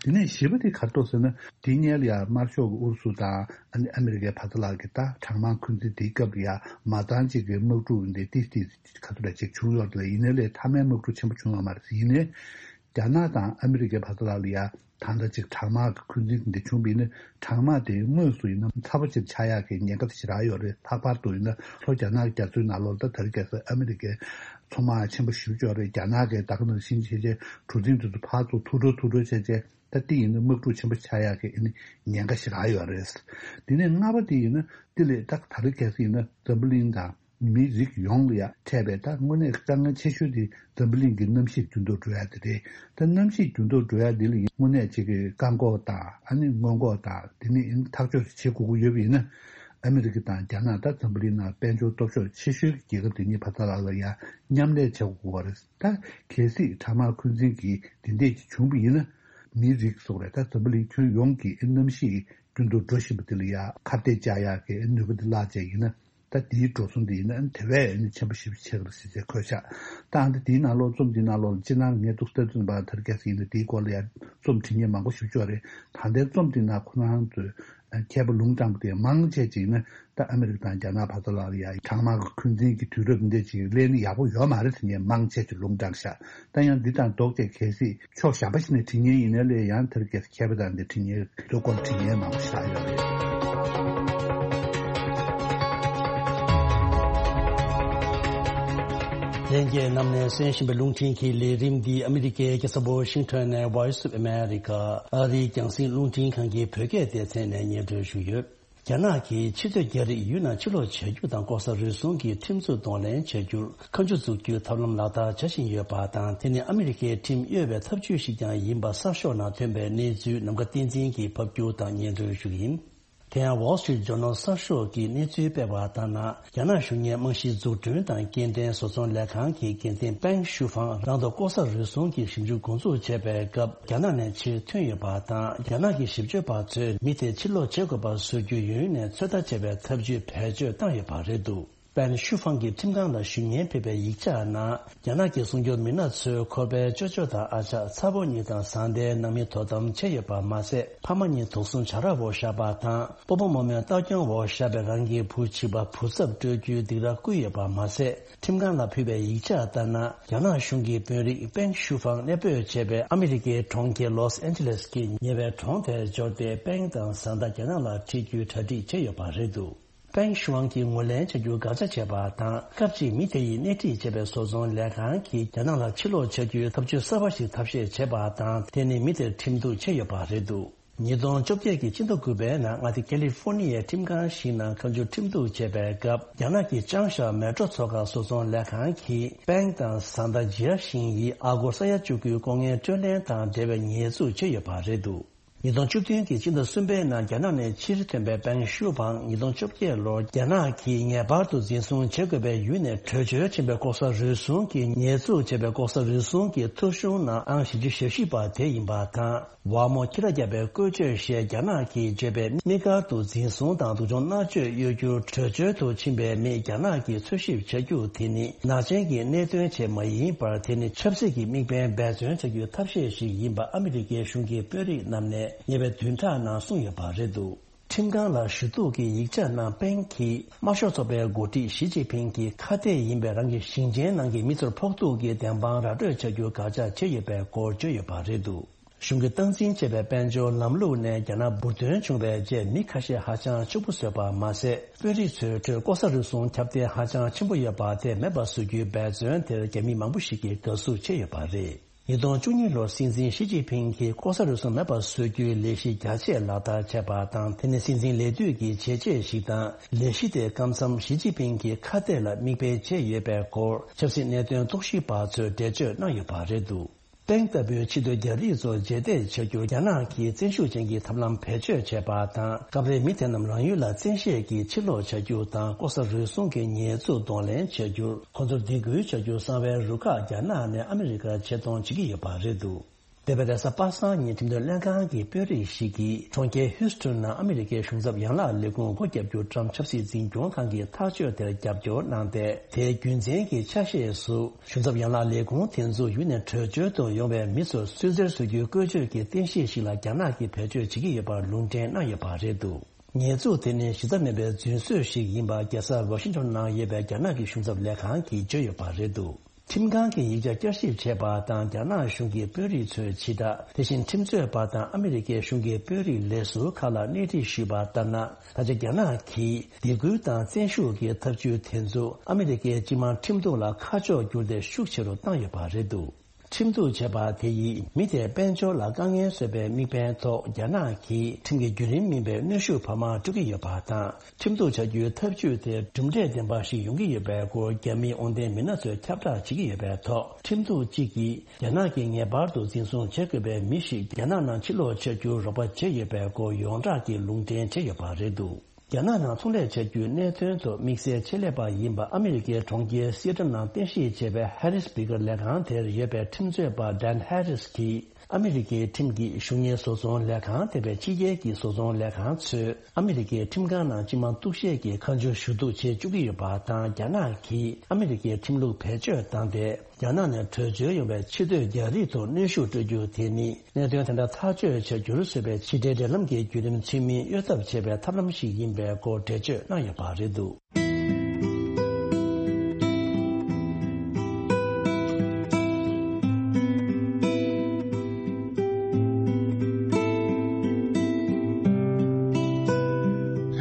དེ་ནས་བཞི་པ་དེ་ག་རེ་འདུག་ཟེར་ན་དེ་སྔོན་ལ་ཡ་དམར་ཤོག་གི་ཨུ་རུ་སུ་དང་ཨ་ནི་ཨ་མི་རི་ཀའི་བར་དུ་ལ་གི་ད་གྲངས་མང་འཁོན་འཛིན་དེའི་སྐབས་ལ་ཡ་མ་རྩ་གཅིག་གི་དམག་འཁྲུག་འདི་ཏིས་ཏིས་ག་ཚོད་ལ་ཅིག་བྱུང་ཡོད་རེད། ཡིན་ནའི་ལས་མཐའ་མའི་དམག་འཁྲུག་ཆེན་པོ་བྱུང་ཡོད་མ་རེད། ཡིན་ནའི། རྒྱ་ནག་དང་ཨ་མི་རི་ཀའི་བར་དུ་ལ་ལ་ཡ་ད་ལྟ་ཅིག་གྲངས་མང་གི་འཁོན་འཛིན་འདི་བྱུང་བ་ཡིན་ན་གྲངས་མང་དེ་དངོས་སུ་ཡིན་ན་ཚ་པོ་ཅིག་ཆགས་ཡག་གི་ཉེན་ཁ་དེ་ཞེ་དྲག་ཡོད་རེད། ལྷག་པར་དུ་ཡིན་ན་ལྷོ་རྒྱ་ནག་གི་རྒྱ་མཚོའི་ནང་ལོགས་ད་དེ་རིང་ཁ་སང་ཨ་མི་རི་ཀའི་མཚོ་དམག་ཆེན་པོ་ཞེ་པོ་ཅིག་ཡོད་རེད། རྒྱ་ནག་གིས་ད་ག་ནང་བཞིན་བྱས་བྱས་གྲུ་གཟིངས་དེ་ཚོ་ཕར་ཚུར་ཐུག་འགྲོ་ཐུག་འགྲོ་བྱས་བྱས་ད་དེ་ཡིན་ན་དམག་འཁྲུག་ཆེན་པོ་ཆགས་ཡག་གི་ཨ་ནི་ཉེན་ཁ་ཞེ་དྲག་ཡོད་རེད། དེ་ནས་ལྔ་པ་དེ་ཡིན་ན་དེ་ལས་ད་དེ་རིང་ཁ་སང་ཡིན་ན་འཛམ་བུ་གླིང་དང་། མི་རིགས་ཡོངས་ལ་ཡང་འཕྲད་པའི་ད་དངོས་གནས་དཀའ་ངལ་ཆེ་ཤོས་དེ་འཛམ་བུ་གླིང་གི་གནམ་གཤིས་འགྱུར་ལྡོག་འགྲོ་ཡ་དེ་རེད། ད་གནམ་གཤིས་འགྱུར་ལྡོག་འགྲོ་ཡ་འདི་ལ་ཡིན་དངོས་གནས་ཅིག་གི་བཀག་འགོག་དང་ཨ་ནི་སྔོན་འགོག་དང་དེ་ནི་ཡིན་ཐག་གཅོད་བྱེད་དགོས་ཀྱི་ཡོད་པ་ཡིན་ན། ཨ་མི་རི་ཀ་དང་རྒྱ་ནག་ད་འཛམ་བུ་གླིང་ནང་དཔལ་འབྱོར་སྟོབས་ཤུགས་ཆེ་ཤོས་ཀྱི་རྒྱལ་ཁབ་དེ་གཉིས་བར་ཐག་ལ་ལ་ཡང་མཉམ་ལས་བྱེད་དགོས་པ་རེད། ད་གལ་སྲིད་གྲངས་མང་འཁོན་འཛིན་གྱི་དེ་འདྲས་ཀྱི་བྱུང་བ་ཡིན་ན། མིའི་རིགས་སོགས་རེད། ད་འཛམ་བུ་གླིང་ཁྱོན་ཡོངས་ཀྱི་གནམ་གཤིས་རྒྱུན་དུ་འགྲོ་བཞིན་པ་དེ་ལ་ཡ་ཁ་གཏད་བཅག་ཡག་གི་ནུས་པ་དེ་བརླག་བྱས་ཡིན་ན། ད་དེའི་འགྲོ་སོང་དེ་ཡིན་ན་དེ་བས་ནི་ཆེན་པོ་ཞེ་པོ་ཆགས་ཀྱི་རེད་ཟེར་བྱས་འཁོད་ཤག་ད་ཨ་ནི་དེའི་ནང་ལོགས་རྩོམ་དེའི་ནང་ལོགས་ལ་སྤྱིར་ན་ངས་ཏོག་ཙམ་ལྟ་དུས་ཙམ་པ་ཐར་ཀེ་སི་ཡིན་ན་དེའི་སྐོར་ལ་ཡང་རྩོམ་བྲིས་མཁན་མང་པོ་ཞིག་ཡོད་རེད། ད་ལྟའི་རྩོམ་དེའི་ནང་ཁོ་རང་ཚོས་མཁས་པ་ལུང་དྲངས་པ་དེ་མང་ཆེ་ཅིག་ནི་ད་ཨ་མི་རི་ཀ་དང་རྒྱ་ནག་བར་དུ་ལ་ཡང་གྲང་དམག་གི་འཁོན་འཛིན་གྱི་དུས་རབས་འདི་འདྲ་ཅིག་སླེབས་ན་ཡག་པོ་ཡོད་མ་རེད་ཟེར་མཁན་མང་ཆེ་ཅིག་ལུང་དྲངས་ཤག་ད་ཡང་འདི་དང་ལྡོག་སྟེ་གལ་སྲིད་ཕྱོགས་གཞན་པ་ཞིག་ནས་བྲིས་མཁན་ཡིན་ན་ལས་ཡང་དེར་གལ་སྲིད་མཁས་པ་དང་འདི་བྲིས་མཁན་དེ་ཚོ་སྐོར་བྲིས་མཁན་མང་པོ་ཞིག་ཡོད་རེད། ལྷན་རྒྱས་རྣམས་ནས་གསན་བཞིན་པའི་རླུང་འཕྲིན་གྱི་ལས་རིམ་འདི་ཨ་མི་རི་ཀའི་རྒྱལ་ས་ཝ་ཤིང་ཊོན་ནས་Voice of America ཨ་རིའི་རྒྱང་སྲིང་རླུང་འཕྲིན་ཁང་གི་བོད་སྐད་སྡེ་ཚན་ནས་སྙན་སྒྲོན་ཞུས་ཡོད། རྒྱ་ནག་གིས་ཕྱི་སྡོད་རྒྱ་རིགས་ཡུལ་ནང་ཕྱིར་ལོག་བྱ་རྒྱུ་དང་ལྐོག་ཟ་རུལ་སུངས་ཀྱི་ཁྲིམས་འཛུགས་གདོང་ལེན་བྱ་རྒྱུར་ཁ་མཆུ་འཛུགས་རྒྱུའི་ཐབས་ལམ་ལག་བསྟར་བྱ་བཞིན་ཡོད་པ་དང་། དེ་ནི་ཨ་མི་རི་ཀའི་ཁྲིམས་གཡོལ་བའི་ཐབས་ཇུས་ཤིག་ཀྱང་ཡིན་པ་གསར་ཤོག་ནང་ཐོན་པའི་གནས་ཚུལ་ནམ་མཁའ་བསྟན་འཛིན་གྱིས་ཕབ་སྒྱུར་དང་སྙན་སྒྲོན་ཞུ་གི་ཡིན། དེ་ཡང་Wall Street Journal གསར་ཤོག་གིས་གནས་ཚུལ་སྤེལ་བ་ལྟར་ན། རྒྱ་ནག་གཞུང་གཉེར་རྨང་གཞིའི་འཛུགས་སྐྲུན་དང་སྐྱེལ་འདྲེན་བཟོ་ཚོང་ལས་ཁང་གི་འགན་འཛིན་པེང་ཞུ་ཧྥང་རང་དང་ལྐོག་ཟ་རུལ་སུངས་ཀྱི་ཞིབ་འཇུག་འགོ་འཛུགས་བྱས་པའི་སྐབས། རྒྱ་ནག་ནས་ཕྱིར་ཐོན་ཡོད་པ་དང་། རྒྱ་ནག་གི་ཞིབ་དཔྱོད་པ་ཚོས་མི་དེ་ཕྱིར་ལོག་བྱེད་དགོས་པ་བཟོ་རྒྱུའི་ཡུན་རིང་ནས་ཚོད་ལྟ་བྱས་པའི་ཐབས་ཇུས་བེད་སྤྱོད་བཏང་ཡོད་པ་རེད་འདུག་པེན་ཞུ་ཧྥང་གིས་ཁྲིམས་ཁང་ལ་ཞུ་སྙན་ཕུལ་བའི་ཡིག་ཆ་ནང་། རྒྱ་ནག་གི་སྲུང་སྐྱོབ་མི་སྣ་ཚོས་ཁོ་པའི་ཅོ་ཅོ་དང་ཨ་ཅག་ཚ་བོ་གཉིས་དང་བཟའ་ཟླའི་ནང་མི་དོ་དམ་བྱས་ཡོད་པ་མ་ཟད། ཕ་མ་གཉིས་དུག་སྲུང་བྱ་ར་འོག་བཞག་པ་དང་། སྤོ་བོ་རྨོ་མོའི་ལྟ་སྐྱོང་འོག་བཞག་པའི་རང་གི་བུ་བྱིས་པ་བུ་ཚབ་སྤྲོད་རྒྱུའི་སྡིགས་ར་བསྐུལ་ཡོད་པ་མ་ཟད། ཁྲིམས་ཁང་ལ་ཕུལ་བའི་ཡིག་ཆ་ལྟར་ན། རྒྱ་ནག་གཞུང་གི་དཔོན་རིགས་པེང་ཞུ་ཧྥང་གནས་སྤོས་བྱས་པའི་ཨ་མི་རི་ཀའི་གྲོང་ཁྱེར་ལོས་ཨན་ཇེ་ལེས་ཀྱི་ཉེ་བའི་གྲོང་དེར་འབྱོར་ཏེ། པེང་དང་བཟའ་ཟླ་རྒྱ་ནག་ལ་ཁྲིད་རྒྱུའི་གྲ་སྒྲིག་བྱས་ཡོད་པ་རེད་འདུག་པེང་ཞུ་ཝང་གིས་ངོས་ལེན་བྱ་རྒྱུར་དགག་བྱ་བྱས་པ་དང་། སྐབས་གཅིག་མི་དེ་ཡིས་སྣེ་ཁྲིད་བྱས་པའི་བཟོ་ཚོང་ལས་ཁང་གིས་རྒྱ་ནག་ལ་ཕྱིར་ལོག་བྱ་རྒྱུའི་ཐབས་ཇུས་གསར་པ་ཞིག་ཐབས་ཤེས་བྱས་པ་དང་། དེ་ནི་མི་དེར་ཁྲིམས་གཏུག་བྱས་ཡོད་པ་རེད་འདུག་ཉིས་སྟོང་བཅོ་བརྒྱད་ཀྱི་སྤྱི་ཟླ་དགུ་པའི་ནང་། མངའ་སྡེ་ཀ་ལི་ཧྥོ་ནི་ཡའི་ཁྲིམས་ཁང་ཞིག་ནང་ཁ་མཆུ་ཁྲིམས་གཏུག་བྱས་པའི་སྐབས། རྒྱ་ནག་གི་ཅང་ཞའོ་མེ་ཏྲོ་མཚོ་ཁ་བཟོ་ཚོང་ལས་ཁང་གིས། པེང་དང་བཟའ་ཟླ་ཇི་ཡ་ཤིང་ཡིས་ཨ་སྒོར་ས་ཡ་བཅུ་དགུའི་ལྐོག་རྔན་སྤྲོད་ལེན་དང་འབྲེལ་བའི་ཉེས་འཛུགས་བྱས་ཡོད་པ་རེད་འདུག་ཉིས་སྟོང་བཅུ་བདུན་གྱི་སྤྱི་ཟླ་གསུམ་པའི་ནང་རྒྱ་ནག་ནས་ཕྱིར་ཐོན་པའི་པེང་ཞུ་ཧྥང་། ཉིས་སྟོང་བཅོ་བརྒྱད་ལོར་རྒྱ་ནག་གིས་ངེས་པར་དུ་འཛིན་བཟུང་བྱེད་དགོས་པའི་ཡུལ་ནས་བྲོས་བྱོལ་ཕྱིན་པའི་ལྐོག་ཟ་རུལ་སུངས་ཀྱི་ཉེས་འཛུགས་བྱས་པའི་ལྐོག་ཟ་རུལ་སུངས་ཀྱི་ཐོ་གཞུང་ནང་ཨང་བཞི་བཅུ་ཞེ་བཞི་པ་དེ་ཡིན་པ་དང་། ཝ་མོ་ཁྱི་ར་བརྒྱབ་པའི་བཀོལ་སྤྱོད་ཞེས་རྒྱ་ནག་གིས་བརྗོད་པའི་དམིགས་བཀར་དུ་འཛིན་བཟུང་དང་སྡུག་སྦྱོང་མནར་གཅོད་གཡོ་སྒྱུར། བྲོས་བྱོལ་དུ་ཕྱིན་པའི་མི་རྒྱ་ནག་གིས་འཚོལ་ཞིབ་བྱ་རྒྱུ་དེ་ནི་ནག་ཅན་གྱི་གནད་དོན་ཆེད་མ་ཡིན་པར། དེ་ནི་ཆབ་སྲིད་ཀྱི་དམིགས་འབེན་འབད་བརྩོན་བྱ་རྒྱུའི་ཐབས་ཤེས་ཤིག་ཡིན་པ་ཨ་མི་རི་ཀའི་གཞུང་གི་དཔོན་རིགས་རྣམས་ནས་ཉེ་བའི་བདུན་ཕྲག་ནང་གསུངས་ཡོད་པ་རེད་འདུག་ཁྲིམས་ཁང་ལ་ཞུ་གཏུག་གི་ཡིག་ཆ་ནང་པེང་གིས་དམར་ཤོག་ཚོགས་པའི་འགོ་ཁྲིད་ཞི་ཅིན་ཕིང་གི་ཁ་གཏད་ཡིན་པའི་རང་གི་ཞིང་ཆེན་ནང་གི་མི་ཚོར་ཕོག་ཐུག་གི་བདེན་དཔང་ར་སྤྲོད་བྱ་རྒྱུར་དགག་བྱ་བྱས་ཡོད་པའི་སྐོར་བརྗོད་ཡོད་པ་རེད་འདུག་གཞུང་གིས་སྟངས་འཛིན་བྱས་པའི་དཔལ་འབྱོར་ལམ་ལུགས་ནས་རྒྱ་ནག་འབུར་ཐོན་བྱུང་བའི་རྗེས། མི་ཁ་ཤས་ཧ་ཅང་ཕྱུག་པོ་བཟོས་པ་མ་ཟད། དཔོན་རིགས་ཚོའི་ཁྲོད་ལྐོག་ཟ་རུལ་སུངས་ཁྱབ་གདལ་ཧ་ཅང་ཆེན་པོ་ཡོད་པ་དེ་མེད་པ་བཟོ་རྒྱུའི་འབད་བརྩོན་དེར་རྒྱ་མི་མང་པོ་ཞིག་གིས་དགའ་བསུ་བྱས་ཡོད་པ་རེད། ཉིས་སྟོང་བཅུ་གཉིས་ལོར་སྲིད་འཛིན་ཞི་ཅིན་ཕིང་གིས་ལྐོག་ཟ་རུལ་སུངས་མེད་པར་བཟོ་རྒྱུའི་ལས་གཞི་རྒྱ་ཆེ་ལག་བསྟར་བྱས་པ་དང་། དེ་ནི་སྲིད་འཛིན་ལས་དུས་ཀྱི་བྱས་རྗེས་ཤིག་དང་། ལས་གཞི་དེ་སྐབས་མཚམས་ཞི་ཅིན་ཕིང་གི་ཁ་གཏད་ལ་མིག་དཔེ་བྱས་ཡོད་པའི་སྐོར་ཆབ་སྲིད་གནད་དོན་རྟོག་ཞིབ་པ་ཚོས་འགྲེལ་བརྗོད་གནང་ཡོད་པ་རེད་འདུག་པེང་ལྟ་བུའི་ཕྱི་སྡོད་རྒྱ་རིགས་ཚོ་རྗེས་འདེད་བྱ་རྒྱུར་རྒྱ་ནག་གིས་བཙན་ཤུགས་ཅན་གྱི་ཐབས་ལམ་བེད་སྤྱོད་བྱས་པ་དང་། སྐབས་རེ་མི་དེ་རྣམས་རང་ཡུལ་ལ་བཙན་ཤེད་ཀྱིས་ཕྱིར་ལོག་བྱ་རྒྱུ་དང་། ལྐོག་ཟ་རུལ་སུངས་ཀྱི་ཉེས་འཛུགས་གདོང་ལེན་བྱ་རྒྱུར། ཁོ་ཚོར་སྡིགས་སྐུལ་བྱ་རྒྱུར་གསང་བའི་རུ་ཁག་རྒྱ་ནག་ནས་ཨ་མི་རི་ཀར་ཆེད་གཏོང་བྱེད་ཀྱི་ཡོད་པ་རེད་འདུག་འདས་པའི་རེས་གཟའ་པ་སངས་ཉིན་ཁྲིམས་དོན་ལྷན་ཁང་གི་དཔོན་རིགས་ཤིག་གིས་གྲོང་ཁྱེར་ཧིའུ་སི་ཊོན་ནང་ཨ་མི་རི་ཀའི་གཞུང་ཚབ་ཡན་ལག་ལས་ཁུངས་སྒོ་བརྒྱབ་རྒྱུར་ཊམ་ཕྱི་སྲིད་འཛིན་སྐྱོང་ཁང་གི་ཐག་གཅོད་དེར་རྒྱབ་སྐྱོར་གནང་སྟེ། དེའི་རྒྱུ་མཚན་གྱི་ཆ་ཤས་སུ། གཞུང་ཚབ་ཡན་ལག་ལས་ཁུངས་དེ་ཚོ་ཡུལ་ནས་བྲོས་བྱོལ་དུ་ཡོང་བའི་མི་ཚོར་སུད་སིར་བཟོ་རྒྱུའི་བཀོལ་སྤྱོད་ཀྱི་རྟེན་གཞི་ཞིག་ལ་རྒྱ་ནག་གིས་བེད་སྤྱོད་བྱེད་ཀྱི་ཡོད་པར་ལུང་འདྲེན་གནང་ཡོད་པ་རེད་འདུག་ཉེས་འཛུགས་དེ་ནི་གཞི་རྩ་མེད་པའི་རྫུན་བཟོས་ཤིག་ཡིན་པ། རྒྱལ་ས་ཝ་ཤིང་ཊོན་ནང་ཡོད་པའི་རྒྱ་ནག་གི་གཞུང་ཚབ་ལས་ཁང་གིས་བརྗོད་ཡོད་པ་རེད་འདུག་ཁྲིམས་ཁང་གིས་ཡིག་ཆ་བསྐྱར་ཞིབ་བྱས་པ་དང་། རྒྱ་ནག་གཞུང་གི་དཔོན་རིགས་ཚོས་ཇི་ལྟར། དེ་བཞིན་ཁྲིམས་རྩོད་པ་དང་ཨ་མི་རི་ཀའི་གཞུང་གི་དཔོན་རིགས་ལས་ཟུར་ཁག་ལ་སྣེ་ཁྲིད་ཞུས་པ་ལྟར་ན། ད་ཆ་རྒྱ་ནག་གིས་སྡིགས་སྐུལ་དང་བཙན་ཤུགས་ཀྱི་ཐབས་ཇུས་དེ་ཚོ་ཨ་མི་རི་ཀའི་སྤྱི་དམངས་ཁྲིམས་གཏུག་ལ་ཁ་ཕྱོགས་བསྒྱུར་ཏེ་ཤུགས་ཆེ་རུ་བཏང་ཡོད་པ་རེད་འདུག་ཁྲིམས་གཏུག་བྱས་པ་དེ་ཡིས་མི་དེའི་དཔལ་འབྱོར་ལ་དཀའ་ངལ་བཟོས་པའི་དམིགས་འབེན་ཐོག་རྒྱ་ནག་གིས་ཁྲིམས་ཀྱི་བརྒྱུད་རིམ་མིན་པའི་གནོན་ཤུགས་བར་མར་སྤྲོད་ཀྱི་ཡོད་པ་དང་། ཁྲིམས་གཏུག་བྱ་རྒྱུའི་ཐབས་ཇུས་དེ་གྲུབ་འབྲས་ལྡན་པ་ཞིག་ཡོང་གི་ཡོད་པའི་སྐོར་རྒྱ་མིའི་དབང་ལྡན་མི་སྣ་ཚོས་ཁྱབ་བསྒྲགས་བྱེད་ཀྱི་ཡོད་པའི་ཐོག་ཁྲིམས་གཏུག་གཅིག་གིས་རྒྱ་ནག་གིས་ངེས་པར་དུ་འཛིན་བཟུང་བྱེད་དགོས་པའི་མི་ཞིག་རྒྱ་ནག་ནང་ཕྱིར་ལོག་བྱ་རྒྱུར་རོགས་པ་བྱས་ཡོད་པའི་སྐོར་ཡོངས་གྲགས་ཀྱི་ལུང་འདྲེན་བྱས་ཡོད་པ་རེད་འདུག་རྒྱ་ནག་ནང་ཚོང་ལས་བྱ་རྒྱུའི་གནད་དོན་ཐོག་དམིགས་བསལ་ཆེད་ལས་པ་ཡིན་པ་ཨ་མི་རི་ཀའི་གྲོང་ཁྱེར་སི་ཨེ་ཊལ་ནང་རྟེན་གཞི་བྱས་པའི་ཧེ་རིས་བྷི་གར་ལས་ཁང་དེར་ཡོད་པའི་ཁྲིམས་རྩོད་པ་ཌན་ཧེ་རིས་ཀྱིས། ཨ་མི་རི་ཀའི་ཁྲིམས་ཀྱི་གཞུང་གཉེར་བཟོ་ཚོང་ལས་ཁང་དེ་བས་ཕྱི་རྒྱལ་གྱི་བཟོ་ཚོང་ལས་ཁང་ཚོས་ཨ་མི་རི་ཀའི་ཁྲིམས་ཁང་ནང་སྤྱི་དམངས་གཏུག་བཤེར་གྱི་ཁ་མཆུ་ཞུ་གཏུག་བྱེད་བཅུག་གི་ཡོད་པ་དང་། རྒྱ་ནག་གིས་ཨ་མི་རི་ཀའི་ཁྲིམས་ལུགས་བེད་སྤྱོད་བཏང་སྟེ། རྒྱ་ནག་ནས་བྲོས་བྱོལ་ཡོང་བའི་ཕྱིར་སྡོད་རྒྱ་རིགས་ཐོག་གནོན་ཤུགས་སྤྲོད་རྒྱུ་དེ་ནི། གནད་དོན་དེ་འདྲ་ཐག་གཅོད་བྱ་རྒྱུར་བཟོས་པའི་ཕྱི་འབྲེལ་འབྲེལ་ལམ་གྱི་བརྒྱུད་རིམ་ཚུལ་མིན་གཡོལ་ཐབས་བྱས་པའི་ཐབས་ལམ་ཞིག་ཡིན་པའི་སྐོར་འགྲེལ་བརྗོད་གནང་ཡོད་པ་རེད་འདུག།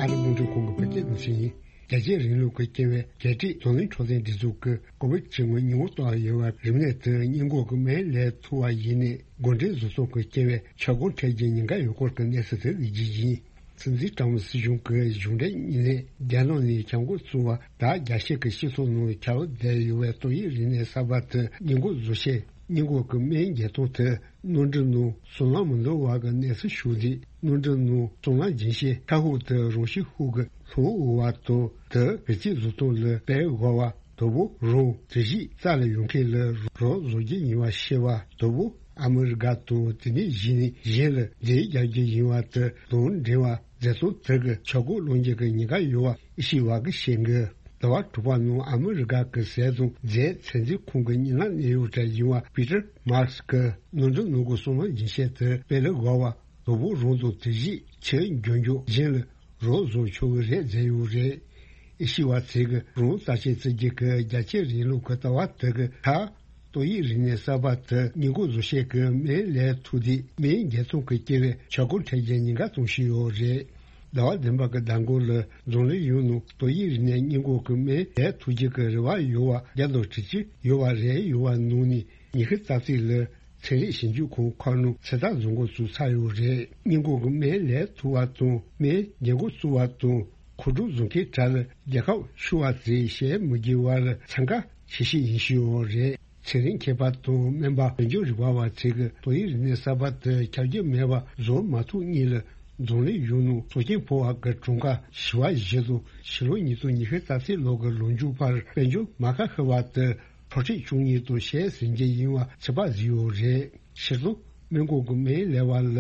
ཨ་རི་རླུང་འཕྲིན་ཁང་གི་བོད་སྐད་སྡེ་ཚན་ཡིན། རྒྱལ་གཅེས་རིང་ལུགས་ཀྱི་སྐྱེ་བའི་རྒྱལ་སྤྱིའི་འཛམ་གླིང་འཕྲོད་བསྟེན་སྒྲིག་འཛུགས་ཀྱིས་ཀོ་བིད་བཅུ་དངོས་ཉིན་གུང་བཏང་ཡོད་པའི་རིམས་ནད་དེ་སྔོན་འགོག་གི་སྨན་ལས་ཐུབ་པ་ཡིན་ནའི། འགོ་འདྲེན་བཟོ་ཚོང་གི་སྐྱེ་བའི་ཁྱབ་ཁོངས་ཁྲལ་གྱི་ཉེན་ཁ་ཡོད་སྐོར་གྱི་གནས་ཚུལ་དེ་གཟིགས་རྒྱུ་ཡིན། སྲིད་འཛིན་ཀྲམ་སྲིད་གཞུང་གི་གཞུང་འབྲེལ་ཉིན་ནས་རྒྱ་ནག་ནས་ཁྱབ་འགོ་བཙུགས་པ་དང་། རྒྱ་ཤེལ་གྱི་སྤྱི་ཚོགས་ནང་ཁྱབ་བསྡད་ཡོད་པའི་ཏོག་དབྱིབས་རིམས་ནད་གསར་པ་དེ་སྔོན་འགོག་བཟོ་ཆེད་སྔོན་འགོག་གི་སྨན་བརྒྱད་སྟོང་དེ་ནོར་འཁྲུལ་ནང་སོང་ལམ་མི་འདུག་པ་གི་གནས་ཚུལ་ཞུགས་རྗེས། ནོར་འཁྲུལ་ནང་སོང་ལམ་སྦྱིན་བྱེད་ཁ་ཤས་དེ་རང་བཞིན་ཤུགས་ཀྱིས་ལྷོད་འོང་བ་དང་། དེ་བེད་སྤྱོད་བཟོ་སྟངས་ལ་སྤེལ་དགོས་པ། དང་པོ་རང་དེ་བཞིན་རྩ་ལ་ཡོང་མཁན་ལ་རོགས་བཟོ་རྒྱུ་ཡིན་པ་ཤེས་པ། དང་པོ་ཨ་མི་རི་ཀ་དང་དེ་ནས་གཞི་ནས་གཞན་ལ་འབྲེལ་རྒྱག་རྒྱུ་ཡིན་པ་དེ་དང་འབྲེལ་བ་མཛད་སྟངས་དེ་གི་ཆག་སྒོ་སློང་རྒྱུ་གི་ཉེན་ཁ་ཡོད་པ་ཨེ་ཤེས་པ་གིས་བཤད་གི། ཟླ་བ་དྲུག་པ་ནང་ཨ་མི་རི་ཀ་གི་ཟས་དང་རྫས་ཚད་འཛིན་ཁང་གི་གཉེར་ལམ་གནས་ཡུལ་གྲས་ཡིན་པ་པི་ཏར་མར་ཁི་གིས་ནོར་འཁྲུལ་ནང་གི་སོང་ལམ་སྦྱིན་བྱེད་དེ་སྤེལ་དགོས་པ། དང་པོ་རང་དང་དེ་བཞིན་ཕྱིར་འགྱོ་མགྱོགས་གཞན་ལ་རོགས་བཟོ་ཆོག་གི་རེད་མཛད་ཡོད་རེད། ཨེ་ཤེས་པ་ཚོས་གི་རང་རྩ་ཆེན་བརྩི་རྒྱུ་གི་རྒྱལ་གཅེས་རིང་ལུགས་ཀྱི་ལྟ་བ་དེ་གི་ཁ། ཏོག་དབྱིབས་རིམས་ནད་གསར་པ་དེ་སྔོན་འགོག་བཟོ་ཆེད་ཀྱི་སྨན་ལས་ཐུག་དུས་སྨན་བརྒྱད་སྟོང་གི་སྐྱེ་བའི་ཁྱབ་ཁོངས་ཁྲལ་གྱི་ཉེན་ཁ་གཏོང་བཞིན་ཡོད་རེད། ཟླ་བ་བདུན་པ་གི་ཟླ་འགོ་ལ་འཛམ་གླིང་ཡོངས་ནང་ཏོག་དབྱིབས་རིམས་ནད་སྔོན་འགོག་གི་སྨན་ལས་ཐུག་རྒྱུ་གི་རེ་བ་ཡོད་པ་བརྒྱ་དང་དྲུག་ཅུ་ཡོད་པ་རེད། ཡོད་པ་ནང་ནས་ཉི་ཤུ་རྩ་གཅིག་ལ་ཚན་རིག་ཞིབ་འཇུག་ཁང་ཁག་ནང་ཚོད་ལྟ་བཟོ་འགོ་བཙུགས་ཚར་ཡོད་རེད། སྔོན་འགོག་གི་སྨན་ལས་ཐུབ་པ་དང་སྨན་འགོ་བཙུགས་པ་དང་མཁོ་སྤྲོད་བཟོ་མཁན་གྲས་ལ་རྒྱལ་ཁབ་ཆུང་བ་ཚོས་ཞལ་མི་བགྱི་བར་འཚང་ཁ་ཆེ་ཤོས་ཡིན་བཞིན་ཡོད་རེད། ཚན་རིག་མཁས་པ་དང་སྨན་པ་དཔལ་འབྱོར་རིག་པ་བ་ཚོས་ཀྱིས་ཏོག་དབྱིབས་རིམས་ནད་གསར་པ་དེ་ཁྱབ་རྒྱུ་མེད་པ་བཟོ་མ་ཐུབ་སྔོན་ལ་འཛམ་གླིང་ཡོངས་ནང་སྲོག་སྐྱོན་ཕོག་པ་གི་གྲངས་ཀ་ཞི་བ་བཞི་དང་ཕྱི་ལོ་ཉིས་སྟོང་ཉི་ཤུ་རྩ་གཅིག་ལོ་གི་ལོ་མཇུག་བར་དཔལ་འབྱོར་མ་ཁ་ཤི་བ་དེ་འཕྲོག་བསྲེག་བྱུང་ཉེན་དང་ཞལ་ཟིན་རྒྱུ་ཡིན་པ་ཚོད་དཔག་བཟོས་ཡོད་རེད། སྤྱིར་བཏང་སྨན་ཁང་གི་སྨན་ལས་པ་ལ་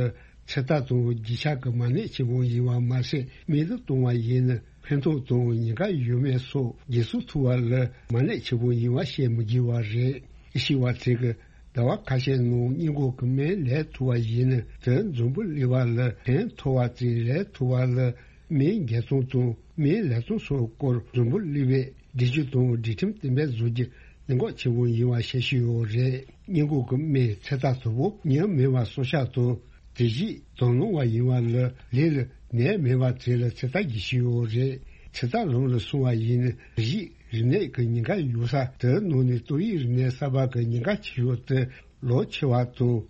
ཚོད་ལྟ་དང་རྒྱུ་ཆ་གི་མ་གནས་ཆེན་པོ་ཡིན་པ་མ་ཟད། སྨན་དུ་གཏོང་བ་ཡིན་ན་ཕན་ཐོགས་དང་ཉེན་ཁ་ཡོད་མེད་སོགས་འགན་སྲུང་ཐུབ་པ་ལ་མ་གནས་ཆེན་པོ་ཡིན་པ་བཤད་མི་དགོས་པ་རེད། ཨེ་ཤེས་པ་ཚོས་ཀྱིས་ཟླ་བ་ཁ་ཤས་ནང་སྔོན་འགོག་གི་སྨན་ལས་ཐུབ་པ་ཡིན་ན་དེ་འཛམ་བུ་གླིང་པ་ལ་ཕན་ཐོགས་པ་ཙམ་རེད། ཐུབ་པ་ལ་སྨན་རྒྱག་སྟངས་དང་སྨན་ལས་སྟངས་སོགས་སྐོར་འཛམ་བུ་གླིང་པས་སྒྲིག་གཞི་དང་སྒྲིག་ཁྲིམས་གཏན་འབེབས་བཟོ་རྒྱུ་གནད་འགག་ཆེན་པོ་ཡིན་པ་བཤད་བཞིན་ཡོད་རེད། སྔོན་འགོག་གི་སྨན་ཚོད་ལྟ་དང་པོ་ཉམས་མེད་པ་སྲོག་ཆགས་དང་དེ་བཞིན་དང་བླངས་པ་ཡིན་པ་ལ་ལུས་ལ་ནད་མེད་པ་ཚོ་ལ་ཚོད་ལྟ་བགྱིད་བཞིན་ཡོད་རེད། ཚོད་ལྟ་ལམ་ལ་སོང་བ་ཡིན་ན་དེ་བཞིན་རིམས་ནད་ཀྱི་ཉེན་ཁ་ཡོད་ས་དེ་ནང་ནས་ཏོག་དབྱིབས་རིམས་ནད་གསར་པ་གི་ཉེན་ཁ་ཆེ་ཤོས་དེ་ལོ་ཆེ་བ་དང་།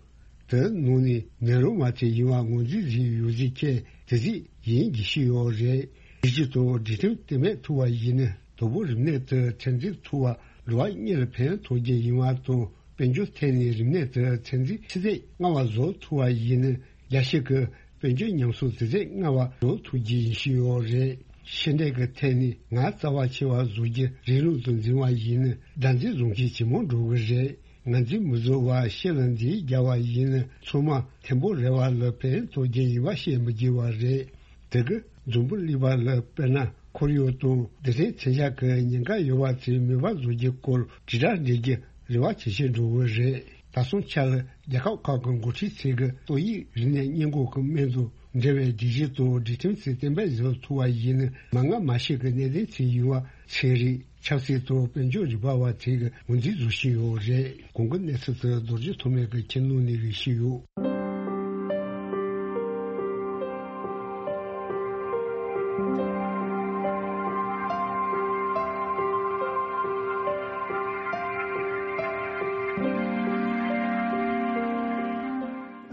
དེ་ནང་ནས་ནད་རོ་མ་ཚད་ཡིན་པ་ངོས་འཛིན་བཟོས་ཡོད་ཟེར་མཁན་དེ་ཚོ་ཡིན་དགོས་ཀྱི་ཡོད་རེད། སྒྲིག་གཞི་དང་སྒྲིག་ཁྲིམས་གཏན་འབེབས་ཐུབ་པ་ཡིན་ན་དང་པོ་རིམས་ནད་དེ་ཚད་འཛིན་ཐུབ་པ་ལོ་བ་གཉིས་ལ་ཕན་ཐོགས་རྒྱུ་ཡིན་པ་དང་། དཔལ་འབྱོར་ཐད་ནས་རིམས་ནད་དེ་ཚད་འཛིན་ཆུ་ཚད་སྔ་བ་བཟོ་ཐུབ་པ་ཡིན་ན་རྒྱ་ཤེལ་གྱི་དཔལ་འབྱོར་ཉམས་གསོ་དེ་ཚད་སྔ་བ་བཟོ་ཐུབ་རྒྱུ་ཡིན་བཞིན་ཡོད་རེད། ཤེས་ལྡན་གྱི་ཐད་ནས་ངར་རྩ་བ་ཆེ་བ་བཟོ་རྒྱུ་རིང་ལུགས་དུ་འཛིན་པ་ཡིན་ན་ཟླ་འཛིན་བཟུང་གིས་ཇེ་མང་འགྲོ་གི་རེད། ངར་འཛིན་མི་བཟོ་བར་ཤེས་ལ་འཛིན་རྒྱག་པ་ཡིན་ན་ཚང་མ་ཐེམ་པོ་རེ་བ་ལ་ཕན་ཐོགས་རྒྱུ་ཡིན་པ་བཤད་མི་དགོས་པ་རེད། དེ་གི་འཛམ་བུ་གླིང་པ་ལ་དཔེར་ན་ཁོར་ཡུག་དང་སྡེ་ཚན་མཚོན་ཆ་གི་ཉེན་ཁ་ཡོད་པ་ཚོའི་མེད་པ་བཟོ་རྒྱུ་སྐོར་དྲིལ་བསྒྲགས་འགྲེལ་རྒྱུ་རེ་བ་ཇེ་ཆེར་འགྲོ་གི་རེད། ད་སོང་ཆ་ལ་རྒྱལ་ཁབ་ཁག་གི་འགོ་ཁྲིད་ཚོས་ཀྱི་ཏོག་དབྱིབས་རིམས་ནད་སྔོན་འགོག་གི་སྨན་དང་འབྲེལ་བའི་སྒྲིག་གཞི་དང་སྒྲིག་ཁྲིམས་ཚོ་གཏན་འབེབས་བཟོ་ཐུབ་པ་ཡིན་ན་མ་སྔ་མ་ཤི་གི་གནད་དོན་ཚོ་ཡིན་པ་ཚན་རིག་ཆབ་སྲིད་དང་དཔལ་འབྱོར་རིག་པ་བ་ཚོས་ཀྱི་ངོས་འཛིན་བཟོ་བཞིན་ཡོད་རེད། གོང་གི་གནས་ཚུལ་དེ་རྡོ་རྗེ་ཐོགས་མེད་ཀྱིས་ཁྱེར་གནང་ནས་རིགས་ཤིག་ཡོད།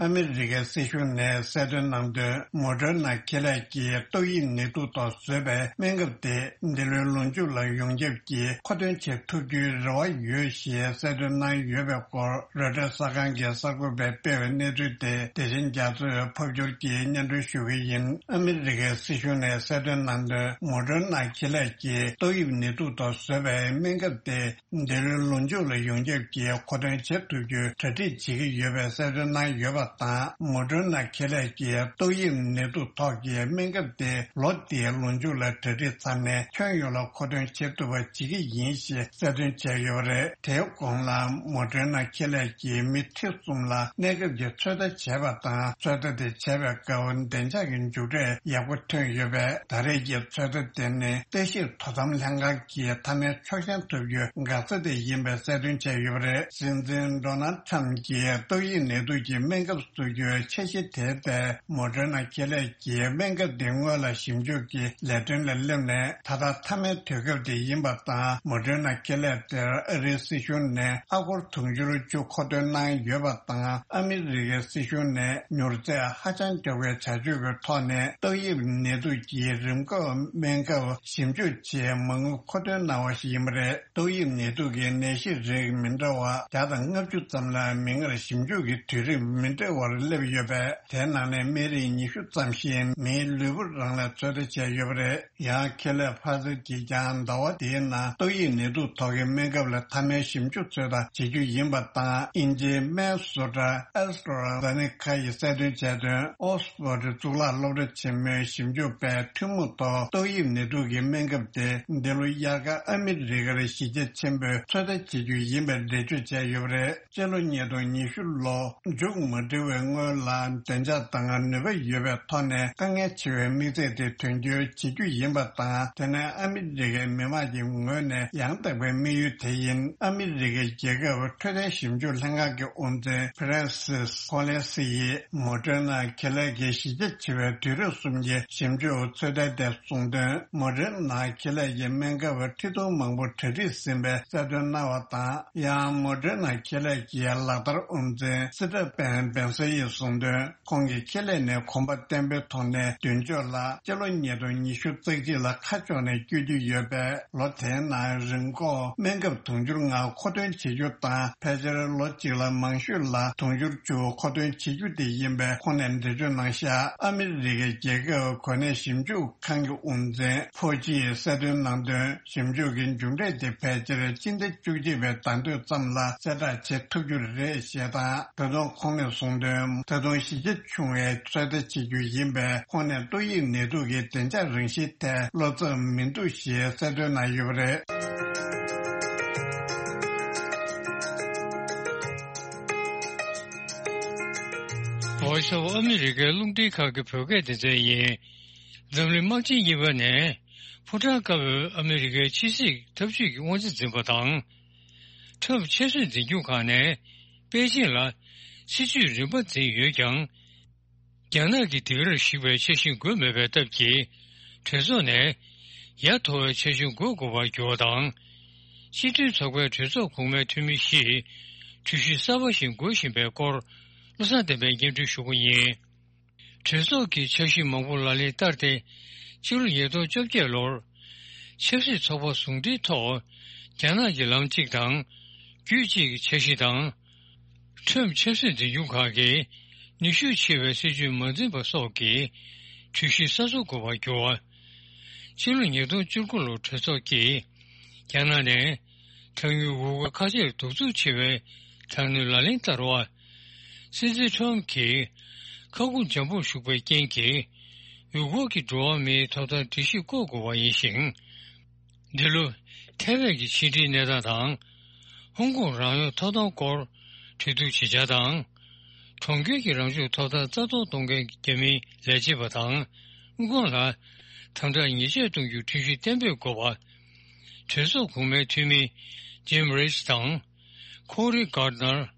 ཨ་མི་རི་ཀའི་སྲིད་གཞུང་ནས་གསལ་སྟོན་གནང་དོན། མོ་ཌར་ན་ཁེ་ལས་ཀྱིས་ཏོག་དབྱིབས་ནད་དུག་ཐོག་བཟོས་པའི་སྨན་ཁབ་དེ་འདི་ལོའི་ལོ་མཇུག་ལ་ཡོངས་ཁྱབ་ཀྱིས་མཁོ་འདོན་བྱེད་ཐུབ་རྒྱུའི་རེ་བ་ཡོད་ཞེས་གསལ་སྟོན་གནང་ཡོད་པའི་སྐོར། རོའི་ཊར་གསར་ཁང་གི་གསར་འགོད་པས་སྤེལ་བའི་གནས་ཚུལ་དེ་དེ་བཞིན་རྒྱ་མཚོས་ཕབ་སྒྱུར་གྱིས་སྙན་སྒྲོན་ཞུ་གི་ཡིན། ཨ་མི་རི་ཀའི་སྲིད་གཞུང་ནས་གསལ་སྟོན་གནང་དོན། མོ་ཌར་ན་ཁེ་ལས་ཀྱིས་ཏོག་དབྱིབས་ནད་དུག་ཐོག་བཟོས་པའི་སྨན་ཁབ་དེ་འདི་ལོའི་ལོ་མཇུག་ལ་ཡོངས་ཁྱབ་ཀྱིས་མཁོ་འདོན་བྱེད་ཐུབ་རྒྱུའི་གྲ་སྒྲིག་བྱེད་ཀྱི་ཡོད་པའི་གསལ་སྟོན་གནང་ཡོད་པ་དང་། མོ་ཌར་ན་ཁེ་ལས་ཀྱིས་ཏོག་དབྱིབས་ནད་དུག་ཐོག་གི་སྨན་ཁབ་དེ་ལོ་འདིའི་ལོ་མཇུག་ལ་གྲ་སྒྲིག་ཚར་ནས་ཁྱོན་ཡོངས་ལ་མཁོ་འདོན་བྱེད་ཐུབ་པ་བྱེད་ཀྱི་ཡིན་ཞེས་གསལ་སྟོན་བྱས་ཡོད་པ་རེད། དེའི་གོང་ལ་མོ་ཌར་ན་ཁེ་ལས་ཀྱིས་མི་ཁྲི་གསུམ་ལ་གནས་སྐབས་ཀྱི་ཚོད་ལྟ་བྱས་པ་དང་། ཚོད་ལྟ་དེ་བྱས་པའི་སྐབས་བདེ་འཇགས་ཀྱི་མཇུག་འབྲས་ཡག་པོ་ཐོན་ཡོད་པས། ད་རེས་ཀྱི་ཚོད་ལྟ་དེ་ནི་ལྟ་ཞིབ་དོ་དམ་ལྷན་ཁང་གིས་མཐའ་མའི་ཆོག་མཆན་ཐོབ་རྒྱུའི་འགག་རྩ་དེ་ཡིན་པའི་གསལ་སྟོན་བྱས་ཡོད་པ་རེད། སྲིད་འཛིན་ཌོ་ནལ་ཊམ་གྱིས་ཏོག་དབྱིབས་ནད་དུག་གི་སྨན་ཁབ་བཟོ་རྒྱུའི་འཆར་གཞི་དེ་ལྟར། མོ་ཌར་ན་ཁེ་ལས་ཀྱིས་སྨན་ཁབ་དེ་སྔོན་ལ་ཞིབ་འཇུག་གི་ལས་དོན་ལ་སླེབས་ནས་ད་ལྟ་མཐའ་མའི་དུས་སྐབས་དེ་ཡིན་པ་དང་། མོ་ཌར་ན་ཁེ་ལས་དེར་ཨ་རིའི་སྲིད་གཞུང་ནས་ཨ་སྒོར་དུང་ཕྱུར་བཅུ་མཁོ་འདོན་གནང་ཡོད་པ་དང་། ཨ་མི་རི་ཀའི་སྲིད་གཞུང་ནས་མྱུར་ཚད་ཧ་ཅང་མགྱོགས་པའི་བྱ་སྤྱོད་ཀྱི་ཐོག་ནས་ཏོག་དབྱིབས་ནད་དུག་གི་རིམས་འགོག་སྨན་ཁབ་ཞིབ་འཇུག་ཆེད་མ་དངུལ་མཁོ་འདོན་གནང་བ་ཞིག་ཡིན་པ་རེད། ཏོག་དབྱིབས་ནད་དུག་གི་ནད་གཞི་རིགས་མི་འདྲ་བ་བརྒྱ་དང་ལྔ་བཅུ་ཙམ་ལ་མིག་སྔར་ཞིབ་འཇུག་གི་དུས་རིམ་མི་འདྲ་བར་སླེབས་ཡོད་པས། དེའི་ནང་ནས་སྨན་རིགས་ཉི་ཤུ་ཙམ་ཞིག་མིའི་ལུས་པོ་རང་ལ་ཚོད་ལྟ་བྱས་ཡོད་པ་རེད། ཡང་ཁེ་ལས་ཕ་ཛར་གྱིས་ཀྱང་ཟླ་བ་འདིའི་ནང་ཏོག་དབྱིབས་ནད་དུག་ཐོག་གི་སྨན་ཁབ་ལ་མཐའ་མའི་ཞིབ་འཇུག་ཚོད་ལྟ་བྱེད་རྒྱུ་ཡིན་པ་དང་། དབྱིན་ཇིའི་སྨན་བཟོ་གྲྭ་ཨེ་སི་ཊ་ར་ཛེ་ནེ་ཁ་ཡིས་གསལ་སྟོན་བྱས་དོན། ཨོག་སི་ཕོར་ཌི་གཙུག་ལག་སློབ་གྲྭ་ཆེན་མོའི་ཞིབ་འཇུག་པས་ཐུན་མོང་ཐོག་ཏོག་དབྱིབས་ནད་དུག་གི་སྨན་ཁབ་དེ་འདི་ལོ་དབྱར་ཁ་ཨ་མི་རི་ཀར་གཞི་རྒྱ་ཆེན་པོས་ཚོད་ལྟ་བྱེད་རྒྱུ་ཡིན་པའི་འགྲེལ་བརྗོད་བྱས་ཡོད་པ་རེད། སྤྱི་ལོ་ཉིས་སྟོང་ཉི་ཤུ་ལོ་མཇུག་མ་སྒྲིལ་བའི་སྔོན་ལ་བདེ་འཇགས་དང་ནུས་པ་ཡོད་པའི་ཐོག་ནས་དཀའ་ངལ་ཆེ་བའི་དམིགས་ཚད་དེ་དོན་འཁྱོལ་བྱེད་རྒྱུ་ཡིན་པ་དང་། དེ་ནི་ཨ་མི་རི་ཀའི་མི་དམངས་ཀྱི་ངོས་ནས་ཡང་དག་པའི་དམིགས་ཡུལ་དེ་ཡིན། ཨ་མི་རི་ཀའི་རྒྱལ་ཁབ་འཕྲོད་བསྟེན་ཞིབ་འཇུག་ལྷན་ཁང་གི་དབུ་འཛིན་ཕ་རན་སིས་ཁོ་ལེ་སི་ཡིས་མོ་ཌེར་ན་ཁེ་ལས་ཀྱི་གཞི་རྒྱ་ཆེ་བའི་དུས་རབས་གསུམ་གྱི་ཞིབ་འཇུག་ཚོད་ལྟ་དེ་གསུངས་དོན། མོ་ཌེར་ན་ཁེ་ལས་ཀྱི་སྨན་ཁབ་ཁྲི་སྟོང་མང་པོ་གྲ་སྒྲིག་ཟིན་པའི་གསལ་སྟོན་གནང་བ་དང་། ཡང་མོ་ཌེར་ན་ཁེ་ལས་ཀྱི་ལག་བསྟར་དབུ་འཛིན་སི་ཏྲ་པན་བེན་སེ་ཡིས་གསུངས་དོན། ཁོང་གིས་ཁེ་ལས་ནས་གོམ་པ་བརྟན་པོའི་ཐོག་ནས་མདུན་ཕྱོགས་ལ་སྤྱི་ལོ་ཉིས་སྟོང་ཉི་ཤུ་རྩ་གཅིག་ལ་ཁ་ཕྱོགས་ནས་བསྐྱོད་ཀྱི་ཡོད་པས། ལོ་དེའི་ནང་རིམས་འགོག་སྨན་ཁབ་དུང་ཕྱུར་ལྔ་མཁོ་འདོན་བྱེད་རྒྱུ་དང་། ཕལ་ཆེར་ལོ་གཅིག་ལ་མང་ཤོས་ལ་དུང་ཕྱུར་བཅུ་མཁོ་འདོན་བྱེད་རྒྱུ་དེ་ཡིན་པའི་ཁོང་ནས་འགྲེལ་བརྗོད་གནང་བཞག་ཨ་མི་རི་ཀའི་རྒྱལ་ཁབ་གོ་གནས་ཞིབ་འཇུག་ཁང་གི་དབུ་འཛིན་ཕོ་ཅིས་གསལ་སྟོན་གནང་དོན། ཞིབ་འཇུག་གི་མཇུག་འབྲས་དེ་ཕལ་ཆེར་སྤྱི་ཟླ་བཅུ་གཅིག་པའི་ཟླ་སྟོད་ཙམ་ལ་གསལ་བསྒྲགས་བྱེད་ཐུབ་རྒྱུ་རེད་ཞེས་དང་། ད་དུང་ཁོང་ནས་གསུངས་དོན། ད་དུང་གཞི་རྒྱ་ཆུང་བའི་ཚོད་ལྟ་བྱེད་རྒྱུ་ཡིན་པས། ཁོང་ནས་ཏོག་དབྱིབས་ནད་དུག་གི་བདེ་འཇགས་རང་བཞིན་ཐད་བློ་འཚབ་མི་འདུག་ཞེས་གསལ་སྟོན་གནང་ཡོད་པ་རེད། Voice of America རླུང་འཕྲིན་ཁང་གི་བོད་སྐད་སྡེ་ཚན་ཡིན། འཛམ་གླིང་དམག་ཆེན་གཉིས་པ་ནས་ཕོ་བྲང་དཀར་པོའི་ཨ་མི་རི་ཀའི་ཕྱི་སྲིད་འཐབ་ཇུས་ཀྱི་དབང་ཆ་འཛིན་པ་དང་། ཁྲམ་ཆབ་སྲིད་འཛིན་སྐྱོང་ཁང་ནས་པེ་ཅིང་ལ་སྲིད་ཇུས་རིམ་པ་འཛིན་ཡོད་ཀྱང་། རྒྱ་ནག་གི་སྡིགས་རར་ཞུགས་པའི་འཆར་གཞི་འགོད་མེད་པའི་སྟབས་ཀྱིས། གྲོས་ཚོགས་ནས་ཡ་མཐོ་བའི་འཆར་གཞི་འགོད་དགོས་པར་གྱུར་བ་དང་། སྤྱི་མཐུན་ཚོགས་པའི་གྲོས་ཚོགས་གོང་མའི་འཐུས་མི་བཞིས་གྲོས་གཞི་གསར་པ་ཞིག་འགོད་བཞིན་པའི་སྐོར། བློ་བཟང་བསྟན་པས་སྙན་སྒྲོན་ཞུ་རྒྱུ་ཡིན། གྲོས་ཚོགས་ཀྱི་འཆར་གཞི་མང་པོ་ལག་ལེན་བསྟར་ཏེ། ཕྱི་ལོ་ཉིས་སྟོང་བཅོ་བརྒྱད་ལོར། ཆབ་སྲིད་ཚོགས་པ་ཟུང་འབྲེལ་ཐོག་རྒྱ་ནག་གི་ལམ་གཅིག་དང་། རྒྱུད་གཅིག་གི་འཆར་གཞི་དང་། ཁྲོམ་ཆབ་སྲིད་འཛིན་སྐྱོང་ཁང་གིས་ནུས་ཤུགས་ཆེ་བའི་སྲིད་ཇུས་མ་འཛིན་པ་སོགས་ཀྱི་གྲོས་གཞི་གསར་བཟོ་དགོས་པར་གྱུར་བ། ཕྱི་ལོ་ཉིས་སྟོང་བཅུ་དགུ་ལོར་གྲོས་ཚོགས་ཀྱིས་རྒྱ་ནག་ནས་གྲངས་ཉུང་འུར་འུར་ཁ་ཆེར་གདུག་རྩུབ་ཆེ་བའི་དྲག་གནོན་ལག་ལེན་བསྟར་བ། སྲིད་འཛིན་ཁྲོམ་གྱིས་ཁ་ཁུ་འཇམ་པོར་བཞུགས་པའི་རྐྱེན་གྱིས། ཡུལ་སྐོར་གྱི་འགྲོ་བ་མིའི་ཐོབ་ཐང་སྒྲིག་གཞི་བཀོད་དགོས་པ་ཡིན་ཞིང་། འདི་ལོ་ཐའེ་ཝན་གྱི་ཕྱི་འབྲེལ་གནས་སྟངས་དང་། ཧོང་ཀོང་རང་དབང་ཐོབ་ཐང་སྐོར་གྲོས་བསྡུར་བྱེད་འཆར་དང་། གྲོང་ཁྱེར་གྱི་རང་སྐྱོང་ཐོབ་ཐང་རྩ་གཏོར་གཏོང་མཁན་གྱི་རྒྱ་མིའི་ལས་བྱེད་པ་དང་། དབུ་ཁང་ལ་དམ་དྲག་ཉེས་ཆད་གཏོང་རྒྱུའི་ཁྲིམས་གཞི་གཏན་འབེབས་དགོས་པ། གྲོས་ཚོགས་གོང་མའི་འཐུས་མི་ཇིམ་རིས་དང་། ཁོ་རི་གྷར་ནར།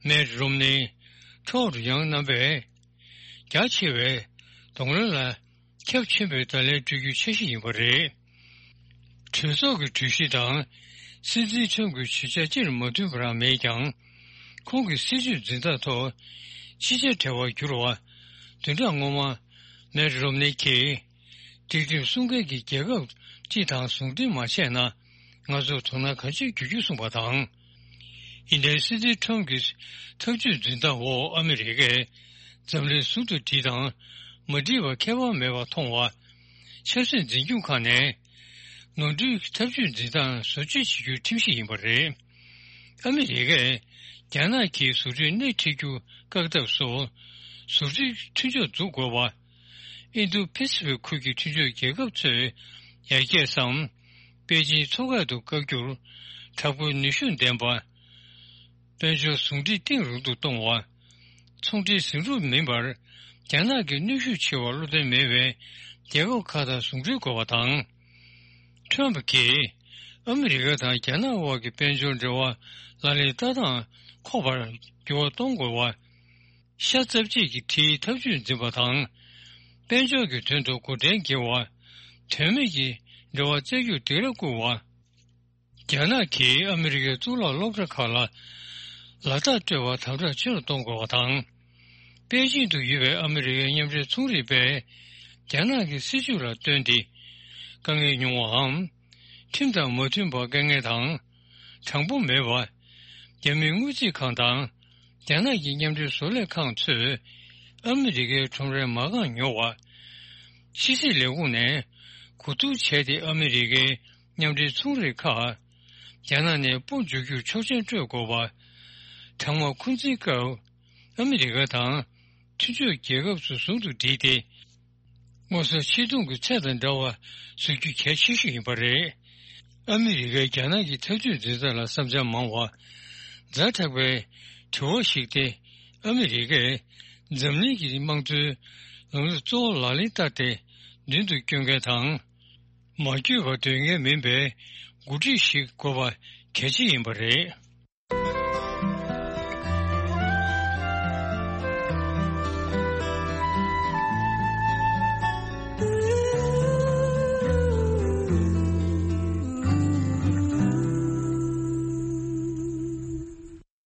མེད་རོམ་ནི། ཊོཌ་ཡང་རྣམ་པས། རྒྱ་ཆེ་བའི་གདོང་ལེན་ལ་ཁྱབ་ཆེན་པོས་བརྡ་ལན་སྤྲོད་རྒྱུའི་འཆར་གཞི་ཡིན་པ་རེད། གྲོས་ཚོགས་ཀྱི་གྲོས་གཞི་དང་སྲིད་འཛིན་ཁྲོམ་གྱི་ཇུས་ཆགས་སྤྱིར་མ་མཐུན་པ་རང་མེད་ཀྱང་། ཁོང་གི་སྲིད་ཇུས་འཛིན་སྟངས་ཐོག་ ཕྱི་རྒྱལ་བྲལ་བར་གྱུར་བ། བདུན་ཕྲག་སྔོན་མ། མེ་རོམ་ནི་གིས། སྒྲིག་ཁྲིམས་སྲུང་མཁན་གྱི་རྒྱལ་ཁབ་སྤྱི་དང་ཟུང་འབྲེལ་མ་བྱས་ན། ང་ཚོར་དོ་སྣང་གང་ཅི་བྱེད་རྒྱུ་གསུངས་པ་དང་། ཨིན་ལན་སྲིད་འཛིན་ཁྲོམ་གྱི་ཐབས་ཇུས་འཛིན་སྟངས་འོག་ཨ་མི་རི་ཀས་འཛམ་གླིང་ཟུང་དུ་སྒྲིལ་དང་མ་སྒྲིལ་བ་ཁྱད་པར་མེད་པར་མཐོང་བ། ཆབ་སྲིད་འཛིན་སྐྱོང་ཁག་ནས་ནོར་འཁྲུལ་ཐབས་ཇུས་འཛིན་སྟངས་བཟོ་བཅོས་བྱེད་རྒྱུའི་ཁྲིམས་གཞི་ཡིན་པ་རེད། ཨ་མི་རི་ཀས་རྒྱ་ནག་གིས་བཟོ་སྐྲུན་སྣེ་ཁྲིད་རྒྱུ་བཀག་ཐབས་སུ། བཟོ་སྐྲུན་མཐུན་ཕྱོགས་འཛུགས་དགོས་པ། ཨིན་རྡུ་པེ་སི་ཕིག་ཁུལ་གྱི་མཐུན་ཕྱོགས་རྒྱལ་ཁབ་ཚོས་ཡར་རྒྱས་སམ། པེ་ཅིན་མཚོ་ཁ་དུ་བཀག་རྒྱུར་དྲག་པོའི་ནུས་ཤུགས་ལྡན་པ། དཔལ་འབྱོར་ཟུང་འབྲེལ་གཏིང་རིང་དུ་གཏོང་བ། ཚོང་འབྲེལ་ཟིང་འཁྲུག་མིན་པར་རྒྱ་ནག་གི་གནོན་ཤུགས་ཆེ་བར་བློ་འདོན་མེད་པའི་རྒྱལ་ཁབ་ཁག་དང་ཟུང་འབྲེལ་དགོས་པ་དང་། ཁྲོམ་གྱིས་ཨ་མི་རི་ཀ་དང་རྒྱ་ནག་དབར་གྱི་དཔལ་འབྱོར་འབྲེལ་བ་ལག་ལེན་ལྟ་སྟངས་ཁོག་པར་འགྱུར་བ་གཏོང་དགོས་པ། ཤ་ཚབས་ཆེ་གི་ཁྲིའི་ཐབས་ཇུས་འཛིན་པ་དང་། དཔལ་འབྱོར་གྱི་དོན་དུ་འགོ་འདྲེན་བགྱི་བ། དོན་མེད་ཀྱི་འབྲེལ་བ་བཙལ་རྒྱུར་སྡིགས་ར་བསྐུལ་བ། རྒྱ་ནག་གིས་ཨ་མི་རི་ཀའི་གཙུག་ལག་སློབ་གྲྭ་ཁག་ལ་ལག་རྟགས་སྤྲོད་པ་དམ་དྲག་ཆེ་རུ་གཏོང་དགོས་པ་དང་། པེ་ཅིང་དུ་ཡོད་པའི་ཨ་མི་རི་ཀའི་མཉམ་འབྲེལ་ཚོང་རིག་པས་རྒྱ་ནག་གི་སྲིད་བྱུས་ལ་བསྟུན་ཏེ། དཀའ་ངལ་མྱོང་བའམ། ཁྲིམས་དང་མ་མཐུན་པར་དཀའ་ངལ་དང་། དྲང་པོ་མེད་པ། རྒྱ་མིའི་དངུལ་རྩིས་ཁང་དང་། རྒྱ་ནག་གི་མཉམ་འབྲེལ་བཟོ་ལས་ཁང་ཚོས་ཨ་མི་རི་ཀའི་ཁྲོམ་རའི་མ་རྐང་ཉོ་བ། ཕྱི་སྲིད་ལས་ཁུངས་ནས་གོ་བསྡུར་བྱས་ཏེ་ཨ་མི་རི་ཀའི་མཉམ་འབྲེལ་ཚོང་རིགས་ཁག་རྒྱ་ནག་ནས་སྤོ་འཇུག་རྒྱུར་ཆོག་མཆན་སྤྲོད་དགོས་པ། གྲང་དམག་འཁོན་འཛིན་སྐབས་ཨ་མི་རི་ཀ་དང་མཐུན་ཕྱོགས་རྒྱལ་ཁབ་ཚོ་ཟུང་དུ་སྒྲིལ་ཏེ། མངོན་གསལ་ཆེ་མཐོང་གི་ཚད་དང་འདྲ་བ་བཟོ་རྒྱུ་གལ་ཆེ་ཤོས་ཡིན་པ་རེད། ཨ་མི་རི་ཀས་རྒྱ་ནག་གི་ཐབས་ཇུས་འཛིན་སྟངས་ལ་བསམ་འཆར་མང་བ། ཛ་དྲག་པའི་དྲི་བ་ཞིག་སྟེ། ཨ་མི་རི་ཀས་འཛམ་གླིང་གི་དམངས་གཙོའི་ལམ་ལུགས་གཙོ་བོ་ལག་ལེན་བསྟར་ཏེ་མདུན་དུ་སྐྱོད་མཁན་དང་། མ་བསྐྱོད་པར་སྡོད་མཁན་མིན་པའི་འགོ་ཁྲིད་ཞིག་དགོས་པ་གལ་ཆེ་ཡིན་པ་རེད།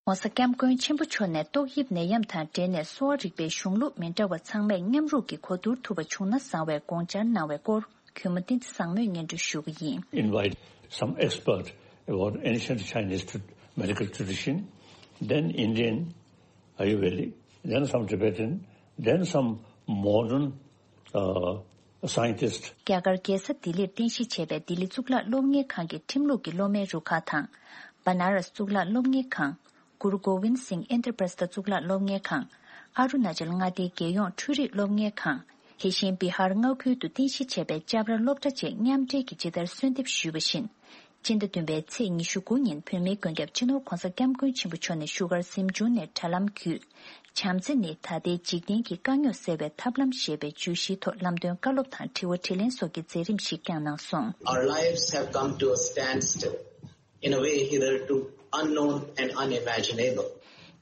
ྋགོང་ས་ྋསྐྱབས་མགོན་ཆེན་པོ་མཆོག་ནས་ཏོག་དབྱིབས་ནད་ཡམས་དང་འབྲེལ་ནས་གསོ་བ་རིག་པའི་གཞུང་ལུགས་མི་འདྲ་བ་ཚང་མས་མཉམ་རུབ་ཀྱིས་གོ་བསྡུར་ཐུབ་པ་བྱུང་ན་བཟང་བའི་དགོངས་འཆར་གནང་བའི་སྐོར། གུས་མོ་བསྟན་འཛིན་བཟང་མོས་སྙན་སྒྲོན་ཞུ་གི་ཡིན། Invite some expert about ancient Chinese tra- medical tradition, then Indian Ayurvedic, then some Tibetan, then some modern uh, scientist. རྒྱ་གར་རྒྱལ་ས་ལྡི་ལིར་རྟེན་གཞི་བྱས་པའི་ལྡི་ལི་གཙུག་ལག་སློབ་གཉེར་ཁང་གི་ཁྲིམས་ལུགས་ཀྱི་སློབ་མའི་རུ་ཁག་དང་། བ་ན་ར་སི་གཙུག་ལག་སློབ་གཉེར་ཁང་། གུ་རུ་གོ་བིན་སིང་ཨིན་དྲ་པྲ་སི་ཐ་གཙུག་ལག་སློབ་གཉེར་ཁང་། ཨ་རུ་ན་ཅལ་མངའ་སྡེའི་རྒྱལ་ཡོངས་འཕྲུལ་རིག་སློབ་གཉེར་ཁང་། དེ་བཞིན་བི་ཧར་མངའ་ཁུལ་དུ་རྟེན་གཞི་བྱས་པའི་ཅབ་ར་སློབ་གྲྭ་བཅས་མཉམ་འབྲེལ་གྱིས་ཇི་ལྟར་གསོལ་འདེབས་ཞུས་པ་བཞིན། སྤྱི་ཟླ་བདུན་པའི་ཚེས་ཉི་ཤུ་དགུ་ཉིན་བོད་མིའི་མགོན་སྐྱབས་སྤྱི་ནོར་༧གོང་ས་༧སྐྱབས་མགོན་ཆེན་པོ་མཆོག་ནས་བཞུགས་སྒར་གཟིམ་ཆུང་ནས་དྲ་ལམ་བརྒྱུད། བྱམས་བརྩེ་ནི་ད་ལྟའི་འཇིག་རྟེན་གྱི་དཀའ་རྙོག་སེལ་བའི་ཐབས་ལམ་ཞེས་པའི་བརྗོད་གཞིའི་ཐོག་ལམ་སྟོན་བཀའ་སློབ་དང་དྲི་བ་དྲིས་ལན་སོགས་ཀྱི་མཛད་རིམ་ཞིག་བསྐྱངས་གནང་སོང་། Our lives have come to a standstill in a way hitherto unknown and unimaginable.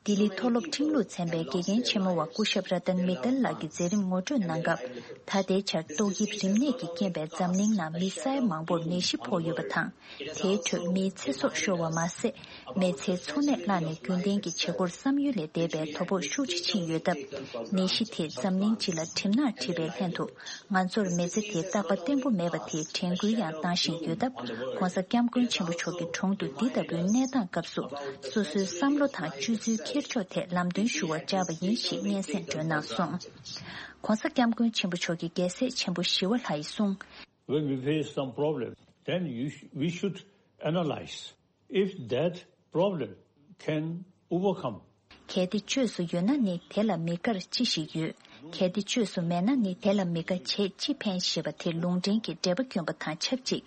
ལྡི་ལི་མཐོ་སློབ་ཁྲིམས་ལུགས་ཚན་པའི་དགེ་རྒན་ཆེན་མོ་བ་སྐུ་ཞབས་ར་ཏན་མི་ཏལ་ལགས་ཀྱིས་མཛད་རིམ་ངོ་སྤྲོད་གནང་སྐབས། ད་ལྟའི་ཆར་ཏོག་དབྱིབས་རིམས་ནད་ཀྱི་རྐྱེན་པས་འཛམ་གླིང་ནང་མི་ས་ཡ་མང་པོར་ནད་གཞི་ཕོག་ཡོད་པ་དང་། དེའི་ཁྲོད་མིའི་ཚེ་སྲོག་ཤོར་བ་མ་ཟད། མི་ཚེའི་འཚོ་གནས་བརླག་ནས་རྒྱུན་ལྡན་གྱི་བྱེད་སྒོར་བསམ་ཡུལ་ལས་འདས་པའི་དོ་ཕོག་ཤུགས་ཆེ་ཕྱིན་ཡོད་སྟབས། ནད་གཞི་དེས་འཛམ་གླིང་སྤྱི་ལ་གྲིབ་ནག་བྲིས་པའི་ལྷན་དུ། ང་ཚོར་མི་ཚེ་དེའི་རྟག་པ་བརྟན་པོ་མེད་པ་དེའི་དྲན་སྐུལ་ཡང་གནང་བཞིན་ཡོད་སྟབས། ྋགོང་ས་ྋསྐྱབས་མགོན་ཆེན་པོ་མཆོག་གི་དྲུང་དུ་འདི་ལྟ་བུའི་གནས་སྟངས་སྐབས་སུ། སོ་སོའི་བསམ་བློ་དང་སྤྱོད་ཚུལ་འཁྱེར་ཕྱོགས་ཐད་ལམ་སྟོན་ཞུ་བར་བཅར་བ་ཡིན་ཞེས་སྙན་སེང་སྒྲོན་གནང་སོང་། ྋགོང་ས་ྋསྐྱབས་མགོན་ཆེན་པོ་མཆོག་གི་རྒྱལ་སྲས་ཆེན་པོ་ཞི་བ་ལྷ་ཡིས་གསུངས། When we face some problem, then you sh- we should analyze if that problem can overcome. གལ་ཏེ་བཅོས་སུ་ཡོད་ན་ནི་དེ་ལ་མི་དགར་ཅི་ཞིག་ཡོད། གལ་ཏེ་བཅོས་སུ་མེད་ན་ནི་དེ་ལ་མི་དགའ་བྱས་ཅི་ཕན་ཞེས་པ་དེ་ལུང་འདྲེན་གྱི་འགྲེལ་པ་བསྐྱོན་པ་དང་ཆབས་ཅིག་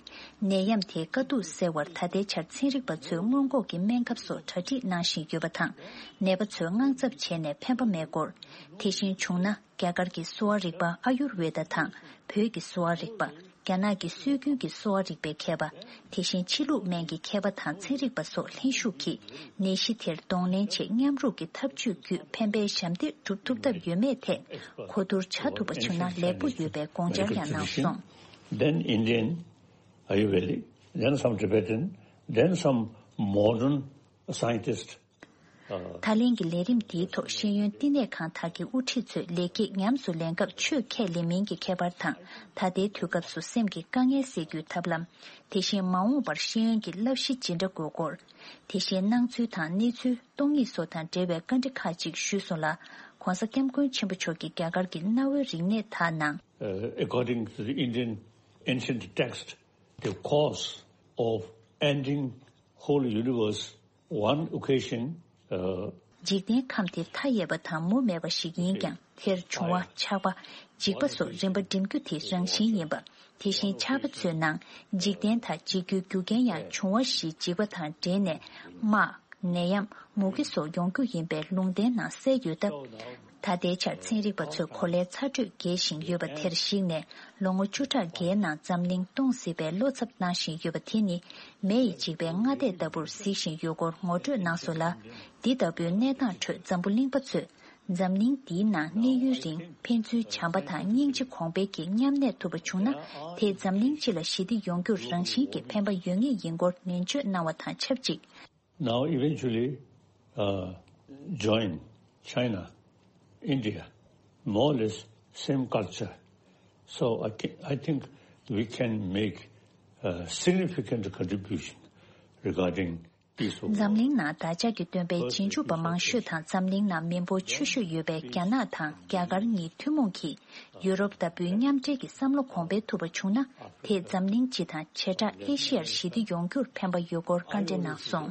ནད་ཡམས་དེའི་དཀའ་སྡུག་སེལ་བར་ད་ལྟའི་ཆར་ཚན་རིག་པ་ཚོས་སྔོན་འགོག་གི་སྨན་ཁབ་སོགས་གྲ་སྒྲིག་གནང་བཞིན་ཡོད་པ་དང་། ནད་པ་ཚོས་དངངས་འཚབ་བྱས་ནས་ཕན་པ་མེད་སྐོར། དེ་བཞིན་བྱུང་ན། རྒྱ་གར་གྱི་གསོ་བ་རིག་པ་ཨ་ཡུར་ཝེ་ད་དང་བོད་ཀྱི་གསོ་བ་རིག་པ། རྒྱ་ནག་གི་སྲོལ་རྒྱུན་གྱི་གསོ་བ་རིག་པའི་མཁས་པ། དེ་བཞིན་ཕྱི་ལུགས་སྨན་གྱི་མཁས་པ་དང་ཚན་རིག་པ་སོགས་ལྷན་ཞུགས་ཀྱིས་ནད་གཞི་དེར་གདོང་ལེན་ཆེད་མཉམ་རུབ་ཀྱི་ཐབས་ཇུས་བརྒྱུད་ཕན་པའི་ཞབས་འདེགས་སྒྲུབ་ཐུབ་ཐབས་ཡོད་མེད་ཐད་གོ་བསྡུར་བྱ་ཐུབ་པ་བྱུང་ན་ལེགས་པོ་ཡོད་པའི་དགོངས་འཆར་ཡང་གནང་སོང་། Then Indian Ayurvedic, then some Tibetan, then some modern scientist. ད་ལན་གྱི་ལས་རིམ་འདིའི་ཐོག་ཤེས་ཡོན་བསྟི་གནས་ཁང་དག་གི་དབུ་ཁྲིད་ཚོས་ལེགས་སྐྱེས་ཉམས་སུ་ལེན་སྐབས་ཆོས་ཁས་ལེན་མིན་གྱི་ཁྱད་པར་དང་། ད་ལྟའི་དུས་སྐབས་སུ་སེམས་ཀྱི་དཀའ་ངལ་སེལ་རྒྱུའི་ཐབས་ལམ། དེ་བཞིན་མ་འོངས་པར་ཤེས་ཡོན་གྱི་བསླབ་གཞི་ཇི་འདྲ་དགོས་སྐོར། དེ་བཞིན་སྣང་ཚུལ་དང་གནས་ཚུལ་སྟོང་ཉིད་སོགས་དང་འབྲེལ་བའི་བཀའ་འདྲི་ཁག་ཅིག་ཞུས་སོང་ལ། ྋགོང་ས་ྋསྐྱབས་མགོན་ཆེན་པོ་མཆོག་གིས་རྒྱ་གར་གྱི་གནའ་བོའི་རིག་གནས་དག་ནང་། Uh, according to the Indian ancient text, the cause of ending whole universe, one occasion, uh, འཇིག་རྟེན་ཁམས་དེ་མཐའ་ཡས་པ་དང་མུ་མེད་པ་ཞིག་ཡིན་ཀྱང་། དེར་འབྱུང་བ་ཆགས་པ། འཇིག་པ་སོགས་རིམ་པ་འགྲིམ་རྒྱུ་དེ་རང་བཞིན་ཡིན་པ། དེ་བཞིན་ཆགས་པ་ཚོའི་ནང་འཇིག་རྟེན་དང་འཇིག་རྒྱུའི་རྒྱུ་རྐྱེན་ཡང་འབྱུང་བ་བཞི་འཇིག་པ་དང་འབྲེལ་ནས་དམག་ནད་ཡམས། མུ་གེ་སོགས་ཡོང་རྒྱུ་ཡིན་པའི་ལུང་བསྟན་ནང་གསལ་ཡོད་སྟབས། ད་ལྟའི་ཆར་ཚན་རིག་པ་ཚོས་གོ་ལའི་ཚ་དྲོད་རྒྱས་བཞིན་ཡོད་པ་དེར་གཞིགས་ནས། ལོ་ངོ་བཅུ་ཕྲག་བརྒྱའི་ནང་འཛམ་གླིང་སྟོངས་སྲིད་པའི་བློ་འཚབ་གནང་བཞིན་ཡོད་པ་དེ་ནི། མེ་ཡིས་འཇིག་པའི་སྔ་ལྟས་ལྟ་བུར་གཟིགས་བཞིན་ཡོད་སྐོར་ངོ་སྤྲོད་གནང་སོང་ལ། འདི་ལྟ་བུའི་གནས་སྟངས་ཁྲོད་འཛམ་བུ་གླིང་པ་ཚོས། འཛམ་གླིང་འདིའི་ནང་གནས་ཡུན་རིང་ཕན་ཚུན་བྱམས་པ་དང་སྙིང་རྗེ་གོང་འཕེལ་གྱིས་མཉམ་གནས་ཐུབ་པ་བྱུང་ན། དེས་འཛམ་གླིང་སྤྱི་ལ་ཞི་བདེ་ཡོང་རྒྱུར་རང་བཞིན་གྱིས་ཕན་པ་ཡོད་ངེས་ཡིན་སྐོར་ནན་བརྗོད་གནང་བ་དང་ཆབས་ཅིག Now eventually, uh, join China, India, more or less same culture. So I, ca- I think we can make a significant contribution regarding འཛམ་གླིང་ནང་བདག་ཅག་གི་སྟོན་པའི་རྗེས་འཇུག་པ་མང་ཤོས་དང་འཛམ་གླིང་ནང་མི་འབོར་ཆེ་ཤོས་ཡོད་པའི་རྒྱ་ནག་དང་རྒྱ་གར་གཉིས་ཐུན་མོང་གིས་ཡུ་རོབ་ལྟ་བུའི་མཉམ་འབྲེལ་གྱི་བསམ་བློ་གོང་འཕེལ་ཐུབ་པ་བྱུང་ན། དེས་འཛམ་གླིང་སྤྱི་དང་བྱེ་བྲག་ཨེ་ཤི་ཡར་ཞི་བདེ་ཡོང་རྒྱུར་ཕན་པ་ཡོད་སྐོར་བཀའ་འདྲི་གནང་སོང་།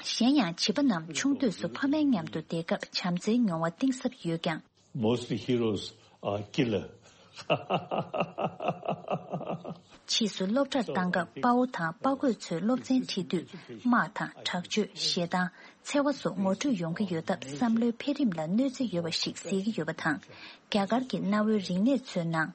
གཞན་ཡང་བྱིས་པ་རྣམས་ཆུང་དུས་སུ་ཕ་མའི་མཉམ་དུ་བསྡད་སྐབས་བྱམས་བརྩེའི་མྱོང་བ་གཏིང་ཟབ་ཡོད་ཀྱང་། Mostly heroes are killer. ཕྱིས་སུ་སློབ་གྲྭར་བཏང་སྐབས་དཔའ་བོ་དང་དཔའ་རྒོད་ཚོའི་སློབ་ཚན་ཁྲིད་དུས་དམག་དང་དྲག་སྤྱོད་ཞེ་སྡང་། འཚེ་བ་སོགས་ངོ་འཕྲོད་ཡོང་གི་ཡོད་སྟབས་བསམ་བློའི་འཕེལ་རིམ་ལ་གནོད་འཚེ་ཡོད་པ་ཞིག་གཟིགས་ཀྱི་ཡོད་པ་དང་། རྒྱ་གར་གྱི་གནའ་བོའི་རིག་གནས་ཚོའི་ནང་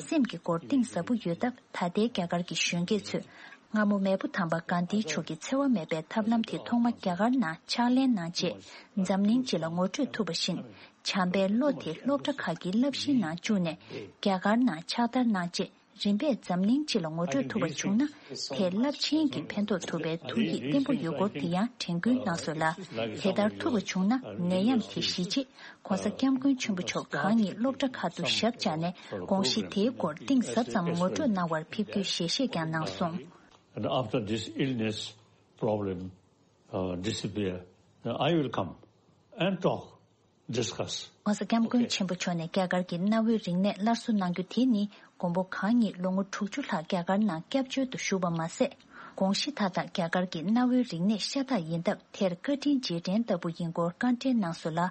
སེམས་ཀྱི་སྐོར་གཏིང་ཟབ་པོ་ཡོད་སྟབས། ད་ལྟའི་རྒྱ་གར་གྱི་གཞོན་སྐྱེས་ཚོས་སྔ་མོ་མེས་པོ་དམ་པ་གྷན་དྷི་མཆོག་གི་འཚེ་བ་མེད་པའི་ཐབས་ལམ་དེ་ཐོག་མ་རྒྱ་གར་ནང་ཕྱག་ལེན་གནང་རྗེས། འཛམ་གླིང་སྤྱི་ལ་ངོ་སྤྲོད་ཐུབ་པ་བཞིན། བྱམས་པའི་བློ་དེ་སློབ་གྲྭ་ཁག་གི་བསླབ་གཞིའི་ནང་བཅུག་ནས་རྒྱ་གར་ནང་ཕྱག་བསྟར་གནང་རྗེས། རིམ་པས་འཛམ་གླིང་སྤྱི་ལ་ངོ་སྤྲོད་ཐུབ་པ་བྱུང་ན། དེས་རླབས་ཆེན་གྱི་ཕན་ཐོགས་ཐུབ་པའི་ཐུགས་ཡིད་བརྟན་པོ་ཡོད་སྐོར་དེ་ཡང་དྲན་སྐུལ་གནང་སོང་ལ། དེ་ལྟར་ཐུབ་པ་བྱུང་ན། ནད་ཡམས་དེ་ཞི་རྗེས་༧གོང་ས་༧སྐྱབས་མགོན་ཆེན་པོ་མཆོག་གང་ཉིད་སློབ་གྲྭ་ཁག་ཏུ་ཞབས་བཅགས་ནས། དགོངས་གཞི་དེའི་སྐོར་གཏིང་ཟབ་ཙམ་ངོ་སྤྲོད་གནང་བར་ཕེབས་རྒྱུའི་ཞལ་བཞེས་ཀྱང་གནང་སོང་། And after this illness problem, uh, disappear, then I will come and talk. Discuss. ྋགོང་ས་ྋསྐྱབས་མགོན་ཆེན་པོ་མཆོག་ནས་རྒྱ་གར་གྱི་གནའ་བོའི་རིག་གནས་སླར་གསོ་གནང་རྒྱུ་དེ་ནི། མགོན་པོ་གང་ཉིད་ལོ་ངོ་དྲུག་ཅུ་ལྷག་རྒྱ་གར་ནང་སྐྱབས་བཅོལ་དུ་བཞུགས་པ་མ་ཟད། དགོངས་གཞི་མཐའ་དག་རྒྱ་གར་གྱི་གནའ་བོའི་རིག་གནས་ཤ་སྟག་ཡིན་སྟབས། དེར་བཀའ་དྲིན་རྗེས་དྲན་ལྟ་བུ་ཡིན་སྐོར་བཀའ་འདྲི་གནང་སོང་ལ།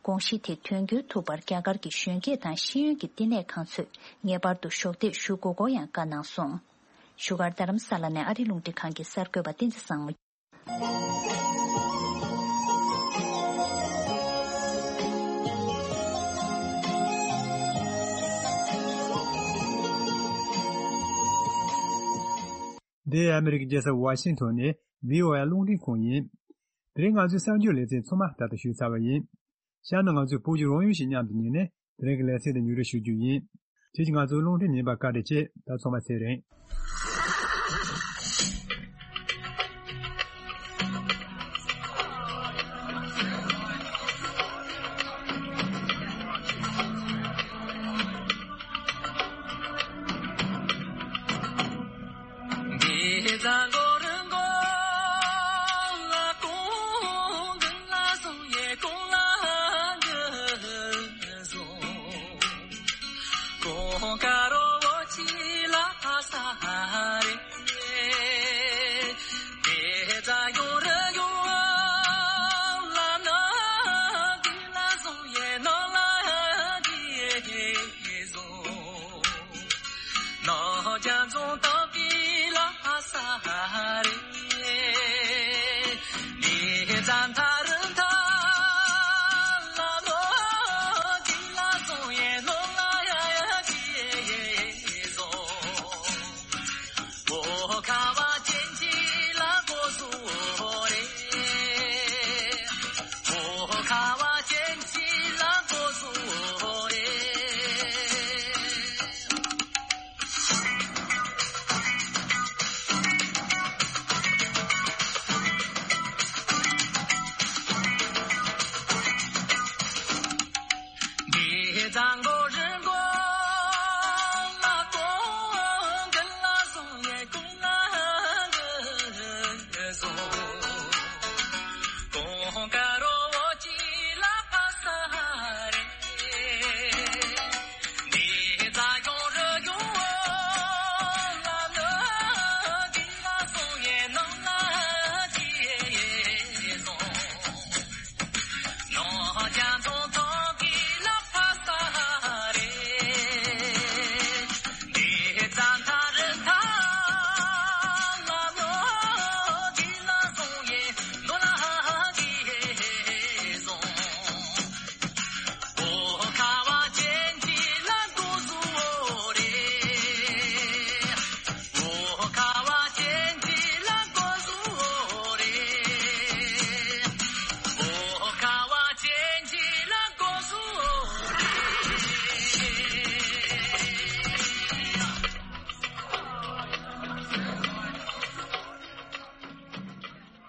དགོངས་གཞི་དེ་དོན་འཁྱོལ་ཐུབ་པར་རྒྱ་གར་གྱི་གཞོན་སྐྱེས་དང་ཤེས་ཡོན་གྱི་བསྟི་གནས་ཁང་ཚོས་ངེས་པར་དུ་གཞོགས་འདེགས་ཞུ་དགོས་སྐོར་ཡང་བཀའ་གནང་སོང་། བཞུགས་སྒར་རྡ་རམ་ས་ལ་ནས་ཨ་རི་རླུང་འཕྲིན་ཁང་གི་གསར་འགོད་པ་བསྟན་འཛིན་བཟང་མོ། འདི་ཨ་མི་རི་ཀའི་རྒྱལ་ས་ཝ་ཤིང་ཐོན་ནས་བྷི་ཨོ་ཨེ་རླུང་འཕྲིན་ཁང་ཡིན། དེ་རིང་ང་ཚོའི་གསར་འགྱུར་ལེ་ཚན་ཚང་མ་ད་ལྟ་ཞུས་ཚར་བ་ཡིན། གཤམ་ན་ང་ཚོས་བོད་ཀྱི་རང་ཡུལ་ཞིག་མཉམ་དུ་ཉན་ནས། དེ་རིང་གི་ལེ་ཚན་དེ་མཇུག་སྒྲིལ་ཞུ་རྒྱུ་ཡིན། ཁྱེད་ཀྱིས་ང་ཚོའི་རླུང་འཕྲིན་ཉན་པར་བཀའ་དྲིན་ཆེ། ད་ཚང་མ་ཚེ་རིང་།